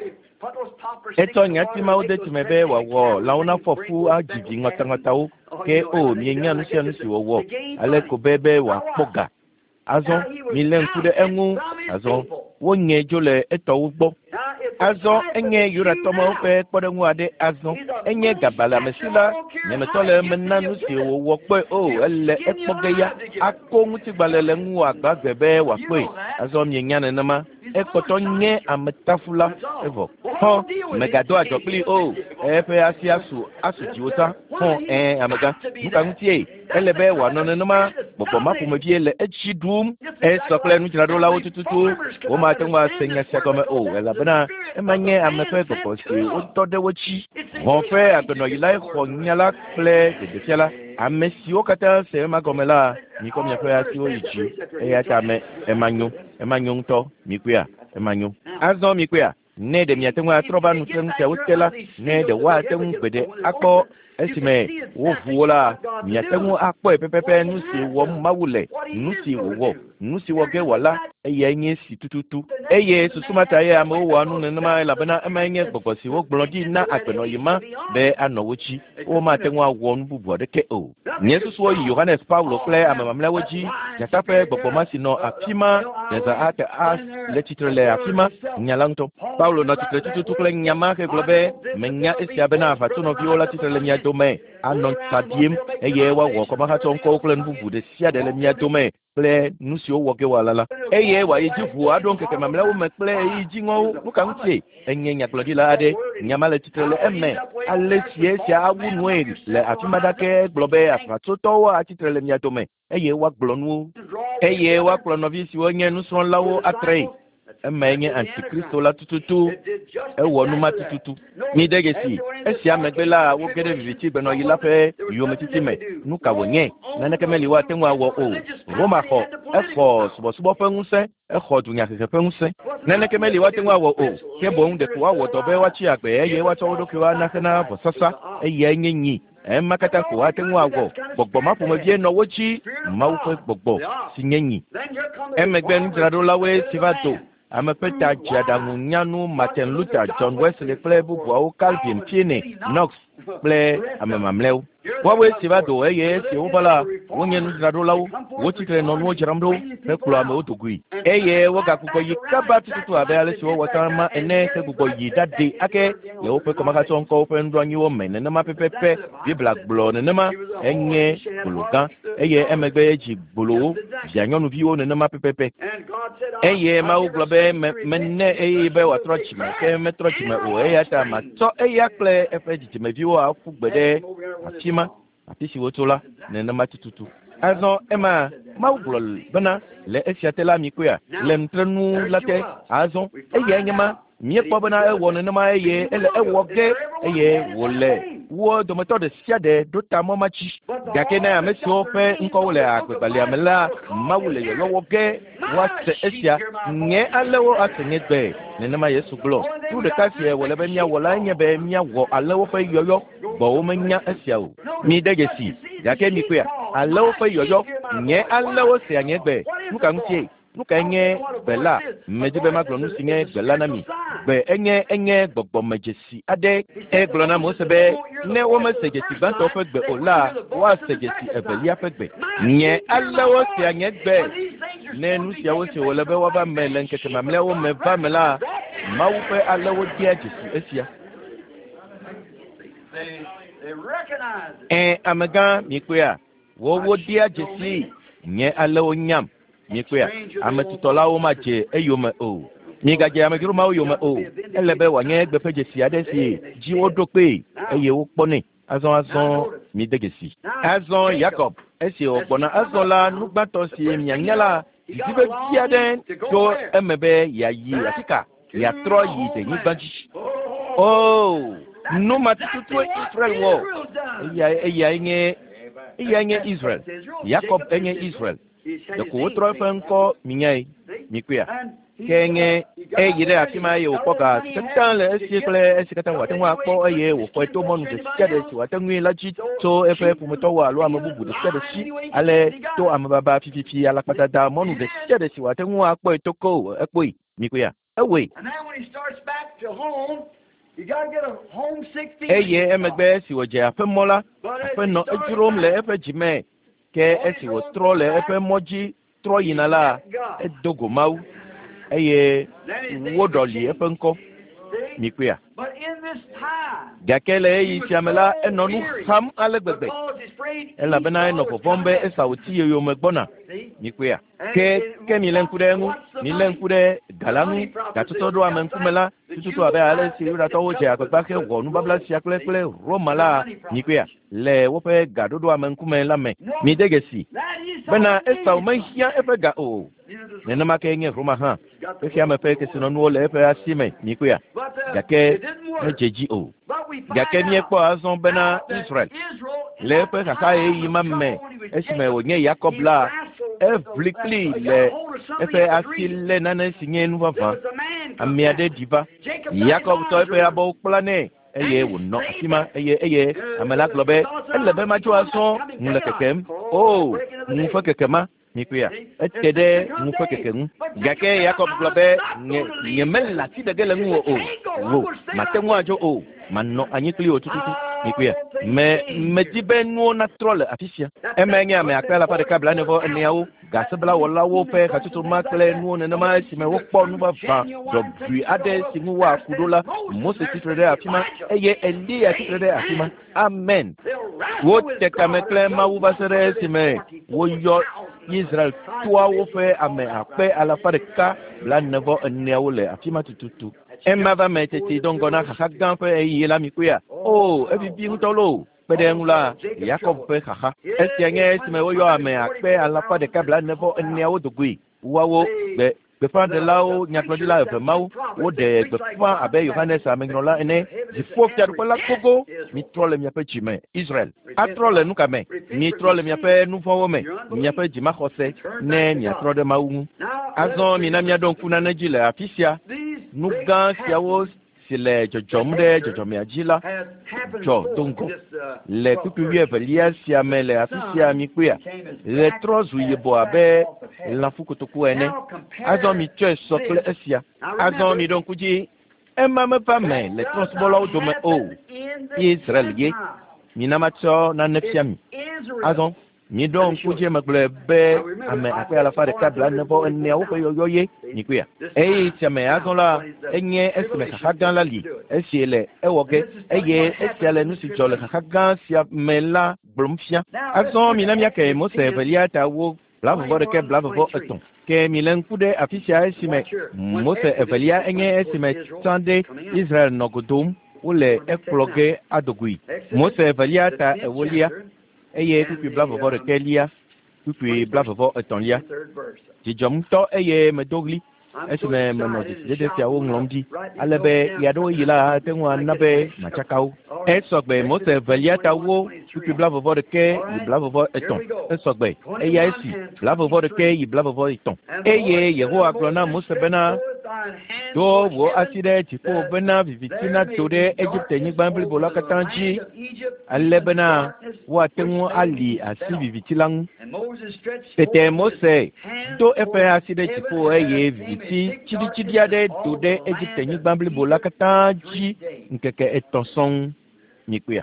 etsɔ nyati mawo de tsime be wòawɔ lãwo nafɔ fu adzi vi ŋɔtaŋɔtawo. Ke o, mienya nu sia nu si wòwɔ ale ko be be wòakpɔ ga. Azɔ milé ŋku ɖe eŋu. Azɔ wonyè dzo le etɔwo gbɔ. Azɔ enye Yudatɔ mawo ƒe kpɔɖeŋu aɖe azɔ. Enye gabalẽamesi la, nyemetɔ le eme na nu si wòwɔ kpɔe o, ele ekpɔ ge ya. Ako ŋutigbalẽ le ŋuwò agbagbe be wòakpɔe. Azɔ mienya nenema. Ekpɔtɔ nye ametafula evɔ. Xɔ, mègado adzɔ kplii o. Eƒe asi asu asu dziwò sã. Xɔ, ɛ̃, amegã. Nu ka ŋutie? Ele be wòanɔ nenema. Gbɔgbɔ ma ƒomevie le edzi ɖum. Esɔ kple nudzraɖolawo tututu. Womate ŋu ase nya sia gɔme o, elabena ema nye ame ƒe gbɔgbɔ si wotɔ ɖe wo dzi. Hɔ̃ ƒe agbenɔɣi lae xɔ nya la kple ɖeɖefia la. Ame siwo katã se ema gɔme la, mikɔ miaƒe asiwo yi dzi. Eya ta me, ema nyo. Ema nyo ŋutɔ. Mikpɔea? Ema nyo. Azɔ mikpɔea? Ne ɖe miate ŋu atrɔ va nutrenu siawo te la, ne ɖe woate ŋu gbeɖe akpɔ esime woʋu wo la, miate ŋu akpɔe pɛpɛpɛ nu si wɔm Mawu le, nu si wòwɔ, nu si wɔ ge wòala, eyae nye esi tututu. Eye susu ma tae amewo wɔa nu nenema elabena emae nye gbɔgbɔ si wogblɔ ɖi na agbenɔɣi ma be anɔ wo dzi. Womate ŋu awɔ nu bubu aɖeke o. Nye susuwo yi Yohanes Paulo kple ame mamlɛawo dzi. Dzata ƒe gbɔgbɔ ma si nɔ afi ma Deza ate a le tsitre le afi ma, nya la ŋutɔ. Paulo nɔ tsitre tututu kple nya ma hegblɔ be, Menya esia bena aʋatsonɔviwo la tsitre le mia dome, anɔ ta ɖiem, eye woawɔ kɔmahatsɔ ŋkɔwo kple nu bubu ɖe sia ɖe le mia dome kple nu siwo wɔ ge woala la. Eye wòayi dzi ʋuu aɖo ŋkeke mamlɛawo me kple ɣeyiɣi dziŋɔwo. Nu ka ŋutie? Enye nyagblɔɖila aɖe. Nya ma le tsitre le eme. Ale si esia awu nue le afi ma ɖake gblɔ be aʋatsotɔwo atsi tre le mia dome eye woagblɔ nuwo eye woakplɔ nɔvi siwo nye nusrɔ̃lawo atree. Emae nye antikristo la tututu. Ewɔ nu ma tututu. Mide dzesi, esia megbe la, woge ɖe viviti gbenɔɣi la ƒe yometiti me. Nu ka wònye? Naneke meli woate ŋu awɔ o. Roma xɔ, exɔ subɔsubɔ ƒe ŋusẽ, exɔ dunyahehe ƒe ŋusẽ. Naneke meli woate ŋu awɔ o, ke boŋ ɖeko woawɔ dɔ be woatsi agbe eye woatsɔ wo ɖokuiwo ana hena vɔsasa. Eyae nye nyi. Ema katã ko woate ŋu awɔ. Gbɔgbɔ ma ƒomevie nɔ wo dzi, Mawu ƒe gbɔgbɔ, si nye nyi. Emegbe nudzraɖolawoe si va do. Ame ƒe ta dzeaɖaŋu nyanu Martin Luther, John Wesley kple bubuawo, Calvin, Finney, Knox kple ame mamlɛawo. Woawoe si va do eye esi wova la, wonye nudzraɖolawo. Wotsi tre nɔ nuwo dzram ɖo hekplɔ amewo do goe. Eye wogagbugbɔ yi kaba tututu abe ale si wowɔ tsã ma ene hegbugbɔ yi ɖaɖee ake le woƒe kɔmahatsɔŋkɔwo ƒe nuɖoanyiwo me nenema pɛpɛpɛ. Biblia gblɔ nenema. Enye gbolo gã eye emegbe edzi gbolowo, vianyɔnuviwo nenema pɛpɛpɛ. Eye Mawu gblɔ be me, mene ɣeyiɣi be wòatrɔ dzime, ke metrɔ dzime o. Eya ta matsɔ eya kple eƒe dzidzimeviwo aƒu gbe ɖe afi ma, afi si wotso la, nenema tututu. Azɔ ema Mawu gblɔ bena, le esia te la mikpɔea, le nutrenu la te. Azɔ eyae nye ma. Míekpɔ bena ewɔ nenema eye ele ewɔ ge eye wòle wo dometɔ ɖe sia ɖe ɖo ta mɔ ma dzi. Gake ne ame siwo ƒe ŋkɔwo le agbegbalẽa me la, Mawu le yɔyɔ wɔ ge woase esia. Nye alẽwo ase nye gbe. Nenema Yesu gblɔ. Nu ɖeka si wòle be míawɔ lae nye be míawɔ alẽwo ƒe yɔyɔ. Gbɔwo menya esia o. Mide dzesi. Gake mikpɔea? Alẽwo ƒe yɔyɔ. Nye alẽwo sea nye gbe. Nu ka ŋutie? Nu kae nye gbe la? Medi be magblɔ nu si nye gbe la na mi. Gbe enye enye gbɔgbɔmedzesi aɖe. Egblɔ na Mose be ne womese dzesi gbãtɔ ƒe gbe o la, woase dzesi evelia ƒe gbe. Nye alẽwo sea nye gbe. Ne nu siawo si wòle be woava me le ŋkeke mamlɛawo me va me la, Mawu ƒe alẽwo dea dzesi esia. Ẽ, amegã, mikpɔea? Wowo dea dzesii. Nye alẽwo nyam. Mikpɔea? Ame tutɔlawo madze eyome o. Migadze amedzro mawo yome o. Ele be wòanye egbe ƒe dzesi aɖe si dzi woɖo kpee eye wokpɔnɛ. Azɔ mide dzesi. Azɔ Yakob, esi wògbɔna azɔ la, nu gbãtɔ si mianya la, didi vevi aɖe tso eme be yeayi afi ka? Yeatrɔ yi denyigba dzi. Oh, nu ma tututue Israel wɔ. Eyae nye Israel. Yakob enye Israel. Ɖeko wotrɔ eƒe ŋkɔ minyae, mikpɔea. Ke nye eyi ɖe afi ma eye wòkpɔ ga si katã le esi kple esi katã wòate ŋu akpɔ eye wòxɔe to mɔnu ɖe sia ɖe si wòate ŋui la dzi tso eƒe ƒometɔwo alo ame bubu ɖe sia ɖe si, ale to amebaba fififi alakpadada mɔnu ɖe sia ɖe si wòate ŋu akpɔe to ko ekpɔe mikpɔea. Ewɔe. Eye emegbe esi wòdze aƒemɔ la, aƒe nɔ edzrom le eƒe dzime, ke esi wòtrɔ le eƒe mɔ dzi trɔ yina la, edo go Mawu eye woɖɔli eƒe ŋkɔ. Mikpɔea. Gake le ɣeyiɣi sia me la, enɔ nu xam ale gbegbe elabena enɔ vɔvɔ̃m be Esau ti ye yome gbɔna. Mikpɔea. Ke milé ŋku ɖe eŋu, milé ŋku ɖe ga la ŋu, gatsɔtsɔ ɖo ame ŋkume la, tututu abe ale si Yudatɔwo dze agbagba hewɔ nubabla sia kple Roma la, mikpɔea, le woƒe gaɖoɖo ame ŋkume la me. Mide dzesi bena Esau mehiã eƒe ga o. Nenema ke nye Roma hã. Xexea me ƒe kesinɔnuwo le eƒe asi me, mikpɔea, gake medze dzi o. Gake míekpɔ azɔ bena Israel le eƒe xaxa ɣeyiɣi ma me esime wònye Yakob la, eʋli kpli le eƒe asi lé nane si nye nu vavã. Ame aɖe ɖi va. Yakob tɔ eƒe abɔwo kpla nɛ eye wònɔ afi ma eye ame la gblɔ be ele be madzo azɔ ŋu le kekem. O, ŋu ƒe keke ma. Mikpɔea, ete ɖe ŋu ƒe keke ŋu. Gake Yakob gblɔ be nye mele asi ɖe ge le ŋuwò o. Wò, mate ŋu adzo o. Manɔ anyi kpli wò tututu. Mikpɔea, medi be nuwo natrɔ le afi sia. Emae nye ame akpe alafa ɖeka blaene-vɔ-eneawo, gaseblawɔlawo ƒe hatsotso ma kple nuwo nenema esime wokpɔ nu vavã ɖɔʋui aɖe si ŋu woaku ɖo la. Mose tsitre ɖe afi ma eye Eliya tsitre ɖe afi ma. Amen. Wote kame kple Mawu va se ɖe esime woyɔ Israel toawo ƒe ame akpe alafa ɖeka blaene-vɔ-eneawo le afi ma tututu. Ema va me teti do ŋgɔ na xaxa gã ƒe ɣeyiɣi la mikpɔea. O, evivi ŋutɔ loo. Kpe ɖe eŋu la, Yakob ƒe xaxa. Esia nye esime woyɔ ame akpe alafa ɖeka blaene-vɔ-eneawo do goe. Woawo gbeƒãɖelawo, nyagblɔɖila eve mawo, woɖe gbeƒã abe Yohanes amenyrɔla ene. Dziƒo fiaɖuƒe la gogo. Mitrɔ le miaƒe dzi me, Israel. Atrɔ le nu ka me? Mitrɔ le miaƒe nu vɔ̃wo me, miaƒe dzimaxɔse, ne miatrɔ ɖe Mawu ŋu. Azɔ mina míaɖo ŋku nane dzi le afi sia. Nu gã siawo si le dzɔdzɔm ɖe dzɔdzɔmea dzi la dzɔ do ŋgɔ. Le kpukpui wuievelia sia me le afi sia mikpɔea, ɣe trɔ zu yibɔ abe lãfukotoku ene. Azɔ mitsɔe sɔ kple esia. Azɔ miɖo ŋku dzi, ema meva me le trɔ̃subɔlawo dome o. Israel ye. Mina matsɔ nane fia mi. Azɔ miɖo ŋku dzi megblɔe be ame akpe alafa ɖeka blaene-vɔ-eneawo ƒe yɔyɔ ye mikpɔea. Eye sia me azɔ la enye esime xaxa gã la li, esi le ewɔ ge, eye esia le nu si dzɔ le xaxa gã sia me la gblɔm fia. Azɔ mina míake Mose evelia ta wo 21 23. Ke mile ŋku ɖe afi sia esime Mose evelia enye esime tsã ɖe Israel nɔ go dom, wole ekplɔ ge ado goe. Mose evelia ta ewolia eye kpukpui 21 kpukpui 23. Dzidzɔm ŋutɔ eye medo ɣli esime menɔ dzesidede siawo ŋlɔm ɖi, ale be ɣeaɖewoɣi la ate ŋu ana be matsaka wo. Esɔgbe Mose evelia ta wo kpukpui 21 yi 23. Esɔgbe eya esi 21 yi 23. Eye Yehowa gblɔ na Mose bena, do wò asi ɖe dziƒo bena viviti nado ɖe Egipte-nyigba blibo la katã dzi, ale bena woate ŋu ali asi viviti la ŋu. Tete Mose do eƒe asi ɖe dziƒo eye viviti tsiɖitsiɖi aɖe do ɖe Egipte-nyigba blibo la katã dzi ŋkeke etɔ̃ sɔŋ. Mikpɔea.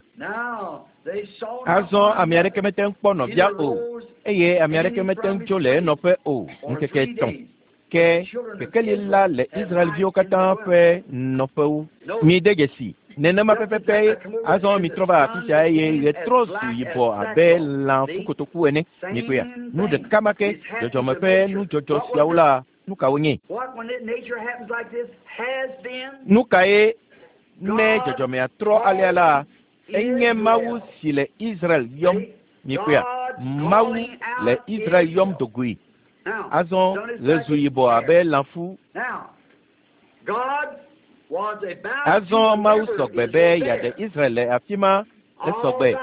Azɔ ame aɖeke mete ŋu kpɔ nɔvia o, eye ame aɖeke mete ŋu tso le enɔƒe o ŋkeke etɔ̃. Ke kekeli la le Israelviwo katã ƒe nɔƒewo. Mide dzesi nenema pɛpɛpɛ. Azɔ mitrɔ va afi sia eye ɣe trɔ zu yibɔ abe lã ƒukotoku ene. Mikpɔea, nu ɖeka ma ke dzɔdzɔme ƒe nudzɔdzɔ siawo la. Nu ka wonye? Nu kae ne dzɔdzɔmea trɔ alea la, enye Mawu si le Israel yɔm. Mikpɔea? Mawu le Israel yɔm dogoe. Azɔ ɣe zu yibɔ abe lãfu. Azɔ Mawu sɔgbe be yeaɖe Israel le afi ma. Esɔgbe.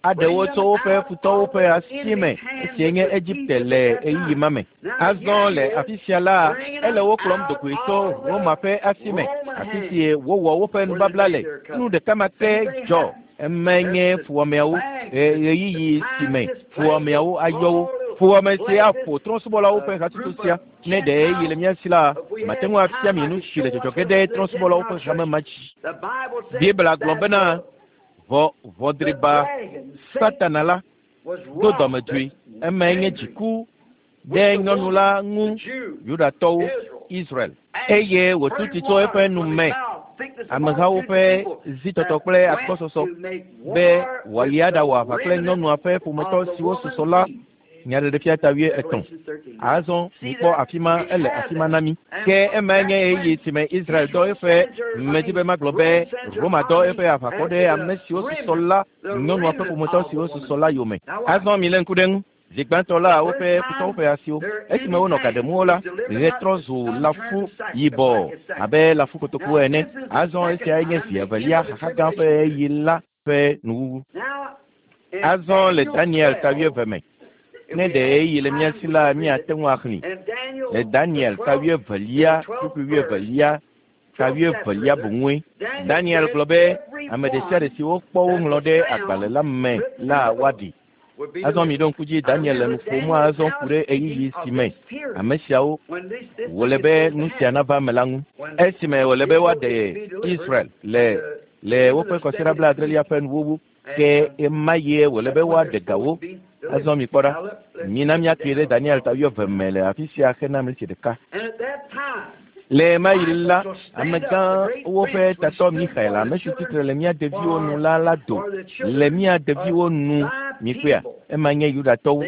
Aɖe wo tso woƒe futɔwo ƒe asi me, esie nye Egipte le ɣeyiɣi ma me. Azɔ le afi sia la, ele wo kplɔm dogoe tso Roma ƒe asi me, afi si wowɔ woƒe nubabla le. Nu ɖeka ma ke dzɔ. Emae nye fuwɔameawo, ɣeyiɣi si me fuwɔameawo ayɔ wo. Fuwɔame si aƒo trɔ̃subɔlawo ƒe hatsotso sia. Ne ɖe ɣeyiɣi le mía si la, mate ŋu afia mi nu si le dzɔdzɔ ge ɖe trɔ̃subɔlawo ƒe hame ma dzi. Biblia gblɔ bena, Ʋɔ ʋɔdriba Satana la do dɔmedzoe. Emae nye dziku ɖe nyɔnu la ŋu, Yudatɔwo, Israel. Eye wòtu tsi tso eƒe nu me, amehawo ƒe zitɔtɔ kple agbɔsɔsɔ, be wòayi aɖawɔ aʋa kple nyɔnua ƒe ƒometɔ siwo susɔ la. Nyaɖeɖefia ta 13. Azɔ mikpɔ afi ma, ele afi ma na mí. Ke emae nye ɣeyiɣi si me Israel dɔ eƒe, medi be magblɔ be Roma dɔ eƒe aʋakɔ ɖe ame siwo susɔ la, nyɔnua ƒe ƒometɔ siwo susɔ la yome. Azɔ milé ŋku ɖe eŋu. Zi gbãtɔ la, woƒe futɔwo ƒe asiwo, esime wonɔ ga ɖem wo la, ɣe trɔ zu lãfu yibɔ abe lãfu kotoku ene. Azɔ esiae nye zi evelia xaxa gã ƒe ɣeyiɣi la ƒe nuwuwu. Azɔ le Daniel ta 20 me, ne ɖe ɣeyiɣi le mía si la, míate ŋu axlẽe. Le Daniel ta 21, kpukpui 21, ta 21 boŋue. Daniel gblɔ be ame ɖesiaɖe si wokpɔ woŋlɔ ɖe agbalẽ la me la woaɖi. Azɔ miɖo ŋku dzi Daniel le nu ƒom azɔ ku ɖe ɣeyiɣi si me ame siawo wòle be nu sia nava eme la ŋu. Esime wòle be woaɖe Israel le le woƒe kɔsiɖa blaadrelia ƒe nuwuwu, ke ema ye wòle be woaɖe ga wo. Azɔ mikpɔ ɖa, mina míatui ɖe Daniel ta 20 me le afi sia hena mleti ɖeka. Le ɣemaɣi la, amegãwo ƒe tatɔ Mixael, ame si tsitre le mía deviwo nu la la do le mía deviwo nu. Mikpɔea? Ema nye Yudatɔwo.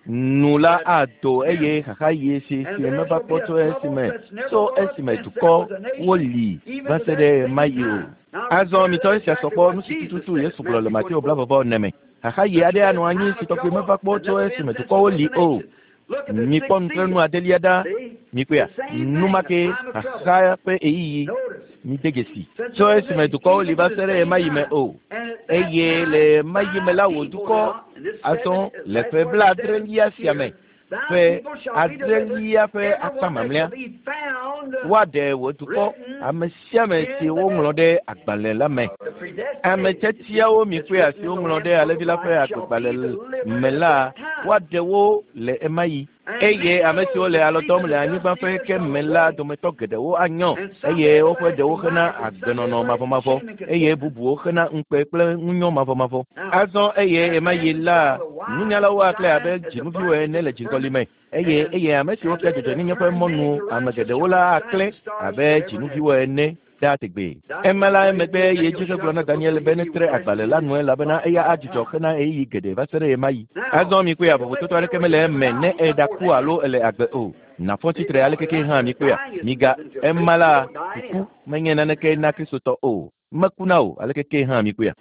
Nu la ado eye xaxaɣi si si meva kpɔ tso esime tso esime dukɔ woli va se ɖe ɣemaɣi o. Azɔ mitsɔ esia sɔ kpɔ nu si tututu Yesu gblɔ le Mateo 24 me. Xaxaɣi aɖe anɔ anyi si tɔgbi meva kpɔ tso esime dukɔwo li o. Mikpɔ nutrenu adelia ɖa. Mikpɔea? Nu ma ke xaxa ƒe ɣeyiɣi. Mide dzesi. Tso esime dukɔwo li va se ɖe ɣemaɣi me o. Eye le ɣemaɣi me la wò dukɔ azɔ le ƒe blaadrelia sia me, ƒe adrelia ƒe akpa mamlɛa, woaɖe wò dukɔ, ame sia ame si woŋlɔ ɖe agbalẽ la me. Ame tiatiawo mikpɔea si woŋlɔ ɖe Alẽvi la ƒe agbegbalẽ me la, woaɖe wo le ɣemaɣi. Eye ame siwo le alɔ dɔm le anyigba ƒe ke me la dometɔ geɖewo anyɔ, eye woƒe ɖewo hena agbenɔnɔ mavɔmavɔ, eye bubuwo hena ŋukpe kple ŋunyɔ mavɔmavɔ. Azɔ eye ɣemaɣi la, nunyalawo aklẽ abe dzinuviwo ene le dziŋgɔli me, eye eye ame siwo fia dzɔdzɔenyenye ƒe mɔnu ame geɖewo la aklẽ abe dzinuviwo ene ɖaa tegbee. Ema la emegbe yi edzi hegblɔ na Daniel be netre agbalẽ la nu elabena eya adzudzɔ hena ɣeyiɣi geɖe va se ɖe ɣemaɣi. Azɔ mikpɔea, vovototo aɖeke mele eme ne eɖaku alo ele agbe o. Nàfɔ tsitre aleke ke hã mikpɔea, miga ema la, kuku menye naneke na Kristotɔ o. Mekuna o, aleke ke hã mikpɔea.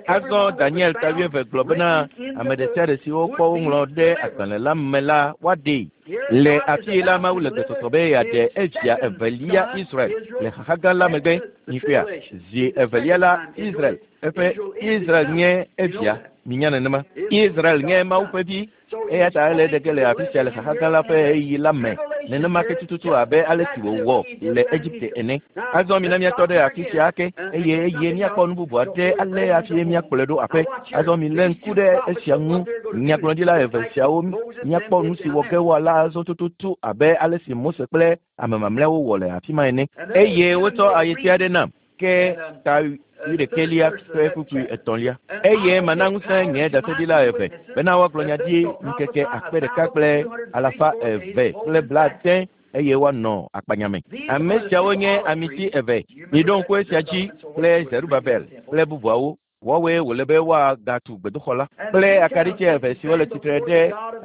Azɔ Daniel ta 20 gblɔ bena ame ɖe sia ɖe si wokpɔ woŋlɔ ɖe agbalẽ la me la, woaɖee. Le afii la, Mawu le gbesɔsɔ be yeaɖe evia evelia Israel le xaxa gã la megbe. Mikpɔea? Zi evelia la, Israel, eƒe Israel nye evia. Minya nenema. Israel nye Mawu ƒe vi. Eya ta ele ɖe ge le afi sia le xaxa gã la ƒe ɣeyiɣi la me, nenema ke tututu abe ale si wòwɔ le Egipte ene. Azɔ mina míatɔ ɖe afi sia ake, eye eye míakpɔ nu bubu aɖe ale hafi míakplɔe ɖo aƒe. Azɔ milé ŋku ɖe esia ŋu, nyagblɔɖila eve siawo, míakpɔ nu si wɔ ge woala azɔ tututu abe ale si Mose kple ame mamlɛawo wɔ le afi ma ene. Eye wotsɔ ayeti aɖe nam. Ke ta wuiɖekɛlia ƒe kpukpui etɔ̃lia. Eye mana ŋusẽ nye ɖaseɖila eve bena woagblɔ nya ɖi ŋkeke 1280 eye woanɔ akpanya me. Ame siawo nye amiti eve. Miɖo ŋku esia dzi kple Zerubabel kple bubuawo. Woawoe wòle be woagatu gbedoxɔ la kple akaɖitsi eve siwo le tsitre ɖe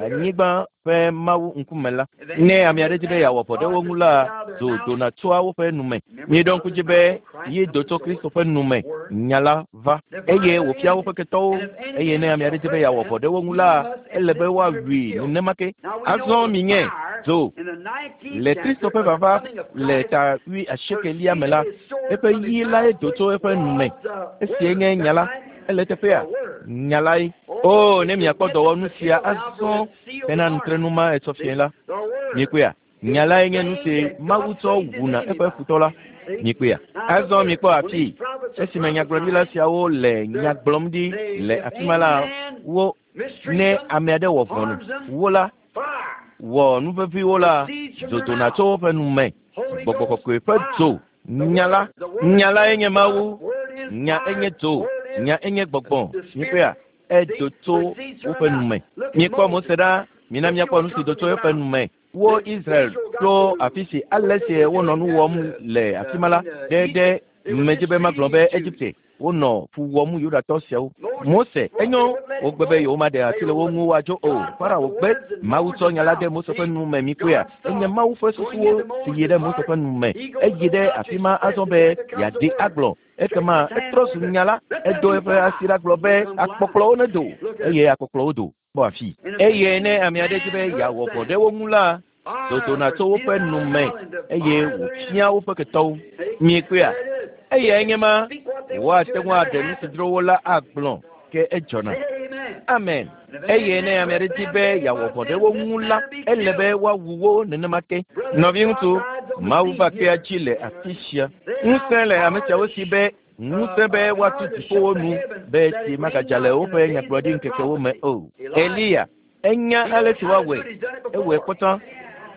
anyigba ƒe Mawu ŋkume la. Ne ame aɖe di be yeawɔ vɔ̃ ɖe wo ŋu la, dzo dona tsoa woƒe nu me. Míeɖo ŋku dzi be yi do tso Kristo ƒe nu me, nya la va, eye wòfia woƒe ketɔwo. Eye ne ame aɖe di be yeawɔ vɔ̃ ɖe wo ŋu la, ele be woawui nenema ke. Azɔ minye dzo le Kristo ƒe vava le ta 80 me la, eƒe yi lae do tso eƒe nu me. Esie nye nya la. Ele teƒea? Nya lae. O, ne miakpɔ dɔwɔnu sia azɔ hena nutrenu ma etsɔ fiẽ la, miekpɔea? Nya lae nye nu si Mawu tsɔ wuna eƒe futɔ la. Miekpɔea? Azɔ mikpɔ afii. Esime nyagblɔɖila siawo le nya gblɔm ɖi le afi ma la, wo, ne ame aɖe wɔ vɔ̃ wo la, wɔ nu veviwo la, dzo dona tso woƒe nu me. Gbɔgbɔ kɔkɔe ƒe dzo. Nya la, nya lae nye Mawu. Nya enye dzo. Nya enye gbɔgbɔ. Miekpɔea? Edo tso woƒe nu me. Mikpɔ Mose ɖa. Mina míakpɔ nu si do tso eƒe nu me. Wo Israel tso afi si ale si wonɔ nu wɔm le afi ma la ɖe ɖe medzi be magblɔ be Egipte wonɔ fu wɔm Yudatɔ siawo. Mose, enyo, wogbe be yewomaɖe asi le wo ŋu woadzo o. Farao gbe. Mawu tsɔ nya la de Mose ƒe nu me mikpɔea? Enye Mawu ƒe susuwo si yi ɖe Mose ƒe nu me. Eyi ɖe afi ma azɔ be yeaɖi agblɔ. Ekema etrɔ zu nya la. Edo eƒe asi ɖa gblɔ be akpɔkplɔwo nedo, eye akpɔkplɔwo do. Kpɔ afi. Eye ne ame aɖe di be yeawɔ vɔ̃ ɖe wo ŋu la, dodona tso woƒe nu me eye wòfia woƒe ketɔwo. Miekpɔea? Eyae nye ma. Woate ŋu aɖe nu si dzro wo la agblɔ, ke edzɔna. Amen. Eye ne ame aɖe di be yeawɔ vɔ̃ ɖe wo ŋu la, ele be woawu wo nenema ke. Nɔviŋutsu, Mawu va kpea dzi le afi sia. Ŋusẽ le ame siawo si be ŋusẽ be woatu dziƒowo nu be tsi magadza le woƒe nyagblɔɖi ŋkekewo me o. Eliya, enya ale si woawɔe, ewɔe kpɔtɔ.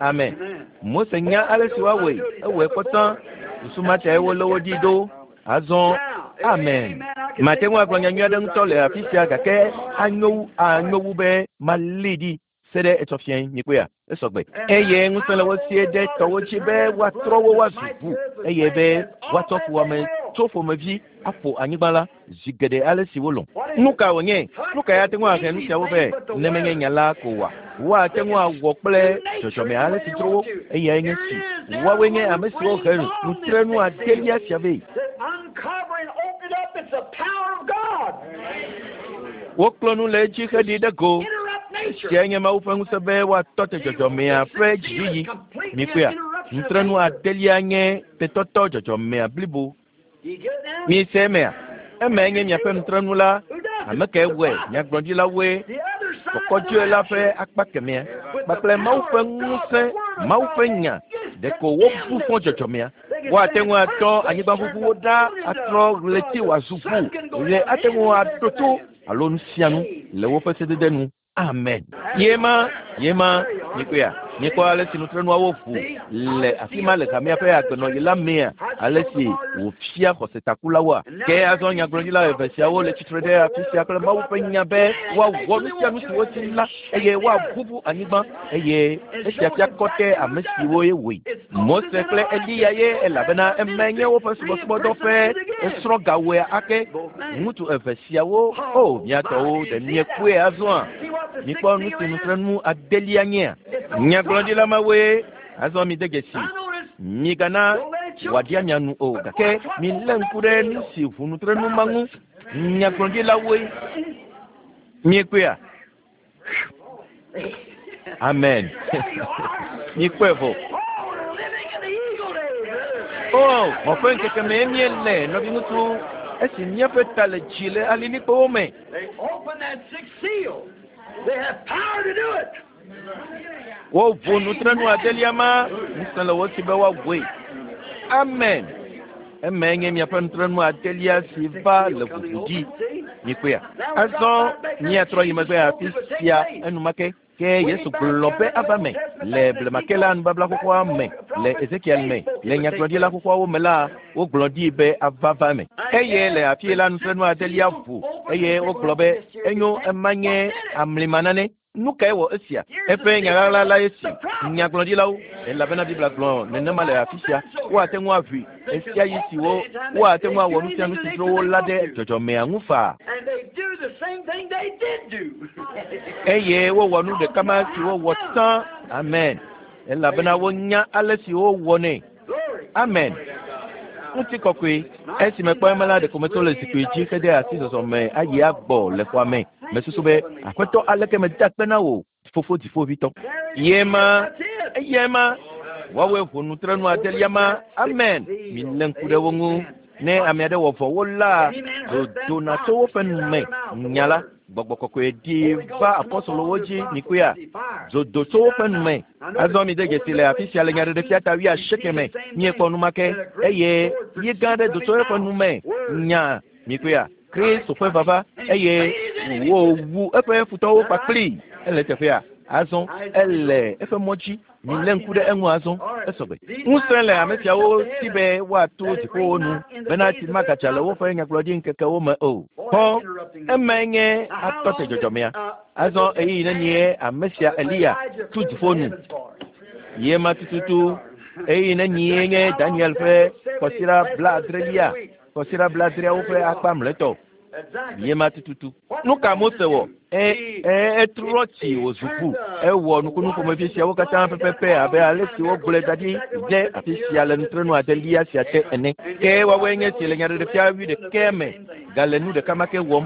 Amen. Mose nya ale si woawɔe, ewɔe kpɔtɔ. Susu ma tae wolé wo ɖi ɖo. Azɔ, amen. Mate ŋu agblɔ nya nyui aɖe ŋutɔ le afi sia gake anyo wu anyo wu be malée ɖi se ɖe etsɔ fiẽ. Mikpɔea? Esɔgbe. Eye ŋusẽ le wo sie ɖe tɔwo dzi be woatrɔ wo woazu ʋu eye be woatsɔ fuwɔame tso ƒomevi aƒo anyigba la zi geɖe ale si wolɔ̃. Nu ka wònye? Nu kae ate ŋu ahe nu siawo vɛ ne menye nya la ko oa? Woate ŋu awɔ kple dzɔdzɔme ale si dzro wo. Eyae nye si. Woawoe nye ame siwo he nutrenu adelia sia vɛ. Wokplɔ nu le edzi heɖi ɖe go. Esiae nye Mawu ƒe ŋusẽ be woatɔ te dzɔdzɔmea ƒe dziyiyi. Mikpɔea? Nutrenu adelia nye tetɔtɔ dzɔdzɔmea blibo. Mise emea? Emae nye miaƒe nutrenu la. Ame kae wɔe? Nyagblɔɖilawoe. Kɔkɔdzoe la ƒe akpa kemɛa kpakple Mawu ƒe ŋusẽ, Mawu ƒe nya. Ɖeko wobu fɔ dzɔdzɔmea. Woate ŋu atɔ anyigbaʋuʋuwo ɖa atrɔ ɣleti wòazu ʋu. Ɣe ate ŋu aɖo to alo nu sia nu le woƒe sedede nu. Amen. Ye ma, ye ma, mikpɔea? Mikpɔ ale si nutrenuawo ʋu le afi ma le hamea ƒe agbenɔɣi la mea, ale si wòfia xɔsetakulawoa. Ke azɔ nyagblɔɖila eve siawo le tsitre ɖe afi sia kple Mawu ƒe nya be woawɔ nu sia nu si wodi la, eye woaʋuʋu anyigba, eye esia fia kɔtɛ ame siwo ye wɔe. Mose kple Eliya ye, elabena emae nye woƒe subɔsubɔdɔ ƒe esrɔ̃gawɔea ake. Ŋutsu eve siawo, o mía tɔwo, ɖe miekpɔe azɔa? Mikpɔ nu si nutrenu adelia nyea? Nyagblɔɖila mawoe. Azɔ mide dzesi. Migana wòaɖia mia nu o, gake milé ŋku ɖe nu si ŋu nutrenu ma ŋu. Nyagblɔɖilawoe. Miekpɔea? Amen. Mikpɔe vɔ. O, xɔ ƒe ŋkeke mee míele, nɔviŋutsu, esi míaƒe ta le dzi le alilikpowo me. Woʋu nutrenu adelia ma, ŋusẽ le wo si be woaʋui. Amen. Emae nye miaƒe nutrenu adelia si va le ʋuʋu dzi. Mikpɔea? Azɔ míatrɔ yi megbe afi sia enumake. Ke Yesu gblɔ be ava me le blema ke la nubabla xoxoa me, le Ezekiel me, le nyagblɔɖila xoxoawo me la, wogblɔ ɖi be ava va me. Eye le afie la nutrenu adelia ʋu, eye wogblɔ be enyo ema nye amlima nane. Nu kae wɔ esia? Eƒe nya ɣaɣla lae si nyagblɔɖilawo, elabena Biblia gblɔ nenema le afi sia. Woate ŋu aʋui ɣesiaɣi si wo woate ŋu awɔ nu sia nu si dzro wo la ɖe dzɔdzɔmea ŋu faa. And they do the same thing they did do. Eye wowɔ nu ɖeka ma si wowɔ tsã. Amen. Elabena wonya ale si wowɔnɛ. Glory. Amen. Ŋutikɔkɔe. Esi mekpɔ ema la, ɖeko metso le zikpui dzi hede asi zɔzɔ me ayi agbɔ le xɔa me. Mesusu be, Aƒetɔ, aleke meda akpe na wò, Fofo Dziƒoʋĩtɔ. Ye ma, eyae ma. Woawoe ʋu nutrenu adelia ma. Amen. Milé ŋku ɖe wo ŋu. Ne ame aɖe wɔ vɔ̃ wo la, dzo dona tso woƒe nu me. Nya la, Gbɔgbɔ Kɔkɔe ɖi va apɔstolowo dzi, mikpɔea? Dzo do tso woƒe nu me. Azɔ mide dzesi le afi sia le Nyaɖeɖefia ta wuiasieke me, míekpɔ nu ma ke, eye yi gã aɖe do tso eƒe nu me. Nya, mikpɔea? Kristo ƒe vava, eye wòwu eƒe futɔwo kpakplii. Ele teƒea. Azɔ ele eƒe mɔ dzi. Milé ŋku ɖe eŋu azɔ. Esɔgbe. Ŋusẽ le ame siawo si be woato dziƒowo nu bena tsi magadza le woƒe nyagblɔɖi ŋkekewo me o. Kpɔ, emae nye atɔ te dzɔdzɔmea. Azɔ ɣeyiɣi nenie ame sia Eliya tu dziƒo nu? Ye ma tututu. Ɣeyiɣi nenie nye Daniel ƒe kɔsiɖa blaadrelia, kɔsiɖa blaadreawo ƒe akpa mlɔetɔ? Ye ma tututu. Nu ka Mose wɔ? E, e, etrɔ tsi wòzu ʋu. Ewɔ nukunu ƒomevi siawo katã pɛpɛpɛ abe ale si wogblɔe da ɖi ɖe afi sia le nutrenu adelia sia te ene. Ke woawoe nye esi le Nyaɖeɖefia wuiɖekɛ me gale nu ɖeka ma ke wɔm.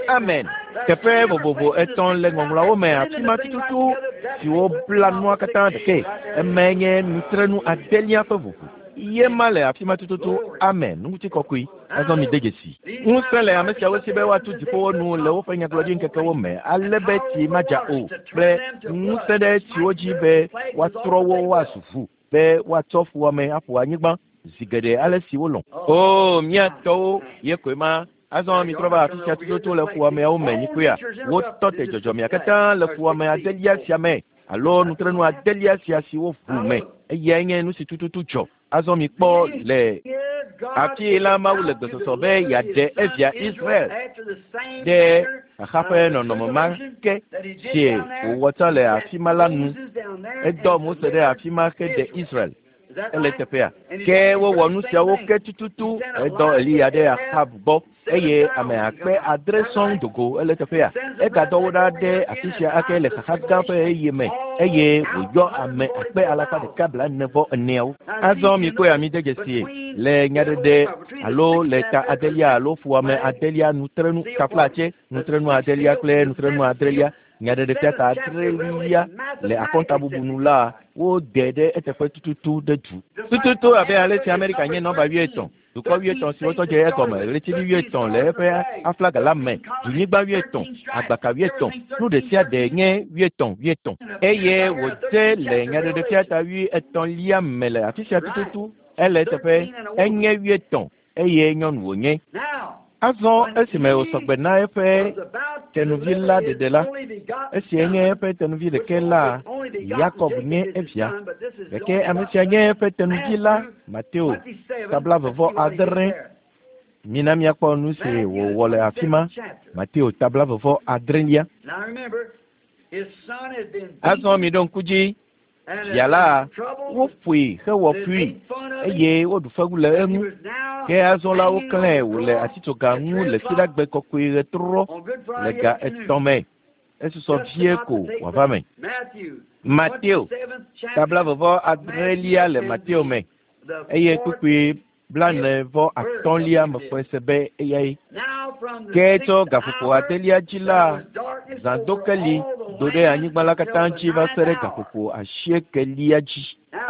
Amen. Teƒe vovovo etɔ̃ le Ŋɔŋlɔawo me afi ma tututu siwo bla nua katã ɖekae. Emae nye nutrenu adelia ƒe ʋuʋu. Ye ma le afi ma tututu. Amen. Ŋutikɔkɔe. Azɔ mide dzesi. Ŋusẽ le ame siawo si be woatu dziƒowo nu le woƒe nyagblɔɖiŋkekewo me ale be tsi madza o, kple ŋusẽ ɖe tsiwo dzi be woatrɔ wo woazu ʋu, be woatsɔ fuwɔame aƒo anyigba zi geɖe ale si wolɔ̃. Oo, mía tɔwo ye koe ma. Azɔ mitrɔ va afi sia tututu le fuwɔameawo me, mikpɔea? Wotɔ te dzɔdzɔmea katã le fuwɔame adelia sia me, alo nutrenu adelia sia si woʋu me. Eyae nye nu si tututu dzɔ. Azɔ mikpɔ le afii la, Mawu le gbesɔsɔ be yeaɖe evia Israel ɖe xaxa ƒe nɔnɔme ma ke si wòwɔ tsã le afi ma la nu. Edɔ Mose ɖe afi ma heɖe Israel. Ele teƒea. Ke wowɔ nu siawo ke tututu. Edɔ Eliya ɖe Axab gbɔ eye ame akpe adre sɔŋ do go. Ele teƒea. Egadɔ wo ɖa ɖe afi sia ake le xaxa gã ƒe ɣeyiɣi me eye wòyɔ ame akpe alafa ɖeka blaene vɔ eneawo. Azɔ mikpɔe amide dzesie le nyaɖeɖe alo le ta adelia alo fuwɔame adelia nutrenu taflatse nutrenu adelia kple nutrenu adrelia Nyaɖeɖefia ta adrelia le akɔntabubu nu la, wode ɖe eteƒe tututu ɖe du. Tututu abe ale si Amerika nye nɔmba wuietɔ̃, dukɔ wuietɔ̃ siwo tɔ dze egɔme, ɣletivi wuietɔ̃ le eƒe aflaga la me, dunyigba wuietɔ̃, agbaka wuietɔ̃, nu ɖesiaɖe nye wuietɔ̃ wuietɔ̃. Eye wòdze le Nyaɖeɖefia ta wuietɔ̃lia me le afisia tututu. Ele eteƒe, enye wuietɔ̃. eye nyɔnu wònye. Azɔ esime wòsɔ gbe na eƒe tenuvi la ɖeɖe la, esia nye eƒe tenuvi ɖekɛ la, Yakob nye evia. Gake ame sia nye eƒe tenuvi la, Mateo, ta blaeve vɔ adre. Mina míakpɔ nu si wòwɔ le afi ma. Mateo ta blaeve vɔ adrelia. Azɔ miɖo ŋku dzi Fia la, woƒoe hewɔ fui, eye woɖu fewu le eŋu. Ke azɔ la, woklãe wòle atitsoga ŋu le Fiɖagbe kɔkɔe ɣetrɔ le ga etɔ̃ me. Esusɔ vie ko wòava me. Mateo, ta blaeve vɔ adrelia le Mateo me, eye kpukpui blaene vɔ atɔ̃lia mexɔe se be eyae. Ke tso gaƒoƒo adelia dzi la, zãdokeli do ɖe anyigba la katã dzi va se ɖe gaƒoƒo asiekelia dzi.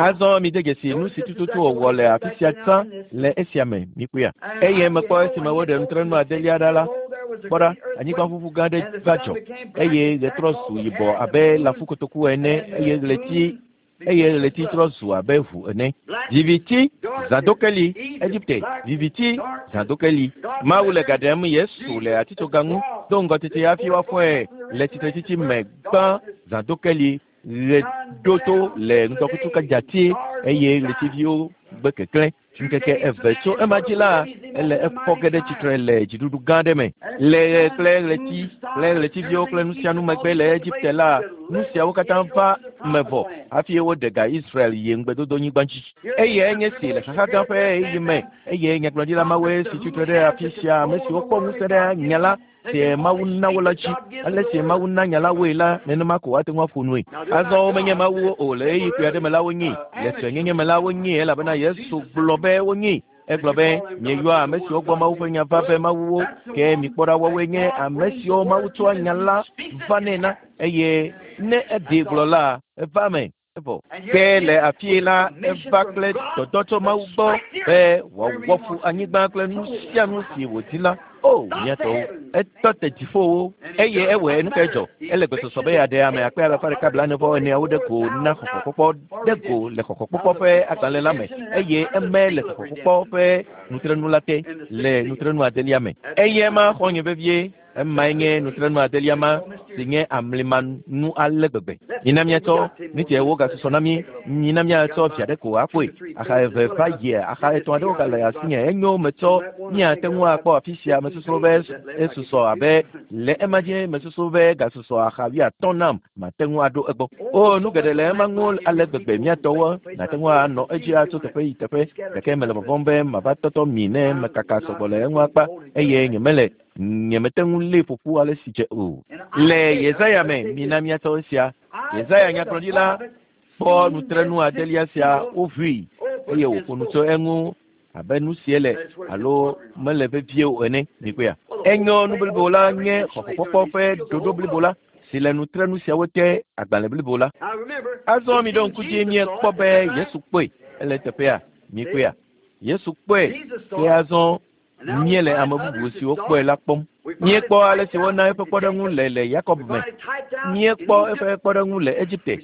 Azɔ mide dzesi nu si tututu wòwɔ le afi sia tsã le esia me, mikpɔea? Eye mekpɔ esime woɖe nutrenu adelia ɖa la, kpɔ ɖa, anyigbaʋuʋu gã aɖe va dzɔ, eye ɣe trɔ zu yibɔ abe lãfukotoku ene, eye ɣleti eye ɣleti trɔ zu abe ʋu ene. Viviti, zãdokeli, Egipte, viviti, zãdokeli. Mawu le ga ɖem Yesu le atitsoga ŋu do ŋgɔ tete hafi woafɔe le tsitretsitsi me gbã. Zãdokeli, ɣe ɖo to le ŋdɔkutsu kadzatie eye ɣletiviwo gbe keklẽ. Ŋkeke eve tso ema dzi la, ele efɔ ge ɖe tsitre le dziɖuɖu gã aɖe me. Le ɣe kple ɣleti kple ɣletiviwo kple nu sia nu megbe le Egipte la, nu siawo katã va me vɔ hafi woɖe ga Israel yi ŋugbedodonyigba dzi. Eyae nye si le xaxa gã ƒe ɣeyiɣi me, eye nyagblɔɖila mawoe si tsitre ɖe afi sia, ame siwo kpɔ ŋusẽ ɖe nya la si Mawu na wo la dzi. Ale si Mawu na nya la woe la, nenema ko woate ŋu aƒo nue. Azɔ womenye mawuwo o, le ɣeyiɣi kpui aɖe me la wonyee, le suenyenye me la wonyee, elabena Yesu gblɔ be wonyee. Egblɔ be, mieyɔa ame siwo gbɔ Mawu ƒe nya va be mawuwo, ke mikpɔ ɖa woawoe nye ame siwo Mawu tsɔa nya la vanɛ na, eye ne eɖee gblɔ la, eva eme. Evɔ. Ke le afie la, eva kple dɔdɔ tso Mawu gbɔ be wòawɔ fu anyigba kple nu sia nu si wòdi la. O, mía tɔwo! Etɔ te dziƒowo, eye ewɔe. Nu kae dzɔ? Ele gbesɔsɔ be yeaɖe ame akpe alafa ɖeka blaene-vɔ-eneawo ɖe go na xɔxɔkpɔkpɔ ɖe go le xɔxɔkpɔkpɔ ƒe agbalẽ la me, eye eme le xɔxɔkpɔkpɔ ƒe nutrenu la te le nutrenu adelia me. Eyae ma xɔ̃nye vevie. Emae nye nutrenu adelia ma si nye amlimanu ale gbegbe. Mina míatsɔ nu si wogasusɔ na mí. Mina míatsɔ via ɖe ko akpɔe. Axa eve va yia, axa etɔ̃ aɖewo gale asinye. Enyo metsɔ míate ŋu akpɔ afi sia. Mesusu be esusɔ abe le ema dzi mesusu be gasusɔ axa wuiatɔ̃ nam mate ŋu aɖo egbɔ. O, nu geɖe le ema ŋu ale gbegbe mía tɔwo nate ŋu anɔ edzi atso teƒe yi teƒe, gake mele vɔvɔ̃m be mava tɔtɔ mi ne mekaka sɔgbɔ le eŋu akpa eye nyemele nyemete ŋu lée ƒo ƒu ale si dze o. Le Yesaya me, mina míatsɔ esia. Yesaya nyagblɔɖila kpɔ nutrenu adelia sia woʋui eye wòƒo nu tso eŋu abe nu si ele alo mele vevie o ene. Mikpɔea? Enyo, nu blibo la nye xɔxɔkpɔkpɔ ƒe ɖoɖo blibo la si le nutrenu siawo te, agbalẽ blibo la. Azɔ miɖo ŋku dzi míekpɔ be Yesu kpɔe. Ele eteƒea? Mikpɔea? Yesu kpɔe. Ke azɔ míele ame bubu siwo kpɔe la kpɔm. Míekpɔ ale si wona eƒe kpɔɖeŋu le le Yakob me. Míekpɔ eƒe kpɔɖeŋu le Egipte.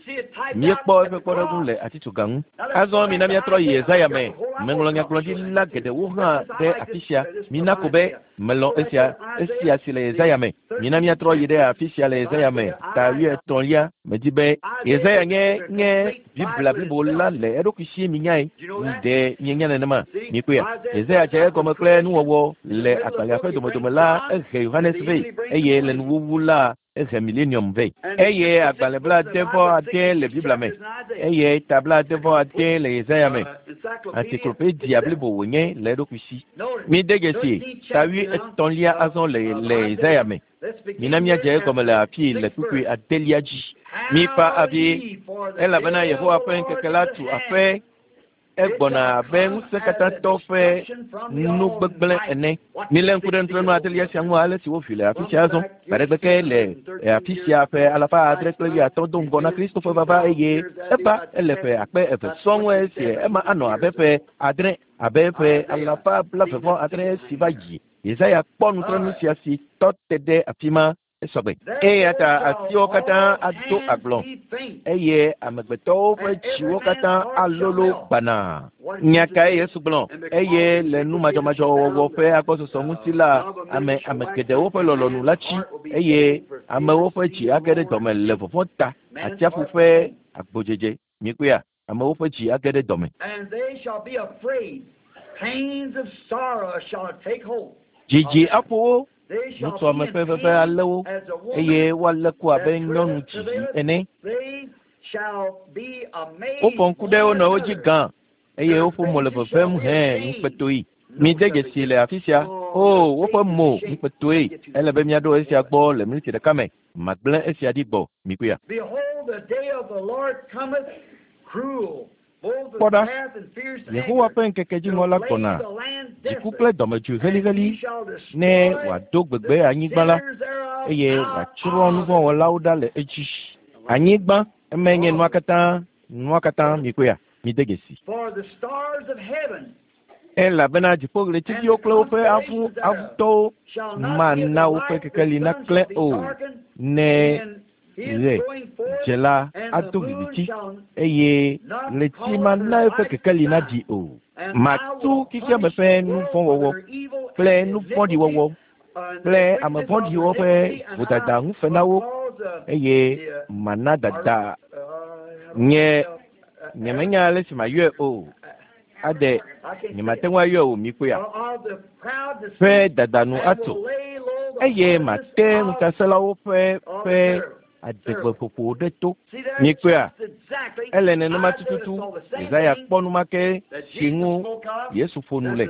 Míekpɔ eƒe kpɔɖeŋu le atitsoga ŋu. Azɔ mina míatrɔ yi Yesaya me. Meŋlɔ nyagblɔɖila geɖewo hã ɖe afi sia. Mina ko be melɔ̃ esia, esia si le Yesaya me. Mina míatrɔ yi ɖe afi sia le Yesaya me, ta wuietɔ̃lia. Medi be Yesaya nye nye Biblia blibo la le eɖokui sie minyae. Ɖe mienya nenema? Mikpɔea? Yesaya dze egɔme kple nuwɔwɔ le agbalẽa ƒe domedome la, ehe Yohanes vɛ, eye le nuwuwu la, ehe Milenium vɛ. Eye agbalẽ blaade-vɔ-ade le Biblia me, eye ta blaade-vɔ-ade le Yesaya me. Encyclopedia blibo wònye le eɖokui si. Mide dzesi ta wuietɔ̃lia azɔ le le Yesaya me. Mina míadze egɔme le afii le kpukpui adelia dzi. Mifa avi, elabena Yehowa ƒe ŋkeke la tu aƒe. Egbɔna abe ŋusẽkatãtɔ ƒe nu gbegblẽ ene. Milé ŋku ɖe nutrenu adelia sia ŋu ale si woʋui le afi sia azɔ. Gbaɖegbe ke le afi sia ƒe alafa adre kple wuiatɔ̃ do ŋgɔ na Kristo ƒe vava eye eva ele ƒe akpe eve sɔŋ esie ema anɔ abe ƒe adre abe ƒe alafa blaeve vɔ adre si va yi. Yesaya kpɔ nutrenu sia si tɔ te ɖe afi ma esɔgbe. Eya ta atiwo katã ado agblɔ eye amegbetɔwo ƒe dziwo katã alolo gbanaa. Nya kae Yesu gblɔ? Eye le nu madzɔmadzɔ wɔwɔ ƒe agbɔsɔsɔ ŋuti la, ame ame geɖewo ƒe lɔlɔ̃nu la tsi eye amewo ƒe dzi age ɖe dɔme le vɔvɔ̃ ta. Atsiaƒu ƒe agbodzedze. Mikpɔea? Amewo ƒe dzi age ɖe dɔme. Dzidzi aƒo wo, nutɔame ƒe veve alé wo, eye woalé ku abe nyɔnu dzidzi ene. Wofɔ ŋku ɖe wo nɔewo dzi gã, eye woƒe mo le vevem hẽ ŋukpetoe. Mide dzesi le afi sia. O, woƒe mo ŋukpetoe. Ele be míaɖo esia gbɔ le miniti ɖeka me. Magblẽ esia ɖi gbɔ. Mikpɔea? Kpɔ ɖa, Yehowa ƒe ŋkeke dziŋɔ la gbɔna, dziku kple dɔmedzoe heliheli, ne wòado gbegbe anyigba la, eye wòatsrɔ̃ nuvɔ̃wɔlawo ɖa le edzi. Anyigba, emae nye nua katã, nua katã, mikpɔea? Mide dzesi. Elabena dziƒoɣletiviwo kple woƒe avu avutɔwo mana woƒe kekeli naklẽ o, ne ɣe dze la ado viviti, eye ɣleti mana eƒe kekeli naɖi o. Matu xexeame ƒe nu vɔ̃ wɔwɔ kple nu vɔ̃ɖi wɔwɔ kple ame vɔ̃ɖiwo ƒe vodada ŋu fe na wo. eye mana dada nye nyemenya ale si mayɔe o. Ade nyemate ŋu ayɔe o mikpɔea. Ƒe dada nu atso eye mate ŋutasẽlawo ƒe ƒe adegbeƒoƒo ɖe to. Mikpɔea, ele nenema tututu. Yesaya kpɔ nu ma ke si ŋu Yesu ƒo nu le.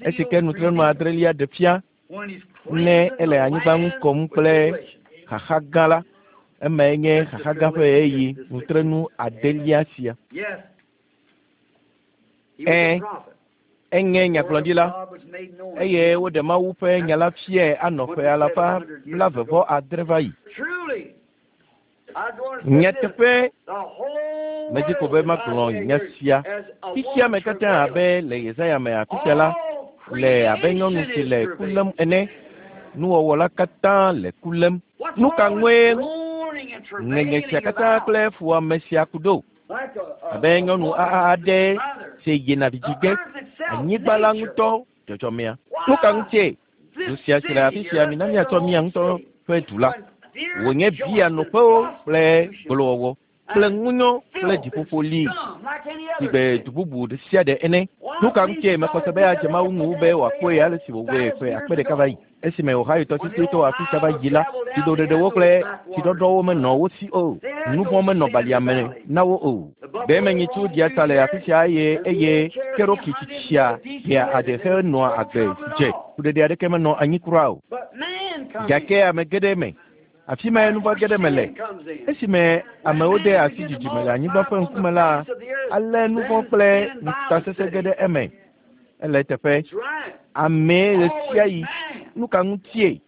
Esi ke nutrenu adrelia ɖe fia ne ele anyigba ŋu kɔm kple xaxa gã la, emae nye xaxa gã ƒe ɣeyiɣi nutrenu adelia sia. Ẽ, enye nyagblɔɖila eye woɖe Mawu ƒe nya la fiae anɔ ƒe alafa 78 va yi. Nyateƒe medzi ko be magblɔ nya sia. Xexea me katã abe le Yesaya me afi sia la, le abe nyɔnu si le ku lém ene. Nuwɔwɔ la katã le ku lém. Nu ka ŋue ŋeŋe sia katã kple fuwɔame sia ku ɖo? Abe nyɔnu aɖe si yina vidzi ge, anyigba la ŋutɔ dzɔdzɔmea. Nu ka ŋutie? Du sia si le afi sia, mina míatsɔ mía ŋutɔ ƒe du la. Wònye bia nɔƒewo kple gbolowɔwɔ kple ŋunyɔ kple dziƒoƒo li si gbe du bubu ɖe sia ɖe ene. Nu ka ŋutie mexɔ se be adze Mawu ŋu be wòakpɔe ale si wòwɔe ƒe akpe ɖeka va yi? Esime Ohio tɔsisi to afi sia va yi la, tsidoɖeɖewo kple tsiɖɔɖɔwo menɔ wo si o. Nu vɔ̃ menɔ balia me na wo o. Gbemenyitsu ɖia tsa le afi sia eye eye Cherokee tsitsia ɖea ade henɔa agbe dze. Kuɖeɖe aɖeke menɔ anyi kura o. Gake ame geɖe me. Afi mae nu vɔ̃ geɖe me le. Esime amewo de asi dzidzime le anyigba ƒe ŋkume la, ale nu vɔ̃ kple ŋutasesẽ ge ɖe eme. Ele eteƒe. Amee ɣesiaɣi. Nu ka ŋutie?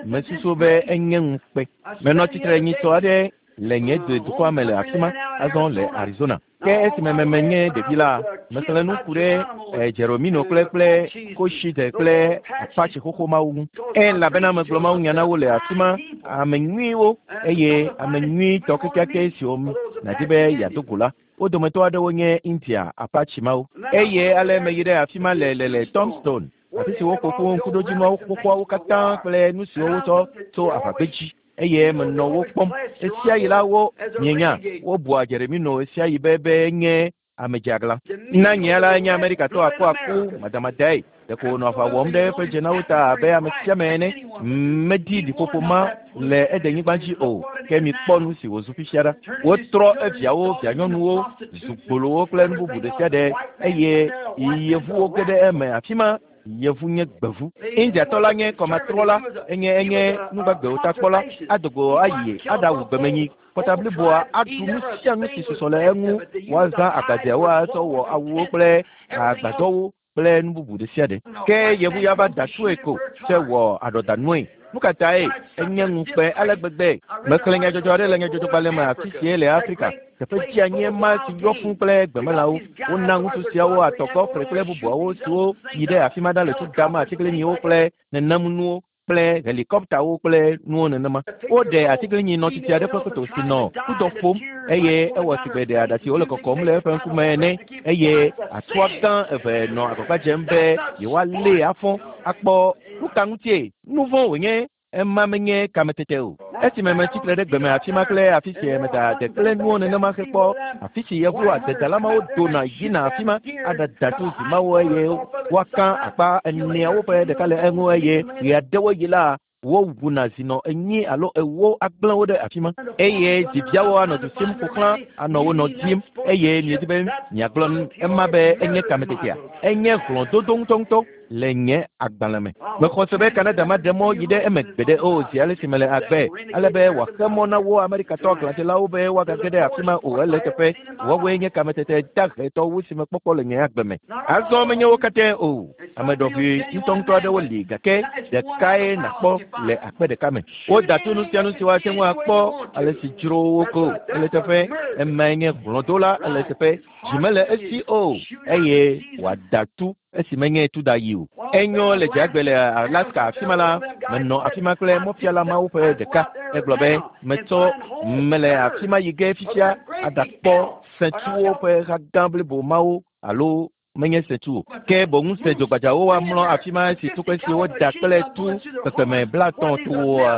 Mesusu be enye ŋukpe. Menɔ tsitre nyitsɔ aɖe le nye dukɔa me le afi ma, azɔ le Arizona. Ke esime meme nye ɖevi la, mexlẽ nu ku ɖe Jeromino kple kple Cochise kple Apache xoxo mawo ŋu. Elabena megblɔ Mawu nya na wo le afi ma, ame nyuiwo eye ame nyuitɔ kekeake siwo nàdi be yeado go la, wo dometɔ aɖewo nye India Apache mawo. Eye ale meyi ɖe afi ma le le le Tombstone, afi si woƒo ƒu ŋkuɖodzinuawo xoxoawo katã kple nu siwo wotsɔ tso aʋagbedzi. Eye menɔ wo kpɔm. Ɣesiaɣi la wo mienya, wobua Jeremino ɣesiaɣi be be nye ame dzeaglã. Na nye la nye Amerikatɔ akuaku madamadae. Ɖeko wònɔ aʋa wɔm ɖe eƒe dzenawo ta abe ame sia ame ene. Medi ɖiƒoƒo ma le edenyigba dzi o. Ke mikpɔ nu si wòzu fifia ɖa. Wotrɔ eviawo, vianyɔnuwo, zu gbolowo kple nu bubu ɖe sia ɖe eye yevuwo ge ɖe eme afi ma. Yevu nye gbevu. Indiatɔ la nye kɔmatrɔla, enye enye nugbagbewo takpɔla, ado go ayi aɖawu gbemenyi. Kɔta bliboa aɖu nu sia nu si susɔ le eŋu. Woazã agbadzeawo atsɔ wɔ awuwo kple agbadɔwo kple nu bubu ɖe sia ɖe. Ke yevu ya va da tsoe ko tsɛ wɔ aɖɔdanue. Nu ka tae enye ŋukpe ale gbegbe? Mexlẽ nyadzɔdzɔ aɖe le nyadzɔdzɔgbalẽ me afi sie le Afrika. Teƒe dzeanyie ma si yɔ fũ kple gbemelãwo. Wona ŋutsu siawo atɔkɔ kple bubuawo siwo yi ɖe afi ma ɖa le tu dam atiglinyiwo kple nenemunuwo kple helikɔptawo kple nuwo nenema. Woɖe atiglinyi nɔtsitsi aɖe ƒe foto si nɔ kudɔ ƒom eye ewɔ sigbe ɖe aɖatsiwo le kɔkɔm le eƒe ŋkume ene eye atua gã eve nɔ agbagba dzem be yewoalée afɔ akpɔ nu ka ŋutie nu vɔ̃ wònye ema menye kametete o. Esime metsi tre ɖe gbeme afi ma kple afi si meda ade kple nuwo nenema hekpɔ afi si yevu adedala mawo dona yina afi ma aɖada tu zi mawo eye woaka akpa eneawo ƒe ɖeka le eŋu eye ɣeaɖewo yi la wowuna zinɔ 4 alo 4 agblẽ wo ɖe afi ma eye dziviawo anɔ du sim ƒo xlã anɔ wo nɔ dim eye miedi be miagblɔ ema be enye kametetea. Enye hlɔ̃dodo ŋutɔŋutɔ le nye agbalẽ me. Mexɔ se be Canada maɖe mɔ yi ɖe eme gbeɖe o zi ale si mele agbe, ale be wòaxe mɔ na wo Amerikatɔ aglãdzelawo be woagage ɖe afi ma o. Ele eteƒe. Woawoe nye kametete dahetɔ wu si mekpɔkpɔ le nye agbe me. Azɔ menye wo katãe o. Ame ɖɔʋui ŋutɔŋutɔ aɖewo li gake ɖekae nàkpɔ le akpe ɖeka me. Woda to nu sia nu si woate ŋu akpɔ ale si dzro wo ko. Ele eteƒe. Emae nye hlɔ̃dola. Ele eteƒe. Dzi mele esi o eye wòada tu esi menye tu da yi o. Enyo le dzagbe le Alaska afi ma la, menɔ afi ma kple mɔfiala mawo ƒe ɖeka. Egblɔ be metsɔ mele afi ma yi ge fifia aɖakpɔ sẽtsuwo ƒe ha gã blibo mawo alo Menye sẽtu o, ke boŋ sẽ dzogbadzawo woamlɔ afi ma esi tukpe si woda kple tu kpekpeme 50 toa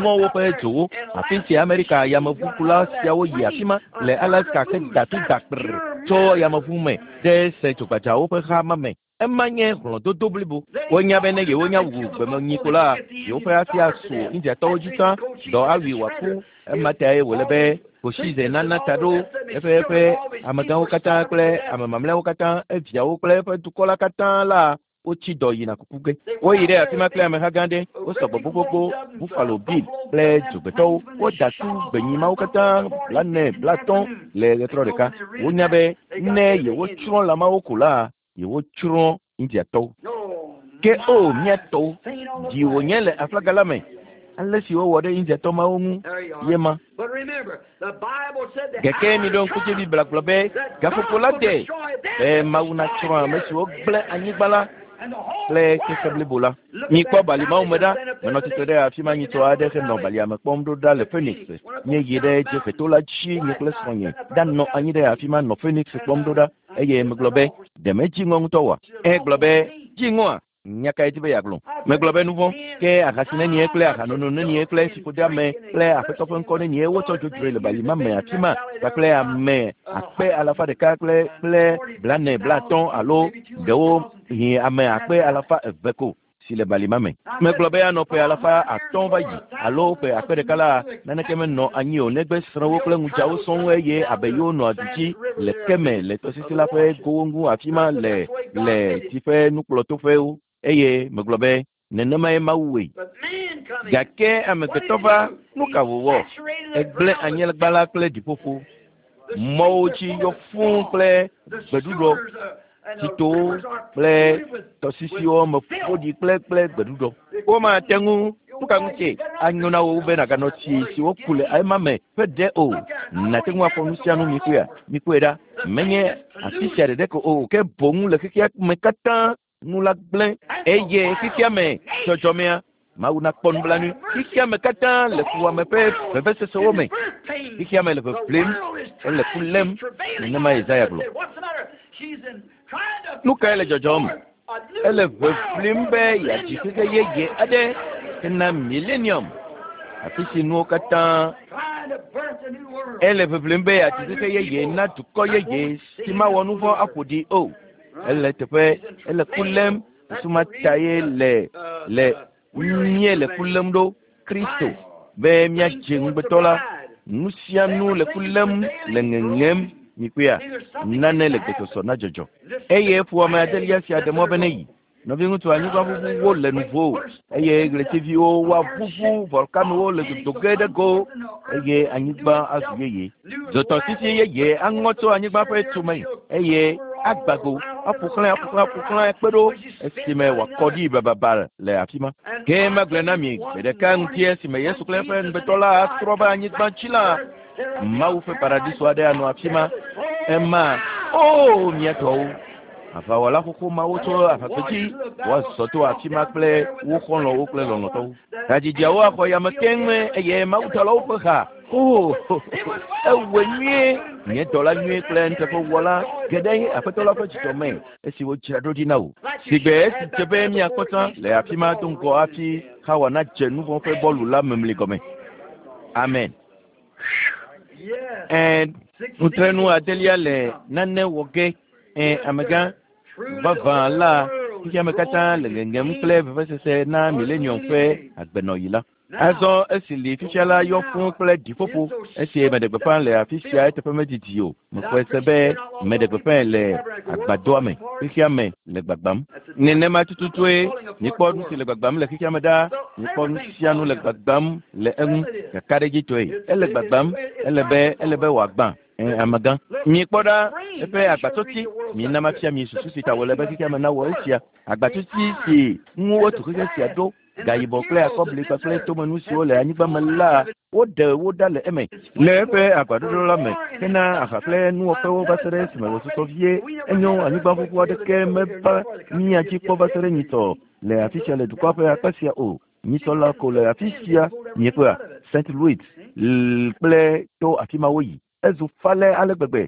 ŋɔ woƒe dzowo. Afi si Amerika yameʋukula siawo yi afi ma le Alaska heda tu da kprr tso yameʋu me ɖe sẽ dzogbadzawo ƒe xa ma me. Ema nye hlɔ̃dodo blibo. Wonya be ne yewonya wu gbemenyi ko la, yewoƒe asi asu Indiatɔwo dzi tsã, dɔ awui wòaku. Ema tae wòle be Cochise nana ta ɖo eƒe eƒe amegãwo katã kple ame mamlɛawo katã, eviawo kple eƒe dukɔ la katã la, wotsi dɔ yina kuku ge. Woyi ɖe afi ma kple ameha gã aɖe, wosɔ gbɔ gbogbogbò, Buffalo Bill kple dzogbetɔwo. Woda tu gbenyi mawo katã 40, 50 le ɣetrɔ ɖeka. Wonya be ne yewotsrɔ̃ lã mawo ko la, yewotsrɔ̃ Indiatɔwo. Ke o, mía tɔwo, dzi wònye le aflaga la me. Ale si wowɔ ɖe Indiatɔ mawo ŋu ye ma. Gake miɖo ŋku dzi Biblia gblɔ be gaƒoƒo la de be Mawu natsrɔ̃ ame siwo gblẽ anyigba la kple xexe blibo la. Mikpɔ bali mawo me ɖa. Menɔ tsitre ɖe afi ma nyitsɔ aɖe henɔ balia me kpɔm ɖo ɖa le Phoenix. Míeyi ɖe dzieheto la dzi, nye kple srɔ̃nye ɖanɔ anyi ɖe afi ma nɔ Phoenix kpɔm ɖo ɖa. Eye megblɔ be, ɖe medzi ŋɔ ŋutɔ oa? Egblɔ be, dzi ŋɔa? Nya kae di be yeagblɔ? Megblɔ be nu vɔ̃, ke ahasi nenie kple ahanono nenie kple fiƒodeame kple Aƒetɔ ƒe ŋkɔ nenie wotsɔ dzodzroe le bali ma me afi ma kpakple ame 100,000 kple kple 40, 50 alo ɖewohĩ ame 200,000 ko si le bali ma me. Megblɔ be anɔ ƒe 500 va yi alo ƒe 1000 la, naneke menɔ anyi o negbe srẽwo kple ŋudzawo sɔŋ eye abe yewo nɔa du dzi le ke me le tɔsisi la ƒe gowo ŋu afi ma le le tsi ƒe nukplɔtoƒewo. Eye megblɔ be nenemae Mawu wɔe. Gake amegbetɔ va, nu ka wòwɔ? Egblẽ anyigba la kple ɖiƒoƒo. Mɔwo dzi yɔ fũu kple gbeɖuɖɔ, tsitowo kple tɔsisiwo me ƒo ɖi kple kple gbeɖuɖɔ. Womate ŋu, nu ka ŋutie anyo na wò be nàganɔ tsi si woku le ema me ƒe ɖe o? Nàte ŋu akpɔ nu sia nu mikpɔea? Mikpɔe ɖa, menye afi sia ɖeɖe ko o, ke boŋ le xexea me katã nu la gblẽ eye xexea me dzɔdzɔmea Mawu nakpɔ nublanui. Xexea me katã le fuwɔame ƒe vevesesewo me. Xexea me le ʋeʋlim, ele ku lém, nenema Yesaya gblɔ. Nu kae le dzɔdzɔm? Ele ʋeʋlim be yeadzi xexe yeye aɖe hena millennium, afi si nuwo katã. Ele ʋeʋlim be yeadzi xexe yeye na dukɔ yeye si mawɔ nu vɔ̃ aƒo ɖi o. Ele teƒe, ele ku lém. Susu ma tae le le míele le ku lém ɖo Kristo be míadze ŋugbetɔ la. Nu sia nu le ku lém le ŋeŋem mikpɔea, nane le gbesɔsɔ na dzɔdzɔ. Eye ƒoame adelia sia ɖe mɔ be neyi. Nɔviŋutsu anyigbaʋuʋuwo le nuvo eye ɣletiviwo woaʋuʋu, volkanowo le dodo ge ɖe go eye anyigba azu yeye. Dzotɔsisi yeye aŋɔ tso anyigba ƒe tume eye agbago aƒo xlã aƒo xlã aƒo xlã kpe ɖo esime wòakɔ ɖi bababa le afi ma. Ke magblɔe na mi gbe ɖeka ŋuti esime Yesu kple eƒe ŋugbetɔ la atrɔ va anyigba dzi la, Mawu ƒe paradiso aɖe anɔ afi ma. Ema, o mía tɔwo, aʋawɔla xoxo mawo tso aʋagbedzi woazɔ to afi ma kple wo xɔlɔ̃wo kple lɔlɔ̃tɔwo. Hadzidziawo axɔ yame keŋ eye mawudɔlawo ƒe ha. O, ewɔe nyuie, nye dɔla nyuie kple nuteƒewɔla geɖe Aƒetɔ la ƒe dzidzɔ me esi wodzra ɖo ɖi na wò. Sigbe esi dze be míakpɔ tsã le afi ma do ŋgɔ hafi Xawa nadze nu vɔ̃ ƒe bɔlu la memli gɔme. Amen. Ẽ, nutrenu adelia le nane wɔ ge. Ẽ, amegã vavã la, xexeame katã le ŋeŋem kple vevesese na millennium ƒe agbenɔɣi la. Azɔ esi li fifia la yɔ fũu kple ɖiƒoƒo. Esi meɖe gbeƒã le afi sia eteƒe medidi o. Mexɔe se be meɖe gbeƒãe le agbadɔa me. Xexea me le gbagbam. Nenema tututue mikpɔ nu si le gbagbam le xexea me ɖa. Mikpɔ nu sia nu le gbagbam le eŋu kakaɖedzitɔe. Ele gbagbam, ele be ele be wòagbã. Ẽ, amegã. Mikpɔ ɖa eƒe agbatsɔti. Mina mafia mi susu si ta wòle be xexea me nawɔ esia. Agbatsɔti si ŋu wotu xexe sia ɖo, gayibɔ kple akɔbli kpakple tomenu siwo le anyigba me la, woɖe wo ɖa le eme le eƒe agbaɖoɖo la me hena aha kple nuwɔƒewo va se ɖe esime wòsusɔ vie. Enyo, anyigba ƒuƒu aɖeke meva mía dzi kpɔ va se ɖe nyitsɔ le afi sia le dukɔa ƒe akpa sia o. Nyitsɔ la ko le afi sia miekpɔa St. Louis kple to afi ma woyi. Ezu falɛ ale gbegbe.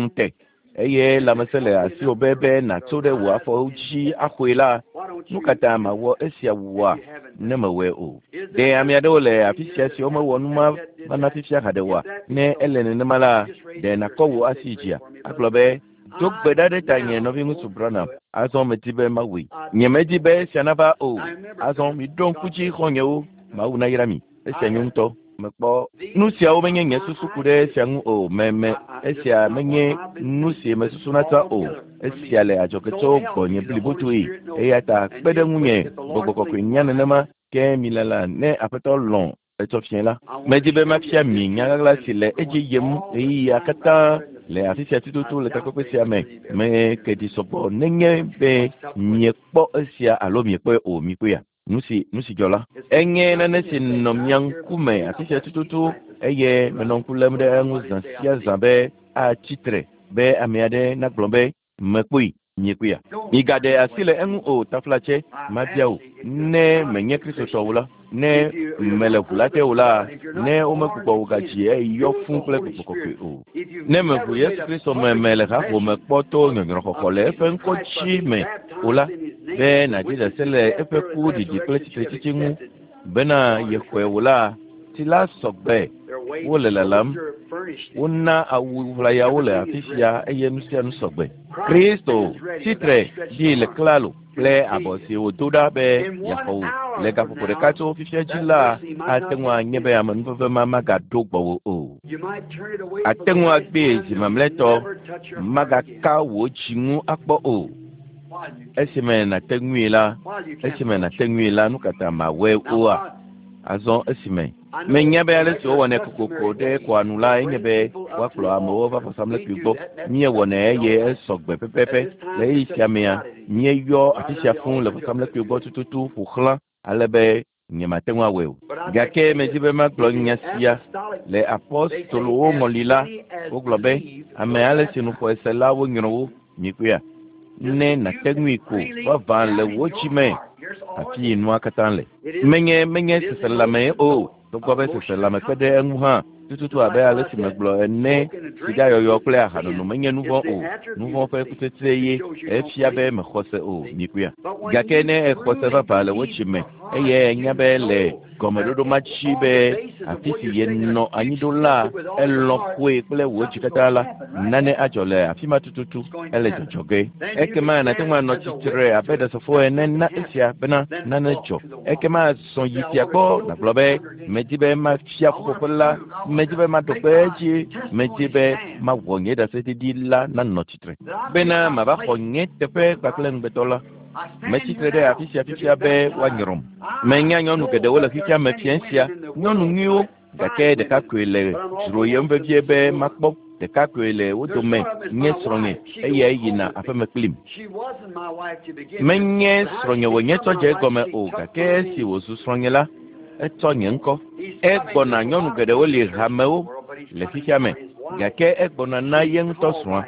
ŋute eye lãmesẽ le asiwò be be nàtso ɖe wò afɔwo dzi axɔe la, nu ka ta màwɔ esia wua ne mewɔe o? Ɖe ame aɖewo le afi sia siwo mewɔ nu ma va na fifia haɖe oa? Ne ele nenema la, ɖe nàkɔ wò asi dzia agblɔ be, Do gbe ɖa ɖe tanye, nɔviŋutsu Branham. Azɔ medi be mawɔe. Nyemedi be esia nava o. Azɔ miɖo ŋku dzi, xɔ̃nyewo. Mawu nayra mi. Esia nyo ŋutɔ. Mekpɔ nu siawo menye nye susu ku ɖe esia ŋu o. Meme esia menye nu si mesusuna tsã o. Esia le adzɔge tso gbɔnye blibotoe. Eya ta kpe ɖe ŋunye, Gbɔgbɔ Kɔkɔe nya nenema ke milala ne Aƒetɔ lɔ̃ etsɔ fiẽ la. Medi be mafia mi nya ɣaɣla si le edzi yim ɣeyiɣia katã le afi sia tututu le takpekpe sia me. Meke ɖi sɔgbɔ nenye be miekpɔ esia alo miekpɔe o, mikpɔea? Nu si nu si dzɔ la, enye nane si nɔ mia ŋkume afi sia tututu eye menɔ ŋku lém ɖe eŋu zã sia zã be atsi tre be ame aɖe nagblɔ be mekpɔe, miekpɔea? Migaɖe asi le eŋu o, taflatse, mabia wò, ne menye Kristotɔ o la, ne mele ʋu la te o la, ne womegbugbɔ wò gadzi eyɔ fũ kple Gbɔgbɔ Kɔkɔe o. Ne meʋu Yesu Kristo me me le haƒome kpɔ to nyɔnyrɔxɔxɔ le eƒe ŋkɔ dzi me o la, be nàdzi ɖase le eƒe ku ɖiɖi kple tsitretsitsi ŋu bena yexɔe o la, tsi la sɔgbe, wole lalam, wona awu ʋlayawo le afi sia eye nu sia nu sɔgbe. Kristo tsitre ɖi le klalo kple abɔ si wòdo ɖa be yeaxɔ wò. Le gaƒoƒo ɖeka tso fifia dzi la, ate ŋu anye be amenuveve ma magaɖo gbɔwò o. Ate ŋu agbee zi mamlɛtɔ, magaka wò dzi ŋu akpɔ o. Esime nàte ŋui la, esime nàte ŋui la, nu ka ta màwɔe oa? Azɔ esime menya be ale si wowɔnɛ kokoko ɖe kɔa nu la enye be woakplɔ amewo va vɔsamlekpui gbɔ. Míewɔnɛ eye esɔ gbe pɛpɛpɛ. Le ɣeyiɣi sia mea, míeyɔ afi sia fũu le vɔsamlekpui gbɔ tututu ƒo xlã ale be nyemate ŋu awɔe o. Gake medi be magblɔ nya sia. Le apostolowo ŋɔli la, wogblɔ be ame ale si nu xɔe se la wonyrɔ wo. Mikpɔea? Ne nàte ŋui ko vavã le wò dzi me, afi yi nua katã le. Menye menye seselelãmee o, togbɔ be seselelãme kpe ɖe eŋu hã, tututu abe ale si megblɔ ene, sigayɔyɔ kple ahanono menye nu vɔ̃ o. Nu vɔ̃ ƒe kutsetse ye efia be mexɔ se o. Mikpɔea? Gake ne exɔ se vavã le wò dzi me eye ènya be le gɔmeɖoɖo ma dzi be afi si yenɔ anyi ɖo la, elɔ̃ xɔe kple wò dzi katã la, nane adzɔ le afi ma tututu, ele dzɔdzɔ ge. Ekema nàte ŋu anɔ tsitre abe ɖasefo ene na esia bena nane dzɔ. Ekema zɔ yi fia gbɔ nàgblɔ be, Medi be mafia ƒuƒoƒe la, medi be maɖo kpe edzi, medi be mawɔ nye ɖaseɖiɖi la nanɔ tsitre, bena mava xɔ nye teƒe kpakple ŋugbetɔ la. Metsi tre ɖe afi sia fifia be woanyrɔm. Menya nyɔnu geɖewo le xexea me fiẽ sia, nyɔnu nyuiwo, gake ɖeka koe le dzroyem vevie be makpɔ. Ɖeka koe le wo dome nye srɔ̃nye, eyae yina aƒeme kplim. Menye srɔ̃nye wònye tsɔ dze egɔme o, gake esi wòzu srɔ̃nye la, etsɔ nye ŋkɔ. Egbɔna nyɔnu geɖewo li hamewo le xexea me, gake egbɔna na ye ŋutɔ srɔ̃a.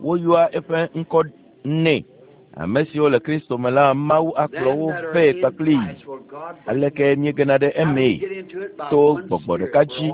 Woyɔa eƒe ŋkɔ nɛ. Ame siwo le Kristo me la, Mawu akplɔ wo vɛ kpakplii. Aleke míegena ɖe emee? To gbɔgbɔ ɖeka dzi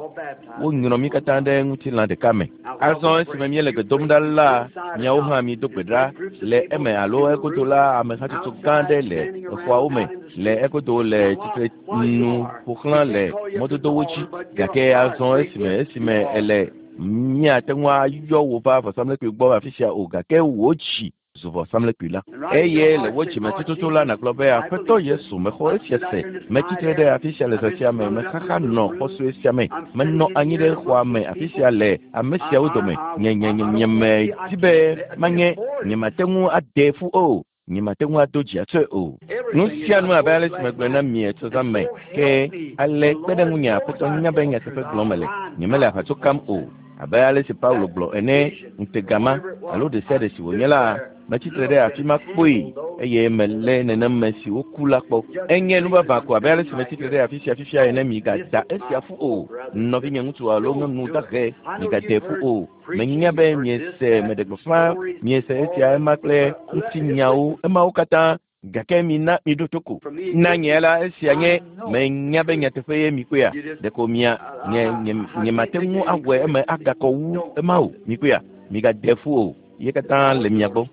wonyrɔ mí katã ɖe ŋutilã ɖeka me. Azɔ esime míele gbe dom ɖa la, miawo hã mido gbe ɖa le eme alo egodo la, ame hatsotso gã aɖe le exɔawo me le egodo le tsitre nu ƒo xlã le mɔdodowo dzi. Gake azɔ esime esime ele míate ŋu ayɔ wò va vɔsamlekpui gbɔ afi sia o, gake wò dzi zu vɔsamlekpui la. Eye le wò dzime tututu la nàgblɔ be, Aƒetɔ Yesu, mexɔ esia se. Metsi tre ɖe afi sia le zã sia me. Mexaxa nɔ xɔ sue sia me. Menɔ anyi ɖe xɔa me afi sia le ame siawo dome. Nye, nye, nye, nyemedi be manye, nyemate ŋu ade ƒu o. Nyemate ŋu ado dzi atsɔe o. Nu sia nu abe ale si megblɔe na mi etsɔ zã me ke ale kpe ɖe ŋunye Aƒetɔ nya be nyateƒe gblɔm mele. Nyemele aʋatso kam o. Abe ale si Paulo gblɔ ene, ŋutega ma alo ɖe sia ɖe si wònye la, metsi tre ɖe afi ma kpoe eye melé nenem me si woku la kpɔ. Enye nu vavã ko abe ale si metsi tre ɖe afi sia fifia ene. Migada esia ƒu o, nɔvinye ŋutsu alo nyɔnu dahe, migade ƒu o. Menya be miese meɖe gbeƒã, miese esia ema kple ŋutinyawo, emawo katã, gake mina miɖo to ko. Na nye la, esia nye menya be nyateƒe ye mikpɔea, ɖeko mia nye nye nyemate ŋu awɔe eme agakɔ wu ema o. Mikpɔea, migade ƒu o. Ye katã le mia gbɔ.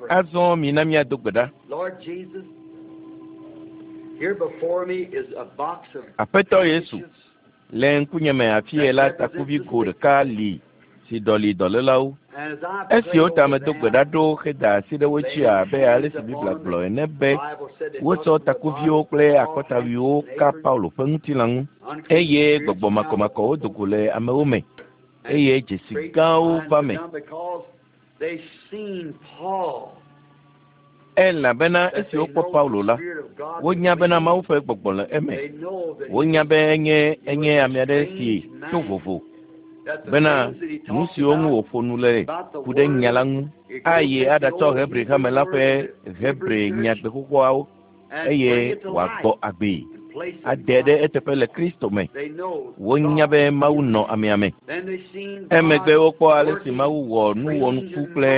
Azɔ mina míado gbe ɖa. Aƒetɔ Yesu, le ŋkunye me afie la takuvi go ɖeka li si ɖɔli dɔlélawo. Esi wota medo gbe ɖa ɖo heda asi ɖe wo dzi abe ale si Biblia gblɔ ene be wotsɔ takuviwo kple akɔtawuiwo ka Paulo ƒe ŋutilã ŋu eye gbɔgbɔ makɔmakɔwo do go le amewo me eye dzesi gãwo va me. Elabena esi wokpɔ Paulo la, wonya bena Mawu ƒe gbɔgbɔ le eme. Wonya be enye enye ame aɖe si to vovo bena nu siwo ŋu wòƒo nu le ku ɖe nya la ŋu ayi aɖatsɔ Hebri hame la ƒe Hebri nyagbe xoxoawo eye wòagbɔ agbee ade ɖe eteƒe le Kristo me. Wonya be Mawu nɔ amea me. Emegbe wokpɔ ale si Mawu wɔ nu wɔnuku kple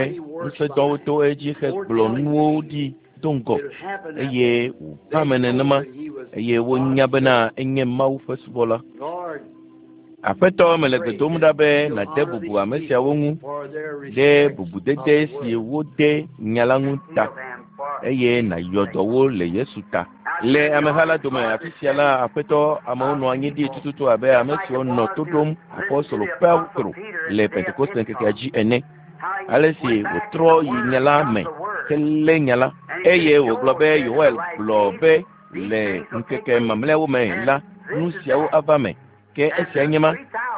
ŋusẽdɔwo to edzi hegblɔ nuwo ɖi do ŋgɔ eye wòva me nenema eye wonya bena enye Mawu ƒe subɔla. Aƒetɔ, mele gbe dom ɖa be nàde bubu ame siawo ŋu ɖe bubudede si wode nya la ŋu ta eye nàyɔ dɔ wo le Yesu ta. Le ameha la dome afi sia la, Aƒetɔ, amewo nɔ anyi ɖi tututu abe ame siwo nɔ to ɖom apostolo Petro le Pentekoste ŋkekea dzi ene. Ale si wòtrɔ yi nya la me helé nya la eye wògblɔ be Yoel gblɔ be le ŋkeke mamlɛawo me la, nu siawo ava me. Ke esia nye ma,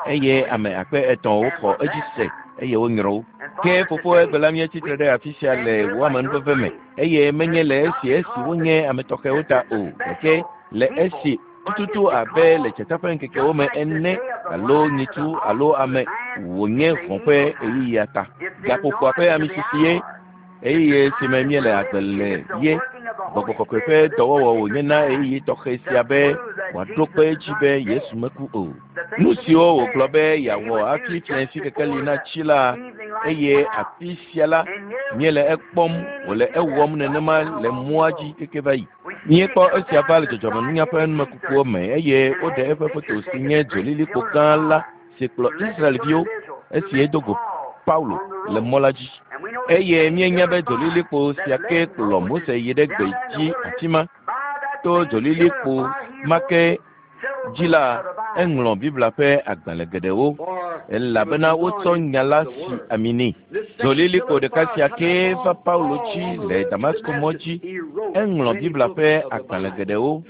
eye ame akpe etɔ̃wo xɔ edzi se eye wonyrɔ wo. Ke fofo egbe la míetsi tre ɖe afi sia le wò amenuveve me, eye menye le esi esi wonye ame tɔxɛwo ta o, gake le esi tututu abe le dzata ƒe ŋkekewo me ene alo nyitsu alo ame wònye hɔ̃ ƒe ɣeyiɣia ta. Gaƒoƒoa ƒe amisisi ye. Ɣeyiɣi si me míele agbe le ye. Gbɔgbɔ kɔkɔe ƒe dɔwɔwɔ wònye na ɣeyiɣi tɔxɛ sia be wòaɖo kpe edzi be Yesu meku o. Nu siwo wògblɔ be yeawɔ hafi fiẽsi kekeli natsi la, eye afi sia la, míele ekpɔm wòle ewɔm nenema le mɔa dzi keke va yi. Míekpɔ esia va le dzɔdzɔmenunya ƒe numekukuwo me eye woɖe eƒe foto si nye dzolilikpo gã la si kplɔ Israelviwo esi edo go Paulo le mɔ la dzi. Eye míenya be dzolilikpo sia ke kplɔ Mose yi ɖe gbe dzi afi ma. To dzolilikpo ma ke dzi la, eŋlɔ Biblia ƒe agbalẽ geɖewo, elabena wotsɔ nya la si ami nɛ. Dzolilikpo ɖeka sia kee va Paulo dzi le Damasko mɔ dzi. Eŋlɔ Biblia ƒe agbalẽ geɖewo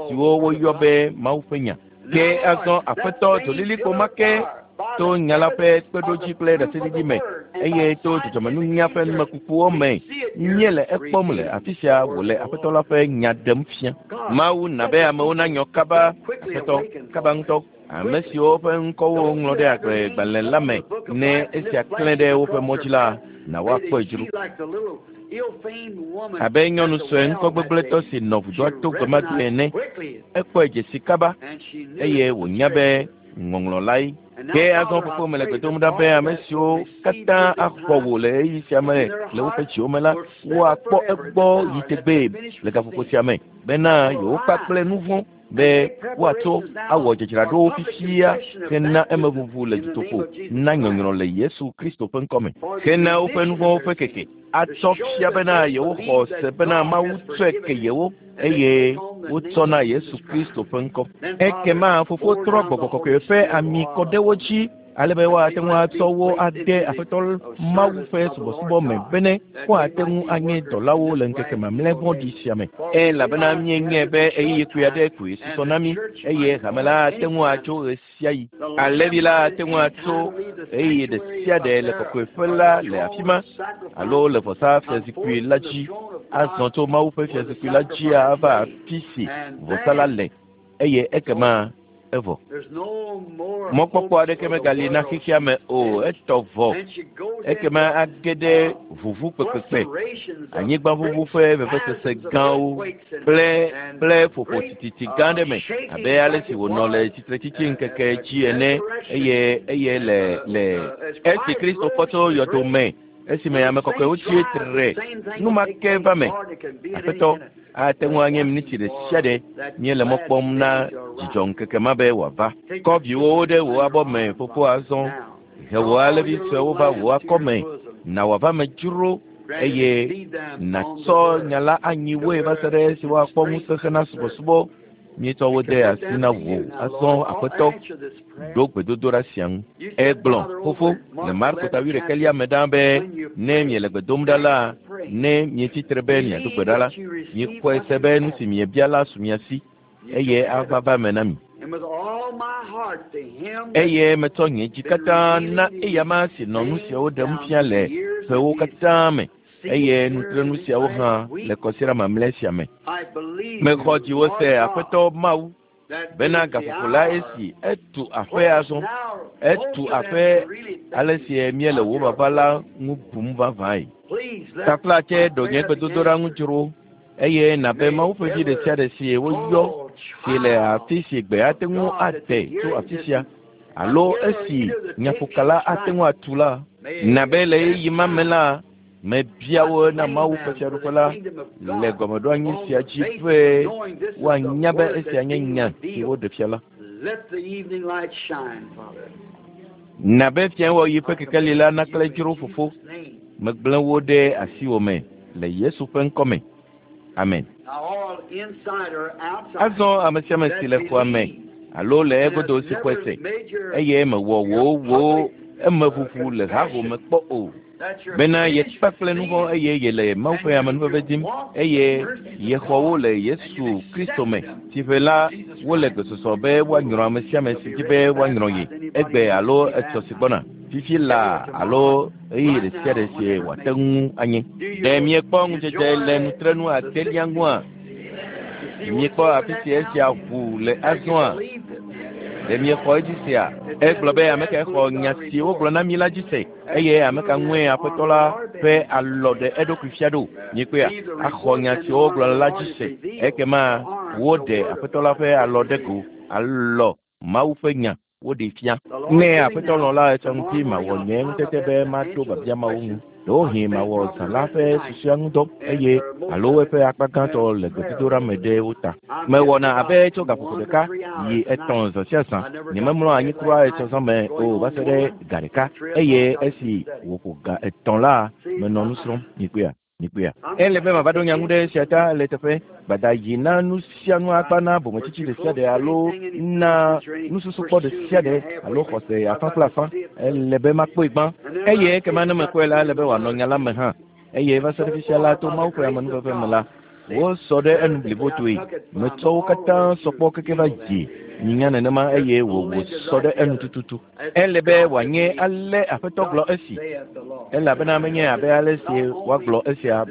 siwo woyɔ be Mawu ƒe nya. Ke azɔ Aƒetɔ dzolilikpo ma ke to nya la ƒe kpeɖodzi kple ɖaseɖiɖi me eye to dzɔdzɔmenunya ƒe numekukuwo me míele ekpɔm le afi sia wòle Aƒetɔ la ƒe nya ɖem fia. Mawu na be amewo nanyɔ kaba, Aƒetɔ, kaba ŋutɔ, ame siwo ƒe ŋkɔwo woŋlɔ ɖe agblegbalẽ la me ne esia klẽ ɖe woƒe mɔ dzi la, na woakpɔe dzro. Abe nyɔnu sue ŋkɔgbegblẽtɔ si nɔ vudoa to gbe ma gbe ene, ekpɔe dze si kaba eye wònya be ŋɔŋlɔ lae. Ke azɔ fofo mele gbe dom ɖa be ame siwo katã axɔ wò le ɣeyiɣi sia me le woƒe dziwo me la, woakpɔ egbɔ yi tegbee le gaƒoƒo sia me bena yewokpakple nu vɔ̃ be woatsɔ awɔ dzadzraɖowo fifia hena emeʋuʋu le dutoƒo na nyɔnyrɔ le Yesu Kristo ƒe ŋkɔ me, hena woƒe nu vɔ̃wo ƒe keke, atsɔ fia bena yewoxɔ se bena Mawu tsɔe ke yewo eye wotsɔ na Yesu Kristo ƒe ŋkɔ. Ekema Fofo trɔ Gbɔgbɔ Kɔkɔe ƒe ami kɔ ɖe wo dzi ale be woate ŋu atsɔ wo ade Aƒetɔ Mawu ƒe subɔsubɔ me bene woate ŋu anye dɔlawo le ŋkeke mamlɛ vɔ̃ɖi sia me. Elabena míenyae be ɣeyiɣi kpui aɖe koe susɔ na mí, eye hame la ate ŋu atso ɣesiaɣi. Alẽvi la ate ŋu atso ɣeyiɣi ɖe sia ɖe le kɔkɔeƒe la le afi ma alo le vɔsa fiazikpui la dzi, azɔ tso Mawu ƒe fiazikpui la dzi ava afi si vɔsa la le, eye ekema evɔ. Mɔkpɔkpɔ aɖeke megali na xexea me o, etɔ vɔ. Ekema age ɖe ʋuʋu kpekpekpe, anyigbaʋuʋu ƒe vevesese gãwo kple kple ƒoƒo tititi gã aɖe me abe ale si wònɔ le tsitretsitsi ŋkeke dzi ene eye eye le le esi Kristo fɔ tso yɔdo me esime ame kɔkɔewo tsi tre nu ma ke va me. Aƒetɔ, ate ŋu anye miniti ɖe sia ɖe míele mɔ kpɔm na dzidzɔ ŋkeke ma be wòava. Kɔ viwòwo ɖe wò abɔ me, fofo azɔ. He wò alẽvi suewo va wò akɔ me, na wòava me dzro, eye nàtsɔ nya la anyi woe va se ɖe esi woakpɔ ŋusẽ hena subɔsubɔ. Míetsɔ wo de asi na wò azɔ Aƒetɔ, ɖo gbedodoɖa sia ŋu. Egblɔ, Fofo, le Marko ta wuiɖekɛlia me ɖaa be, ne miele gbe dom ɖa la, ne mietsi tre be miado gbe ɖa la, miexɔe se be nu si miebia la su mia si, eye ava va eme na mi. Eye metsɔ nye dzi katã na eyama si nɔ nu siawo ɖem fia le ƒewo katã me, eye nutrenu siawo hã le kɔsiɖa mamlɛ sia me. Mexɔ dziwò se, Aƒetɔ Mawu, bena gaƒoƒo la esi etu aƒe azɔ. Etu aƒe ale si míele wò vava la ŋu bum vavãe. Taflatse ɖo nye gbedodoɖa ŋu dzro eye nabe Mawu ƒe vi ɖe sia ɖe si woyɔ si le afi si gbe ate ŋu ate tso afi sia alo esi nyaƒokala ate ŋu atu la, nabe le ɣeyiɣi ma me la, mebia wo na Mawu ƒe fiaɖuƒe la le gɔmeɖoanyi sia dzi be woanya be esia nye nya si woɖe fia la. Nabe fiawɔɣi ƒe kekeli la naklẽ dzro Fofo, megblẽ wo ɖe asiwò me le Yesu ƒe ŋkɔ me. Amen. Azɔ ame sia ame si le xɔa me alo le egodo si xɔe se eye mewɔ wò wò emeʋuʋu le haho me kpɔ o bena yekpe kple nu vɔ̃ eye yele Mawu ƒe amenuveve dim eye yexɔ wo le Yesu Kristo me. Tsiʋe la, wole gbesɔsɔ be woanyrɔ ame sia ame si dzi be woanyrɔ ye egbe alo etsɔ si gbɔna, fifi laa alo ɣeyiɣi ɖe sia ɖe si wòate ŋu anye. Ɖe miekpɔ ŋudzedze le nutrenu adelia ŋua? Miekpɔ afi si esia ʋu le azɔa? Ɖe miexɔ edzi sea? Egblɔ be ame kae xɔ nya si wogblɔ na mi la dzi se eye ame ka ŋue Aƒetɔ la ƒe alɔ ɖe eɖokui fia ɖo? Miekpɔea? Axɔ nya siwo wogblɔ la dzi se. Ekema woɖe Aƒetɔ la ƒe alɔ ɖe go, alɔ Mawu ƒe nya woɖee fia. Ne Aƒetɔ lɔ̃ la, etsɔ ŋuti mawɔ nye ŋutete be maɖo biabia mawo ŋu. Ɖewohĩ mawɔ zã la ƒe susɔea ŋudɔ eye alo eƒe akpa gãtɔ le gbedodoɖa me ɖe wo ta. Mewɔna abe tso gaƒoƒo ɖeka yi etɔ̃ zã sia zã. Nyememlɔa anyi kura etsɔ zã me o va se ɖe ga ɖeka eye esi wòƒo ga etɔ̃ la, menɔ nu srɔ̃m. Mikpɔea? Mikpɔea? Ele be mava ɖo nya ŋu ɖe esia ta le teƒe gbada yi na nu sia nu akpa na bometsitsi ɖe sia ɖe alo na nususukpɔ ɖe sia ɖe alo xɔse afã kple afã. Ele be makpɔe gbã eye ekema ne mekpɔe la, ele be wòanɔ nya la me hã. Eye va se ɖe fisia la, to Mawu ƒe amenuveve me la, wosɔ ɖe enu blibotoe. Metsɔ wo katã sɔ kpɔ keke va dzi nyinya nenema eye wòwò sɔ ɖe enu tututu. Ele be wòanye ale Aƒetɔ gblɔ esi, elabena menye abe ale si woagblɔ esia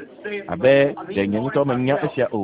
abe ɖe nye ŋutɔ menya esia o,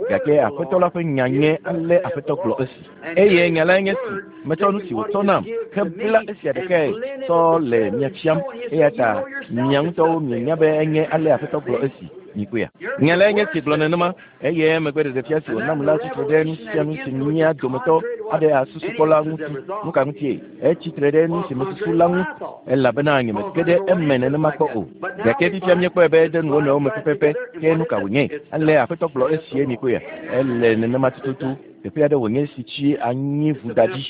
gake Aƒetɔ la ƒe nya nye ale Aƒetɔ gblɔ esi. Eye nya lae nye si, metsɔ nu si wòtsɔ nam hebla esia ɖekae tsɔ le mia fiam, eya ta mia ŋutɔwo mienya be enye ale Aƒetɔ gblɔ esi. Mikpɔea? Nya lae nye si gblɔ nenema. Eye emegbe ɖeɖefia si wònam la tsi tre ɖe nu sia nu si mía dometɔ aɖe asusu kpɔ la ŋuti. Nu ka ŋutie? Etsi tre ɖe nu si mesusu la ŋu, elabena nyemege ɖe eme nenema kpɔ o. Gake fifia míekpɔe be ede nu wo nɔewo me pɛpɛpɛ. Ke nu ka wònye? Ale Aƒetɔ gblɔ esie mikpɔea? Ele nenema tututu. Teƒe aɖe wònye si tsi anyi vuda dzi,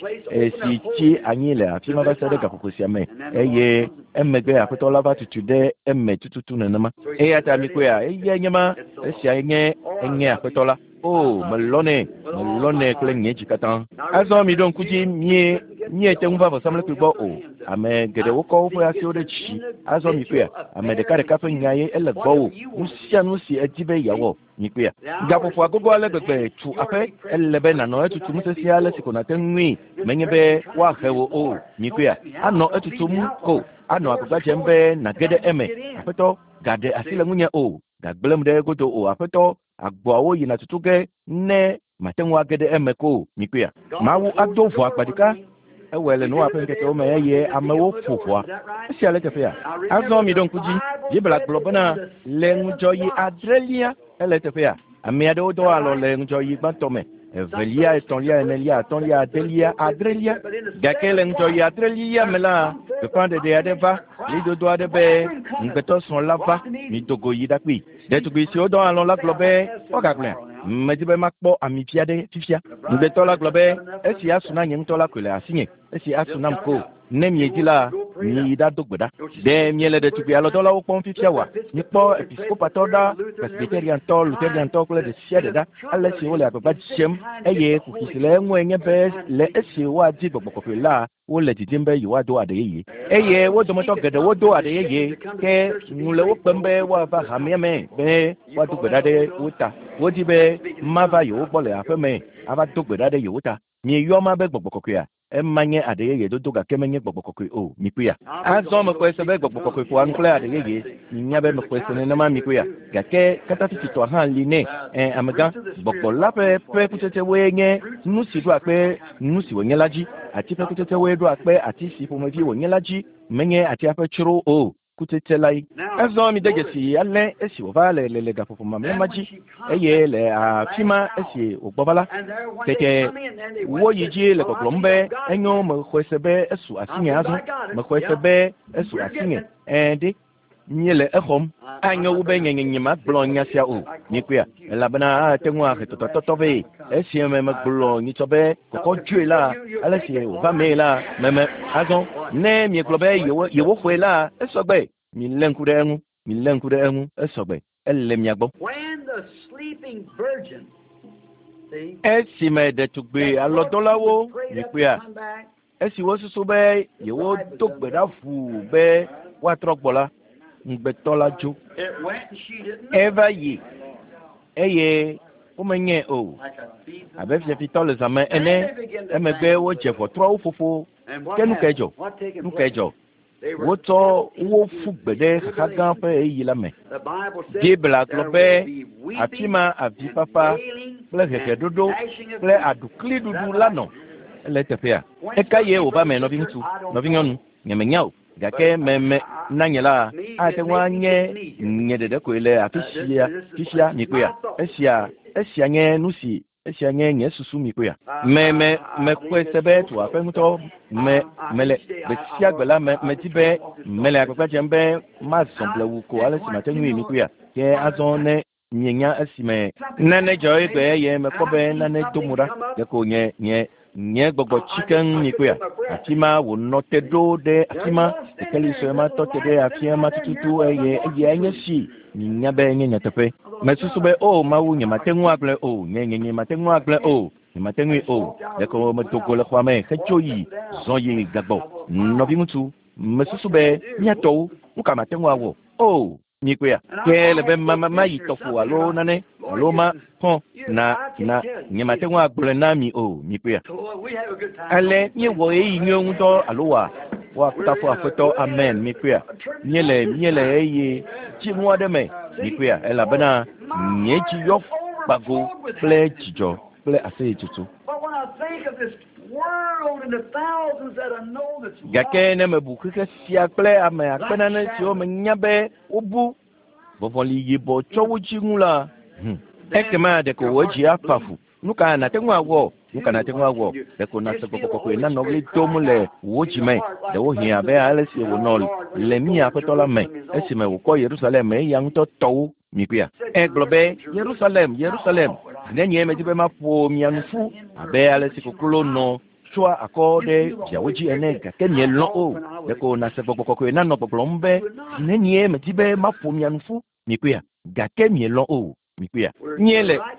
si tsi anyi le afi ma va se ɖe gaƒoƒo sia me, eye emegbe Aƒetɔ la va tutu ɖe eme tututu nenema. Eya ta mikpɔea, eyae nye ma, esiae nye enye Aƒetɔ la. O, melɔ̃nɛ, melɔ̃nɛ kple nye dzi katã. Azɔ miɖo ŋku dzi, mie, miete ŋu va vɔsamlekpui gbɔ o. Ame geɖewo kɔ woƒe asiwo ɖe dzi. Azɔ mikpɔea, ame ɖekaɖeka ƒe nya ye ele gbɔwò. Nu sia nu si èdi be yeawɔ, Mikpɔea? Gaƒoƒoa gogo ale gbegbe tu aƒe, ele be nànɔ etutum sesĩe ale si ko nàte ŋui, menye be woahe wò o. Mikpɔea? Anɔ etutum ko, anɔ agbagba dzem be nàge ɖe eme. Aƒetɔ, gaɖe asi le ŋunye o, gagblẽm ɖe egodo o, Aƒetɔ, agboawo yina tutu ge ne mate ŋu age ɖe eme ko. Mikpɔea? Mawu ado ʋɔa akpa ɖeka. Ewɔe le Noa ƒe ŋkekewo me eye amewo ƒo ʋɔa. Esia le teƒea. Azɔ miɖo ŋku dzi. Biblia gblɔ bena le ŋudzɔɣi adrelia ele teƒea. Ame aɖewo dɔ alɔ le ŋudzɔɣi gbãtɔ me, evelia, etɔ̃lia, enelia, atɔ̃lia, adelia, adrelia. Gake le ŋudzɔɣi adrelia me la, gbeƒãɖeɖe aɖe va, ɣlidodo aɖe be, Ŋugbetɔsrɔ̃ la va, mido go yi ɖakpee. Ɖetugbi siwo dɔ alɔ̃ la gblɔ be, Woagagblɔea? Medi be makpɔ ami vi aɖe fifia. Ŋugbetɔ la gblɔ be, Esi asu na nye ŋutɔ la koe le asinye, esi asu nam ko. Ne miedi la, Miyi ɖado gbe ɖa. Ɖe miele ɖetugbi alɔdɔlawo kpɔm fifia oa? Mikpɔ episkopatɔ ɖa, presbyteriantɔ, lutheriantɔ kple ɖe sia ɖe ɖa, ale si wole agbagba dzem eye kuxi si le eŋue nye be le esi woadi gbɔgbɔ kɔkɔe la, wole didim be yewoado aɖe yeye. Eye wo dometɔ geɖewo do aɖe yeye, ke ŋu le wo kpem be woava hamea me be woado gbe ɖa ɖe wo ta. Wodi be mava yewo gbɔ le aƒe me ava do gbe ɖa ɖe yewo ta. Mieyɔ ma be gbɔgbɔ kɔkɔea? Ema nye aɖe yeye dodo gake menye gbɔgbɔ kɔkɔe o. Mikpɔea? Azɔ mexɔe se be gbɔgbɔ kɔkɔe ƒoa nu kple aɖe yeye. Minya be mexɔe se nenema mikpɔea? Gake katafititɔa hã li nɛ. Ẽ, amegã, gbɔgbɔ la ƒe kutsetsewoe nye nu si ɖoa kpe nu si wònye la dzi. Ati ƒe kutsetsewoe ɖoa kpe ati si ƒomevi wònye la dzi. Menye atia ƒe tsro o. Kutsetse lae. Azɔ mide dzesi ale esi wòva le le gaƒoƒo mamlɛ ma dzi eye le afi ma esi wògbɔ va la, tete woyi dzi le gbɔgblɔm be enyo mexɔe se be esu asinye azɔ. Mexɔe se be esu asinye. Ẽ ɖe míele exɔm. Anyo wu be nye nye magblɔ nya sia o. Mikpɔea? Elabena ate ŋu ahe tɔtɔtɔtɔ vɛ. Esi me megblɔ nyitsɔ be kɔkɔ dzoe la, ale si wòva mee la, meme azɔ. Ne miegblɔ be yewoxɔe la, esɔgbe. Milé ŋku ɖe eŋu. Milé ŋku ɖe eŋu. Esɔgbe. Ele mia gbɔ. Esime ɖetugbi alɔdɔlawo mikpɔea, esi wosusu be yewodo gbe ɖa ʋuu be woatrɔ gbɔ la, ŋugbetɔ la dzo. Eva yi eye womenyae o. Abe fiafitɔ le zãme ene, emegbe wodze ʋɔtruawo ƒoƒo. Ke nu kae dzɔ? Nu kae dzɔ? Wotsɔ wo ƒu gbe ɖe xaxa gã ƒe ɣeyiɣi la me. Biblia gblɔ be afi ma avifafa kple heheɖoɖo kple aɖukliɖuɖu la nɔ. Ele eteƒea? Eka ye wòva me nɔviŋutsu, nɔvinyɔnu? Nyemenya o. Gake meme na nye la ate ŋu anye nye ɖeɖe koe le afi sia fifia mikpɔea. Esia nye nu si esia nye nye susu mikpɔea. Me mekpɔe se be tu aƒe ŋutɔ me mele gbe sia gbe la me medi be mele agbagba dzem be mazɔ blewu ko ale si mate ŋui mikpɔea. Ke azɔ ne mienya esime nane dzɔ egbe eye mekpɔ be nane do mo ɖa, ɖeko nye nye gbɔgbɔ tsi keŋ mikpɔea. Afi ma wònɔ te ɖo ɖe afi ma, kekeli sue ma tɔ te ɖe afi ma tututu eye eyae nye si minya be nye nyateƒe. Mesusu be o Mawu, nyemate ŋu agblɔe o, nye nyemate ŋu agblɔe o, nyemate ŋui o. Ɖeko medo go le xɔa me hetso yi zɔ yi gagbɔ. Nɔviŋutsu, mesusu be míatɔwo, nu ka mate ŋu awɔ? O, mikpɔea? Ke le be mayi tɔƒo alo nane alo ma xɔ na na nyemate ŋu agblɔe na mi o, mikpɔea? Ale míewɔ ɣeyiɣi nyuiwo ŋutɔ alo wa woakafu Aƒetɔ, amen, mikpɔea? Míele ɣeyiɣi dziŋu aɖe me, mikpɔea? Elabena nye dzi yɔ gbago kple dzidzɔ kple aseyetsotso. Gake ne mebu xexe sia kple ame akpe nane siwo menya be wobu vɔvɔli yibɔ tsɔ wo dzi ŋu la, ekema ɖeko wò dzi afa fu. Nu ka nàte ŋu awɔ? Nu ka nàte ŋu awɔ? Ɖeko nàse gbɔgbɔ kɔkɔe nanɔ ɣli dom le wò dzi me. Ɖewohĩ abe ale si wònɔ le mía Aƒetɔ la me esime wòkɔ Yerusalem eya ŋutɔ tɔwo mikpɔea. Egblɔ be Yerusalem, Yerusalem, nenye medi be maƒo mia nu ƒu abe ale si koklo nɔ tsoa akɔ ɖe viawo dzi ene, gake mielɔ̃ o. Ɖeko nàse gbɔgbɔ kɔkɔe nanɔ gbɔgblɔm be nenye medi be maƒo mia nu ƒu mikpɔea, gake mielɔ̃ o. Mikpɔea?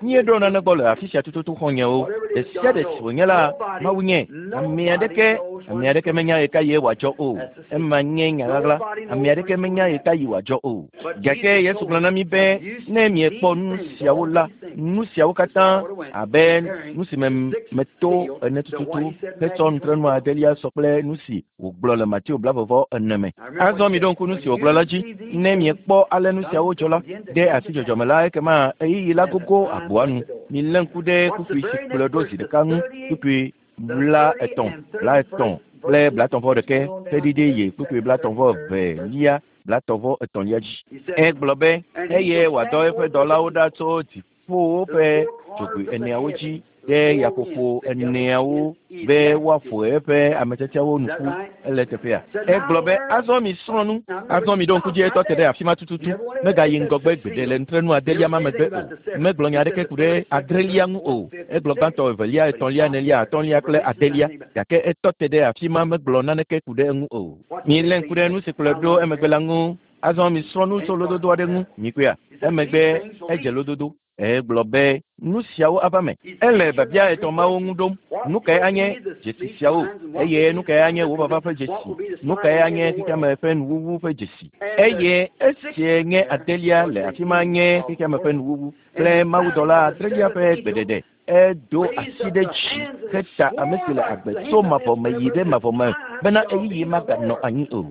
Míeɖo nane gbɔ le afi sia tututu xɔ̃nyewo. Ɖe sia ɖe si wònye la, Mawu nye. Ame aɖeke menya ɣekaɣie wòadzɔ o. Ema nye nya ɣaɣla. Ame aɖeke menya ɣekaɣi wòadzɔ o. Gake Yesu gblɔ na mí be ne miekpɔ nu siawo la, nu siawo katã abe nu si me meto ene tututu hetsɔ nutrenu adelia sɔ kple nu si wògblɔ le Mateo 20:40 me. Azɔ miɖo ŋku nu si wògblɔ la dzi. Ne miekpɔ ale nu siawo dzɔ la, ɖe asi dzɔdzɔme la, ekema ɣeyiɣi la gogo agboa nu. Milé ŋku ɖe kpukpui si kplɔe ɖo zi ɖeka ŋu, kpukpui 33, 30 kple 31 heɖiɖi yi kpukpui 32 33 dzi. Egblɔ be eye wòadɔ eƒe dɔlawo ɖa tso dziƒowo ƒe dzogoe eneawo dzi. ɖe yaƒoƒo eneawo be woaƒo eƒe ametsatsawo nu ƒu. Ele teƒea. Egblɔ be, azɔ mi srɔ̃ nu. Azɔ mi ɖo ŋku dzi etɔ te ɖe afi ma tututu. Megayi ŋgɔgbe gbeɖe le nutrenu adelia ma megbe o. Megblɔ nya aɖeke ku ɖe adrelia ŋu o. Egblɔ gbãtɔ, evelia, etɔ̃lia, enelia, atɔ̃lia kple adelia. Gake etɔ te ɖe afi ma megblɔ naneke ku ɖe eŋu o. Milé ŋku ɖe nu si kplɔe ɖo emegbe la ŋu. Azɔ mi srɔ̃ nu tso lododo aɖe ŋu. Mikpɔea? Emegbe edze lododo. Egblɔ be nu siawo ava me. Ele biabia etɔ̃ mawo ŋu ɖom. Nu kae anye dzesi siawo? Eye nu kae anye wò vava ƒe dzesi? Nu kae anye xexeame ƒe nuwuwu ƒe dzesi? Eye esie nye adelia le afi ma nye xexeame ƒe nuwuwu kple mawudɔla adrelia ƒe gbeɖeɖe. Edo asi ɖe dzi heta ame si le agbe tso mavɔ me yi ɖe mavɔ me bena ɣeyiɣi maganɔ anyi o.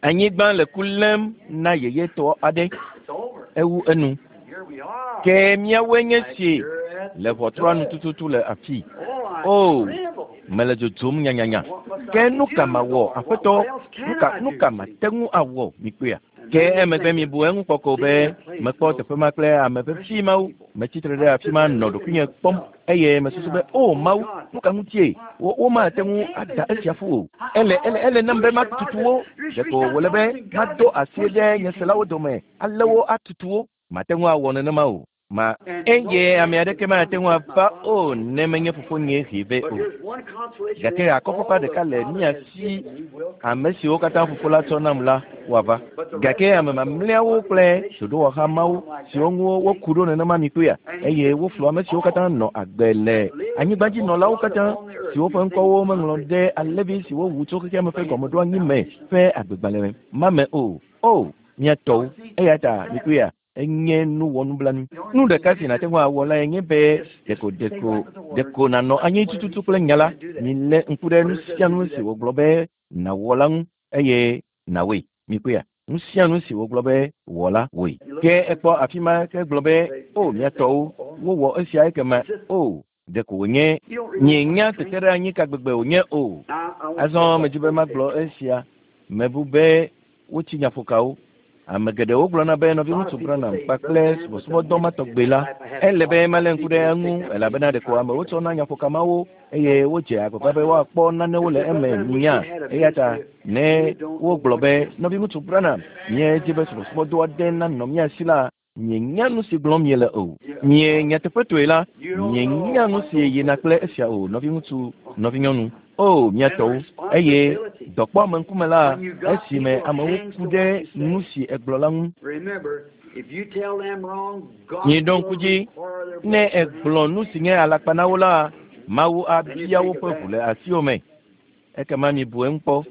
Anyigba le ku lém na yeyetɔ aɖe. Ewu enu. Ke míawoe nye si le ʋɔtrua nu tututu le afii. O, mele dzodzom nyanyanya. Ke nu ka mawɔ, Aƒetɔ? Nu ka, nu ka mate ŋu awɔ? Mikpɔea? Ke emegbe mibu eŋu kpɔ ko be mekpɔ teƒe ma kple ame vevi mawo. Metsi tre ɖe afi ma nɔ ɖokuinye kpɔm eye mesusu be, O Mawu, nu ka ŋutie? Wo, womate ŋu ada esia ƒu o. Ele, ele, ele nam be matutu wo. Ɖeko wòle be mado asi ɖe nye selawo dome ale wo atutu wo. Mate ŋu awɔ nenema o. Ma, eye ame aɖeke mate ŋu ava o ne menye fofonye hee vɛ o. Gake akɔfafa ɖeka le mía si, ame siwo katã fofo la tsɔ nam la, woava. Gake ame mamlɛawo kple ɖoɖowɔha mawo siwo ŋu woku ɖo nenema mi kpɔea, eye woflu ame siwo katã nɔ agbe le anyigbadzinɔlawo katã, siwo ƒe ŋkɔwo meŋlɔ ɖe alẽvi si wowu tso xexeame ƒe gɔmeɖoanyi me ƒe agbegbalẽ ma me o. O, mía tɔwo! Eya ta mikpɔea, enye nu wɔnublanui. Nu ɖeka si nàte ŋu awɔ lae nye be ɖeko ɖeko ɖeko nànɔ anyi tututu kple nya la. Milé ŋku ɖe nu sia nu si wògblɔ be nàwɔ la ŋu eye nàwɔe. Mikpɔea? Nu sia nu si wògblɔ be wɔ la, wɔe. Ke ekpɔ afi ma ke gblɔ be, O, mía tɔwo, wowɔ esia ekema. O, ɖeko wònye. Mienya teteɖeanyi ka gbegbe wònye o. Azɔ medi be magblɔ esia. Mebu be wotsi nyaƒokawo. Ame geɖewo gblɔna be nɔviŋutsu Branham kpakple subɔsubɔdɔ ma tɔgbe la, ele be malé ŋku ɖe eŋu elabena ɖeko amewo tsɔna nyaƒoka mawo eye wodze agbagba be woakpɔ nanewo le eme nya. Eya ta ne wogblɔ be nɔviŋutsu Branham, míedi be subɔsubɔdɔ aɖe nanɔ mía si la, mienya nu si gblɔm miele o. Mie nyateƒetɔe la, mienya nu si yina kple esia o, nɔviŋutsu, nɔvinyɔnu. O, mía tɔwo. Eye dɔ kpɔ ame ŋkume la, esime amewo ku ɖe nu si egblɔ la ŋu. Miɖo ŋku dzi, ne egblɔ nu si nye alakpa na wo la, Mawu abia woƒe ʋu le asiwò me. Ekema mibu eŋu kpɔ.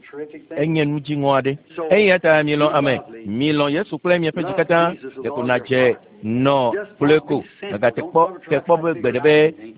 Enye nu dziŋɔ aɖe. Eya ta milɔ̃ ame. Milɔ̃ Yesu kple miaƒe dzi katã. Ɖeko nàdze nɔ gblɔe ko. Mègate kpɔ te kpɔ be gbeɖe be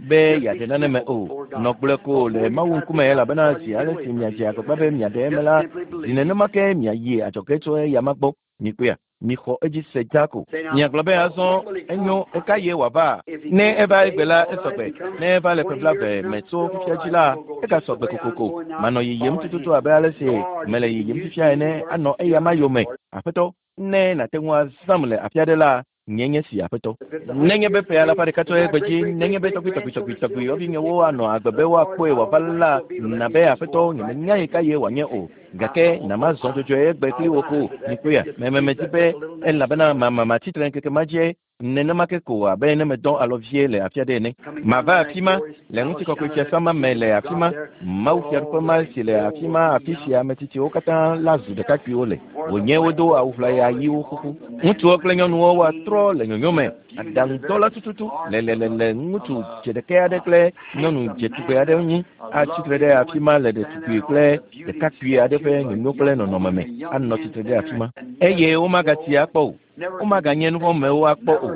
be yeaɖe nane me o. Nɔ gblɔe ko le Mawu ŋkume elabena zi ale si miadze agbagba be miaɖe eme la, zi nenema ke miayi adzɔge tso eyama gbɔ. Mikpɔea? Mixɔ edzi se dzaa ko. Miagblɔ be azɔ enyo, ɣekaɣie wòava? Ne eva egbe la, esɔgbe. Ne eva le ƒe blaeve me tso fifia dzi la, egasɔgbe kokoko. Manɔ yiyim tututu abe ale si mele yiyim fifia ene anɔ eyama yome. Aƒetɔ, ne nàte ŋu azãm le afi aɖe la, nye nye si, Aƒetɔ. Nenye be ƒe alafa ɖeka tso egbe dzi, nenye be tɔgbuitɔgbuitɔgbuitɔgbui yɔvinyewo anɔ agbe be woakpɔe wòava la, na be, Aƒetɔ, nyemenya ɣekaɣie wòanye o, gake na mazɔ dzɔdzɔe egbe kpli wò ko. Mikpɔea? Me, me, medi be, elabena ma, ma, matsi tre ŋkeke ma dzie, nenema ke ko abe ne medɔ alɔ vie le afi aɖe ene. Mava afi ma, le ŋutikɔkɔe fiasã ma me le afi ma, Mawu fiaɖuƒe ma si le afi ma, afi si ame tsitsiwo katã la zu ɖekakpuiwo le. Wònye wodo awu ʋlaya ɣiwo xoxo. Ŋutsuwo kple nyɔnuwo woatrɔ le nyonyo me, aɖaŋudɔla tututu le le le le ŋutsu dzeɖekɛ aɖe kple nyɔnu dzetugbe aɖe ŋu atsi tre ɖe afi ma le ɖetugbui kple ɖekakpui aɖe ƒe nyonyo kple nɔnɔme me anɔ tsitre ɖe afi ma. Eye womagatsi akpɔ o. Womaganye nuvɔ̃mewo akpɔ o.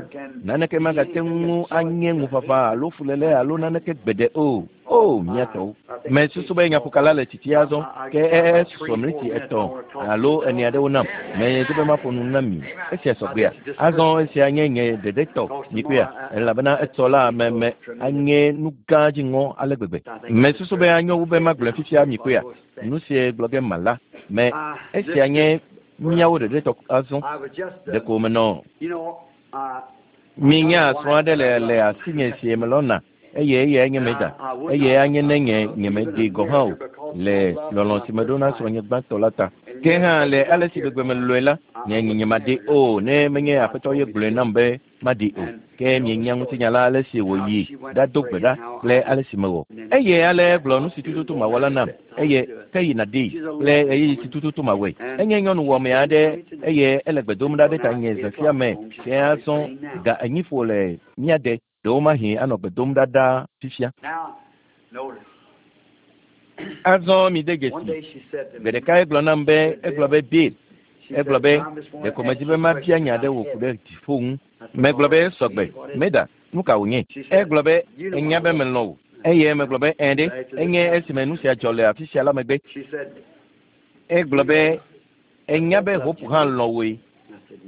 Naneke magate ŋu anye ŋuʋaʋã alo fuléle alo naneke gbeɖe o. O, mía tɔwo! Mesusu be nyaƒokala le tsitsi azɔ, ke esusɔ miniti etɔ̃ alo ene aɖewo nam. Medi be maƒo nu na mi. Esia sɔgbea? Azɔ esia nye nye ɖeɖe tɔ, mikpɔea, elabena etsɔ la me, me anye nu gã dziŋɔ ale gbegbe. Mesusu be anyo wu be magblɔe fifia, mikpɔea, nu sie gblɔ ge mala. Me, esia nye míawo ɖeɖe tɔ azɔ. Ɖeko menɔ. Minya srɔ̃ aɖe le asinye si melɔ̃na eye eyae nye Meda. Eye anye ne nye nyemeɖee gɔ̃ hã o le lɔlɔ̃ si meɖo na srɔ̃nye gbãtɔ la ta. Ke hã le ale si gbegbe melɔ̃e la, nye nyemaɖee o ne menye Aƒetɔ ye gblɔe nam be maɖee o. Ke mienya ŋutinya la ale si wòyi ɖado gbe ɖa kple ale si mewɔ. Eye ale egblɔ nu si tututu mawɔ la nam eye ke yina ɖee kple ɣeyiɣi si tututu mawɔe. Enye nyɔnu wɔme aɖe eye ele gbe dom ɖa ɖe tanye zã sia me fiẽ azɔ ga enyi ƒo le mía de. Ɖewomahi anɔ gbe dom ɖa ɖaa fifia. Azɔ mide dzesi. Gbe ɖeka egblɔ nam be, egblɔ be, Bill, egblɔ be, ɖeko medi be mabia nya aɖe wò ku ɖe dziƒo ŋu. Megblɔ be, sɔgbe, Meda, nu ka wònye? Egblɔ be, enya be melɔ̃ wò. Eye megblɔ be, ɛ̃ ɖe, enye esime nu sia dzɔ le afi sia la megbe. Egblɔ be, enya be Hope hã lɔ̃ wòe.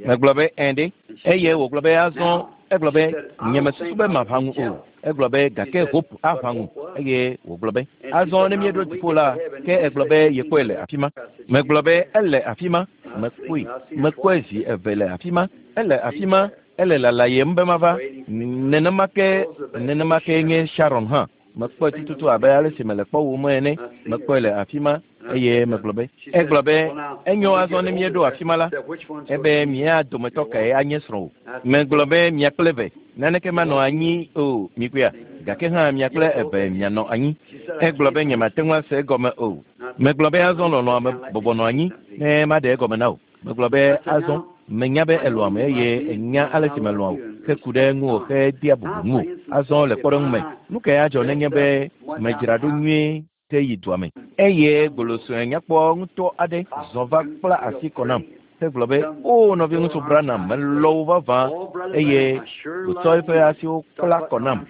Megblɔ be, ɛ̃ ɖe. Eye wògblɔ be azɔ, egblɔ be, nyemesusu be maʋã ŋu o. Egblɔ be, gake Hope aʋã ŋu. Eye wògblɔ be, azɔ ne míeɖo dziƒo la, ke egblɔ be yekpɔe le afi ma. Megblɔ be, ele afi ma. Mekpɔe. Mekpɔe zi eve le afi ma. Ele afi ma. Ele lalayem be mava. Nenema ke, nenema ke nye Sharon hã. Mekpɔe tututu abe ale si mele kpɔwòm ene. Mekpɔe le afi ma eye megblɔ be, egblɔ be, enyo azɔ ne míeɖo afi ma la, ebe mía dometɔ kae anye srɔ̃wò. Megblɔ be mia kple eve, naneke manɔ anyi o, mikpɔea, gake hã mia kple eve mianɔ anyi. Egblɔ be nyemate ŋu ase egɔme o. Megblɔ be azɔ lɔlɔ̃a me bɔbɔ nɔ anyi ne maɖe egɔme na wò. Megblɔ be azɔ menya be elɔ̃am eye enya ale si melɔ̃a wò heku ɖe ŋuwò hedea bubu ŋuwò. Azɔ le kpɔɖeŋu me, nu kae adzɔ nenye be medzra ɖo nyuie ke yi dua me? Eye gbolo sue nyakpɔ ŋutɔ aɖe zɔ va kpla asi kɔ nam hegblɔ be, O nɔviŋutsu Branham, melɔ̃ wò vavã. Eye wòtsɔ eƒe asiwo kpla kɔ nam.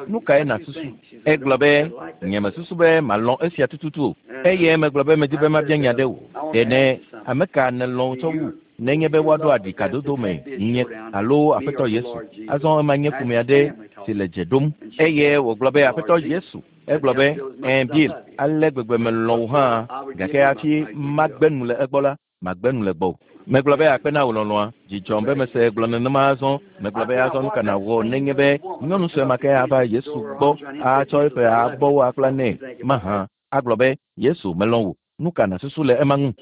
Nu kae nàsusu? Egblɔ be, nyemesusu be malɔ̃ esia tututu o. Eye megblɔ be medi be mabia nya ɖe wò. Ɖe ne ame ka nèlɔ̃ tsɔ wu nenye be woaɖo aɖi kadodo me nye alo Aƒetɔ Yesu? Azɔ ema nye ƒome aɖe si le dze ɖom. Eye wògblɔ be, Aƒetɔ Yesu. Egblɔ be, ɛ̃ Bill, ale gbegbe melɔ̃ wò hã, gake hafi magbe nu le egbɔ la, magbe nu le gbɔwò. Megblɔ be akpe na wò lɔlɔ̃a. Dzi dzɔm be mese egblɔ nenema azɔ. Megblɔ be azɔ nu ka nàwɔ nenye be nyɔnu sue ma ke ava Yesu gbɔ atsɔ eƒe abɔwo akpla nɛ mahã agblɔ be, Yesu, melɔ̃ wò. Nu ka nàsusu le ema ŋu?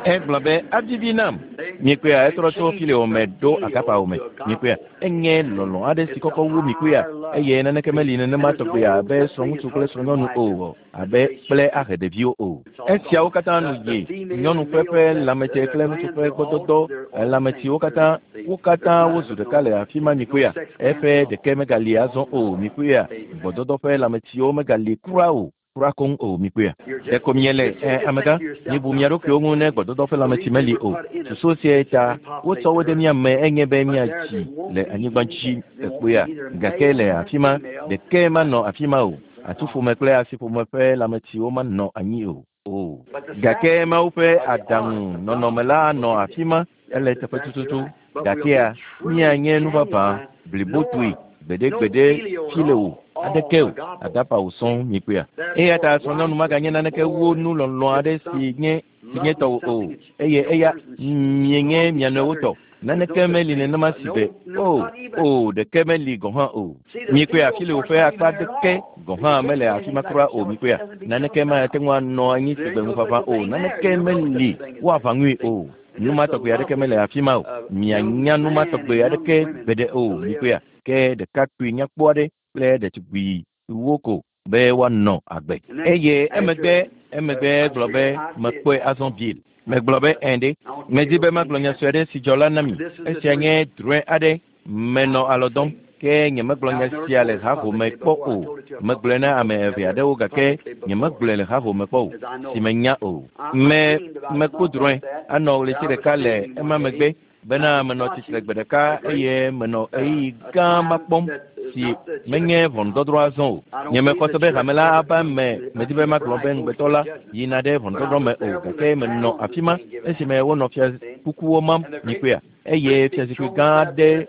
Egblɔ be, avivi nam. Mikpɔea, etrɔ tso fileo me ɖo agapao me. Mikpɔea, enye lɔlɔ̃ aɖe si kɔkɔ wu mikpɔea, eye naneke meli nenema tɔgbe abe srɔ̃ŋutsu kple srɔ̃nyɔnu o, abe kple ahe ɖeviwo o. Esiawo katã nu yi nyɔnu ƒe ƒe lãmetse kple ŋutsu ƒe gbɔdɔdɔ lãmetsiwo katã, wo katã wozu ɖeka le afi ma mikpɔea. Eƒe ɖeke megali azɔ o mikpɔea, gbɔdɔdɔ ƒe lãmetsiwo megali kura o. Kura koŋ o, mikpɔea. Ɖeko miele, ɛ, amegã, mibu mia ɖokuiwo ŋu ne gbɔdɔdɔ ƒe lãmetsi meli o. Susu siae ta wotsɔ wo ɖe mía me enye be míatsi le anyigba dzi, èkpɔea. Gake le afi ma, ɖeke manɔ afi ma o. Atuƒome kple asiƒome ƒe lãmetsiwo manɔ anyi o. O. Gake Mawu ƒe aɖaŋu nɔnɔme la anɔ afi ma, ele teƒe tututu. Gakea, míanye nu vavã blibotoe gbeɖegbeɖe fi le o, aɖeke o, agapa o sɔŋ mikpɔea. Eya ta srɔ̃nyɔnu maganye naneke wu nu lɔlɔ̃ aɖe si nye si nye tɔwò o, eye eya mienye mia nɔewo tɔ. Naneke meli nenema si be, o, o, ɖeke meli gɔ̃ hã o. Mikpɔea, fi le woƒe akpa ɖeke gɔ̃ hã mele afi ma kura o. Mikpɔea, naneke mate ŋu anɔ anyi si gbe ŋuʋaʋã o. Naneke meli woaʋã ŋui o. Nu ma tɔgbe aɖeke mele afi ma o. Mianya nu ma tɔgbe aɖeke gbeɖe o. Mikpɔea, ke ɖekakpui nyakpɔ aɖe kple ɖetugbiwo ko be woanɔ agbe. Eye emegbe, emegbe egblɔ be, mekpɔe azɔ Bill. Megblɔ be, ɛ̃ ɖe, medi be magblɔ nya sue aɖe si dzɔ la na mi. Esia nye drɔ̃e aɖe. Menɔ alɔ dɔm, ke nyemegblɔ nya sia le hahome kpɔ o. Megblɔe na ame eve aɖewo gake nyemegblɔe le hahome kpɔ o, si menya o. Me, mekpɔ drɔ̃e anɔ ɣleti ɖeka le ema megbe bena menɔ tsitre gbe ɖeka eye menɔ ɣeyiɣi gã ma kpɔm si menye ʋɔnudɔdrɔ̃ azɔ o. Nyemexɔ se be hame la ava eme, medi be magblɔ be ŋugbetɔ la yina ɖe ʋɔnudɔdrɔ̃ me o, gake menɔ afi ma esime wonɔ fia Kukuwo mam, mikpɔea. Eye fiazikpui gã aɖe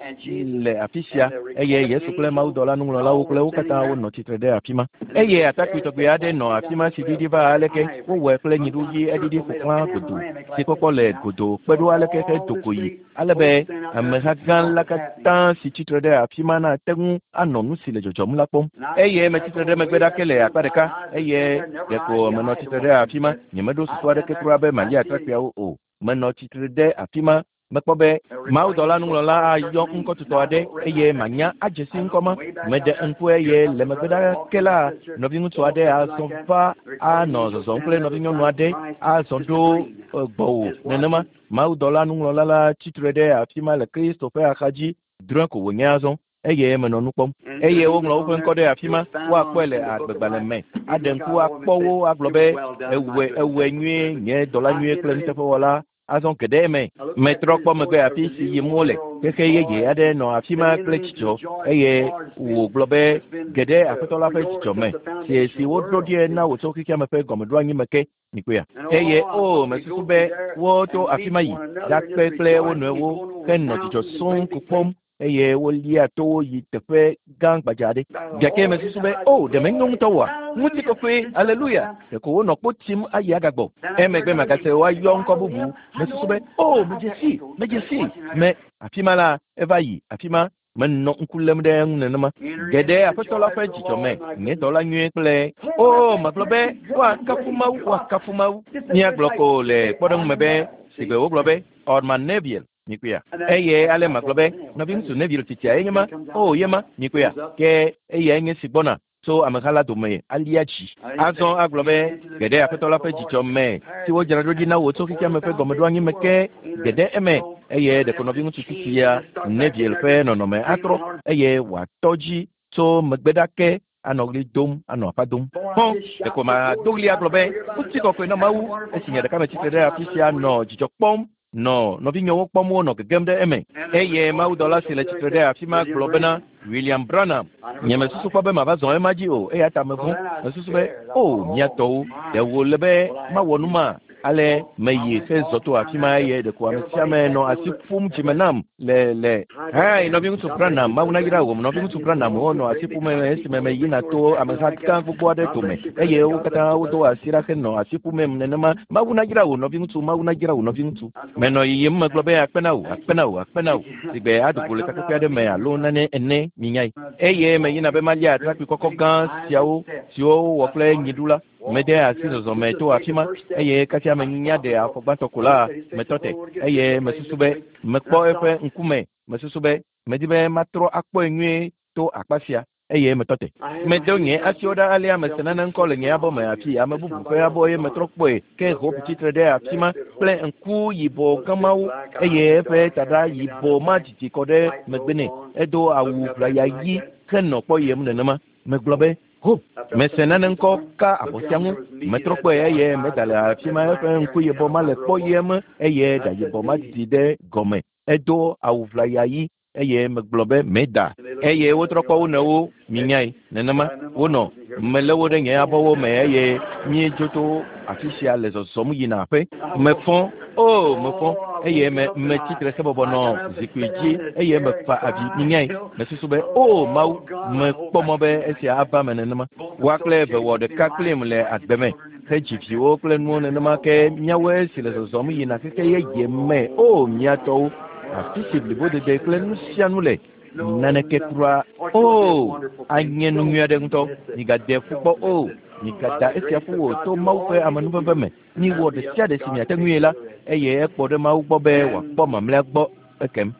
le afi sia, eye Yesu kple mawudɔla nuŋlɔlawo kple wo katã wonɔ tsitre ɖe afi ma. Eye atakpui tɔgbi aɖe nɔ afi ma si ɖiɖi va aleke wowɔe kple nyiɖu ɣi eɖiɖi ƒo xlã godoo, si kpɔkpɔ le godoo kpe ɖo aleke hedo go yi, ale be ameha gã la katã si tsitre ɖe afi ma nate ŋu anɔ nu si le dzɔdzɔm la kpɔm. Eye metsi tre ɖe megbe ɖa ke le akpa ɖeka, eye ɖeko menɔ tsitre ɖe afi ma. Nyemeɖo susu aɖeke kura be malia atrakpuiawo o. Menɔ tsitre ɖe afi ma. Mekpɔ be mawudɔla nuŋlɔla ayɔ ŋkɔtutɔ aɖe eye manya adze si ŋkɔ ma. Meɖe ŋku eye le megbe ɖa ke la, nɔviŋutsu aɖe azɔ va anɔ zɔzɔm kple nɔvinyɔnu aɖe azɔ ɖo gbɔwò nenema. Mawudɔla nuŋlɔla la tsitre ɖe afi ma le Kristo ƒe axadzi. Drɔ̃e ko wònye azɔ eye menɔ nu kpɔm. Eye woŋlɔ woƒe ŋkɔ ɖe afi ma, woakpɔe le agbegbalẽ me, aɖe ŋku akpɔ wo agblɔ be, Ewɔe, ewɔe nyuie, nye dɔla nyuie kple nuteƒewɔla. Azɔ ge ɖe eme. Metrɔ kpɔ megbe afi si yim wole. Xexe yeye aɖe nɔ afi ma kple dzidzɔ, eye wògblɔ be, Ge ɖe Aƒetɔ la ƒe dzidzɔ me, si si woɖo ɖie na wò tso xexeame ƒe gɔmeɖoanyi me ke. Mikpɔea? Eye o, mesusu be woto afi ma yi ɖakpe kple wo nɔewo henɔ dzidzɔ sɔŋ ko kpɔm eye wolia towo yi teƒe gã gbadza aɖe. Gake mesusu be, o, ɖe menyo ŋutɔ oa? Ŋutikɔkɔe, aleluya! Ɖeko wonɔ kpo tim ayi agagbɔ. Emegbe magase woayɔ ŋkɔ bubu. Mesusu be, o, medze sii, medze sii. Me, afi ma la, eva yi afi ma. Menɔ ŋku lém ɖe eŋu nenema. Geɖe Aƒetɔ la ƒe dzidzɔ me, nye dɔla nyuie kple, o, magblɔ be, woakafu Mawu, woakafu Mawu. Míagblɔ ko le kpɔɖeŋu me be, sigbe wogblɔ be, Orman Neville, mikpɔea? Eye ale magblɔ be, Nɔviŋutsu Neville tsitsia ye nye ma. O, ye ma, mikpɔea? Ke eyae nye si gbɔna tso ameha la dome alia dzi. Azɔ agblɔ be, Geɖe Aƒetɔ la ƒe dzidzɔ me, si wodzra ɖo ɖi na wò tso xexeame ƒe gɔmeɖoanyi me ke, geɖe eme, eye ɖeko nɔviŋutsu tsitsia Neville ƒe nɔnɔme atrɔ, eye wòatɔ dzi tso megbe ɖa ke anɔ ɣli dom, anɔ aƒa dom. Hɔ̃, ɖeko mado ɣli agblɔ be, Ŋutikɔkɔe na Mawu, esi nye ɖeka metsi tre ɖe afi sia nɔ dzidzɔ kpɔm, nɔ nɔvinyewo kpɔm wonɔ gegem ɖe eme. Eye mawudɔla si le tsitre ɖe afi ma gblɔ bena, William Branham, nyemesusu kpɔ be mava zɔ ema dzi o, eya ta mevɔ̃. Mesusu be, O, mía tɔwo, ɖe wòle be mawɔ nu ma? Ale meyi hezɔ to afi ma eye ɖeko ame sia ame nɔ asi ƒum dzime nam le le Hi, nɔviŋutsu Branham, Mawu nayra wò. Nɔviŋutsu Branham, wonɔ asi ƒum esime meyina to ameha gã gbogbo aɖe dome eye wo katã wodo asi ɖa henɔ asi ƒumem nenema. Mawu nayra wò, nɔviŋutsu, Mawu nayra wò, nɔviŋutsu. Menɔ yiyim megblɔ be akpe na wò, akpe na wò, akpe na wò, sigbe ado go le takpekpe aɖe me alo nane ene, minyae. Eye meyina be malia atrakpui kɔkɔ gã siawo siwo wowɔ kple nyiɖu la. Mede asi zɔzɔme to afi ma, eye kasia menya ɖe afɔ gbãtɔ ko la, metɔ te, eye mesusu be mekpɔ eƒe ŋkume. Mesusu be medi be matrɔ akpɔe nyuie to akpa sia, eye metɔ te. Medo nye asiwo ɖa alea mese nane ŋkɔ le nye abɔ me afi ame bubu ƒe abɔ ye metrɔ kpɔe, ke Hope tsitre ɖe afi ma kple ŋku yibɔ gã mawo, eye eƒe taɖa yibɔ ma didi kɔ ɖe megbe nɛ. Edo awu ʋlaya ɣi henɔ kpɔyem nenema. Megblɔ be, Hope, mese nane ŋkɔ ka abɔ sia ŋu. Metrɔ kpɔe eye meda le afi ma eƒe ŋku yibɔ ma le kpɔyem eye ɖa yibɔ ma didi ɖe gɔme. Edo awu ʋlaya ɣi eye megblɔ be meda. Eye wotrɔ kpɔ wo nɔewo, minyae, nenema wonɔ. Melé wo ɖe nye abɔwo me eye míedzo tso afi sia le zɔzɔm yina aƒe. Mefɔ, o, mefɔ, eye me, metsi tre hebɔbɔ nɔ zikpui dzi eye mefa avi, minyae. Mesusu be, o, Mawu, mekpɔ mɔ be esia ava me nenema. Woa kple eve wɔ ɖeka kplim le agbe me, hedzi viwo kple nuwo nenema ke míawoe si le zɔzɔm yina xexe yeye me. O, mía tɔwo, afi si blibodede kple nu sia nu le, naneke kura o, anye nu nyui aɖe ŋutɔ. Migade ƒu kpɔ o, migada esia ƒu o to Mawu ƒe amenuveve me. Miwɔ ɖe sia ɖe si miate ŋui la, eye ekpɔ ɖe Mawu gbɔ be wòakpɔ mamlɛa gbɔ ekem.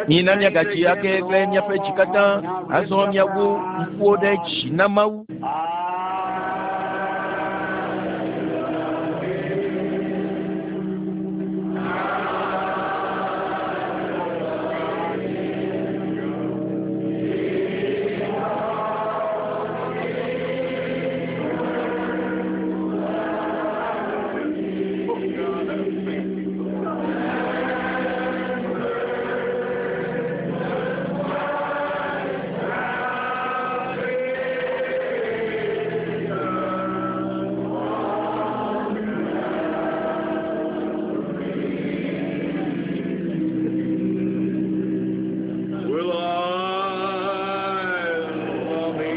Mina míagadzi ake kple míaƒe dzi katã. Azɔ míawu ŋkuwo ɖe dzi na Mawu. Will I love thee?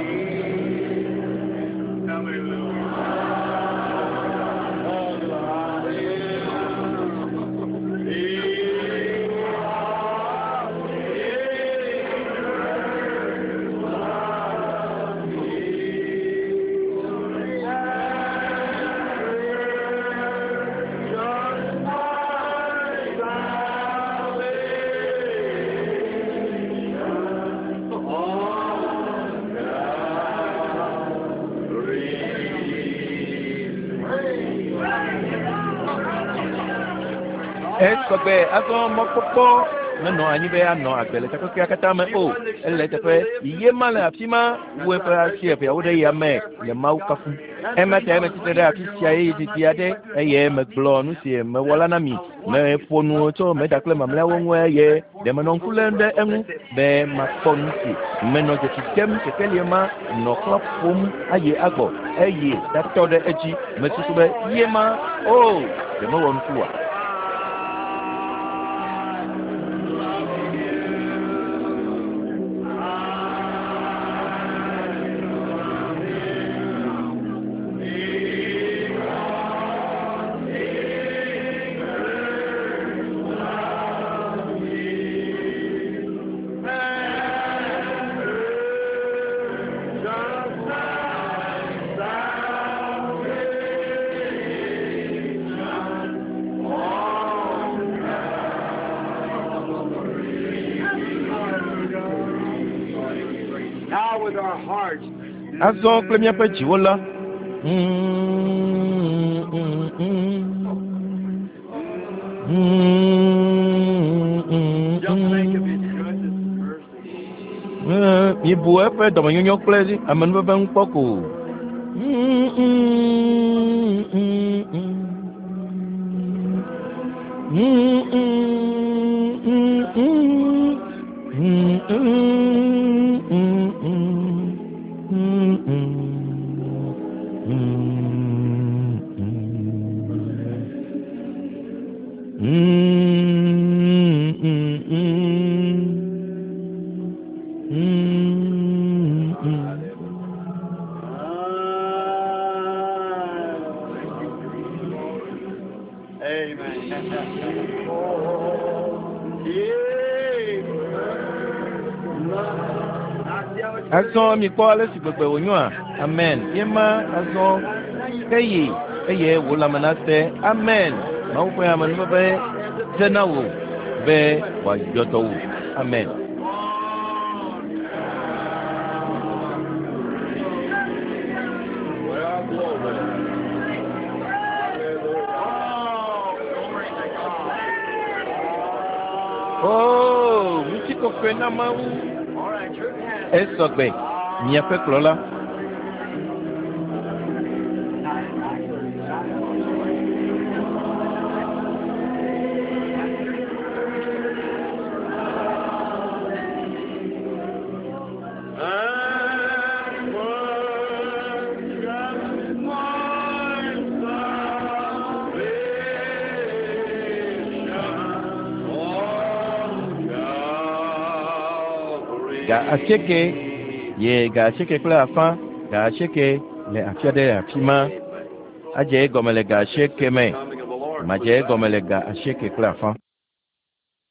Esɔgbe azɔ mɔkpɔkpɔ menɔ anyi be anɔ agbe le takpekpea katã me o. Ele teƒe ye ma le afi ma wu eƒe asi eveawo ɖe yame le Mawu kafum. Ema ta metsitre ɖe afi sia ɣeyiɣi didi aɖe eye megblɔ nu si mewɔ la na mi. Meƒo nu tso meda kple mamlɛawo ŋu eye ɖe menɔ ŋku lém ɖe eŋu be makpɔ nu si menɔ dzesi dem kekelie ma nɔ xlã ƒom ayi agbɔ eye ɖatɔ ɖe edzi. Mesusu be ye ma o ɖe mewɔ nuku oa? Now with our hearts. Azɔ kple míaƒe dziwo la. Just think of His goodness and mercy. Mibu eƒe dɔmenyonyo kple amenuveve ŋu kpɔ ko. Amen. Yeah. Azɔ mikpɔ ale si gbegbe wònyoa. Amen. Ye ma azɔ ke yi eye wò lãme nase. Amen. Mawu ƒe amenuveve dze na wò be wòayɔ dɔ wò. Amen. Well, glory. Oh, glory to God. Oo, ŋutikɔkɔe na Mawu. All right, your pastor. Esɔgbe, miaƒe kplɔla. And worship my salvation on Calvary. Ga asieke ye ga asieke kple afã, ga asieke le afi aɖe le afi ma. Adze egɔme le ga asieke me. Coming of the Lord. Madze egɔme le ga asieke kple afã.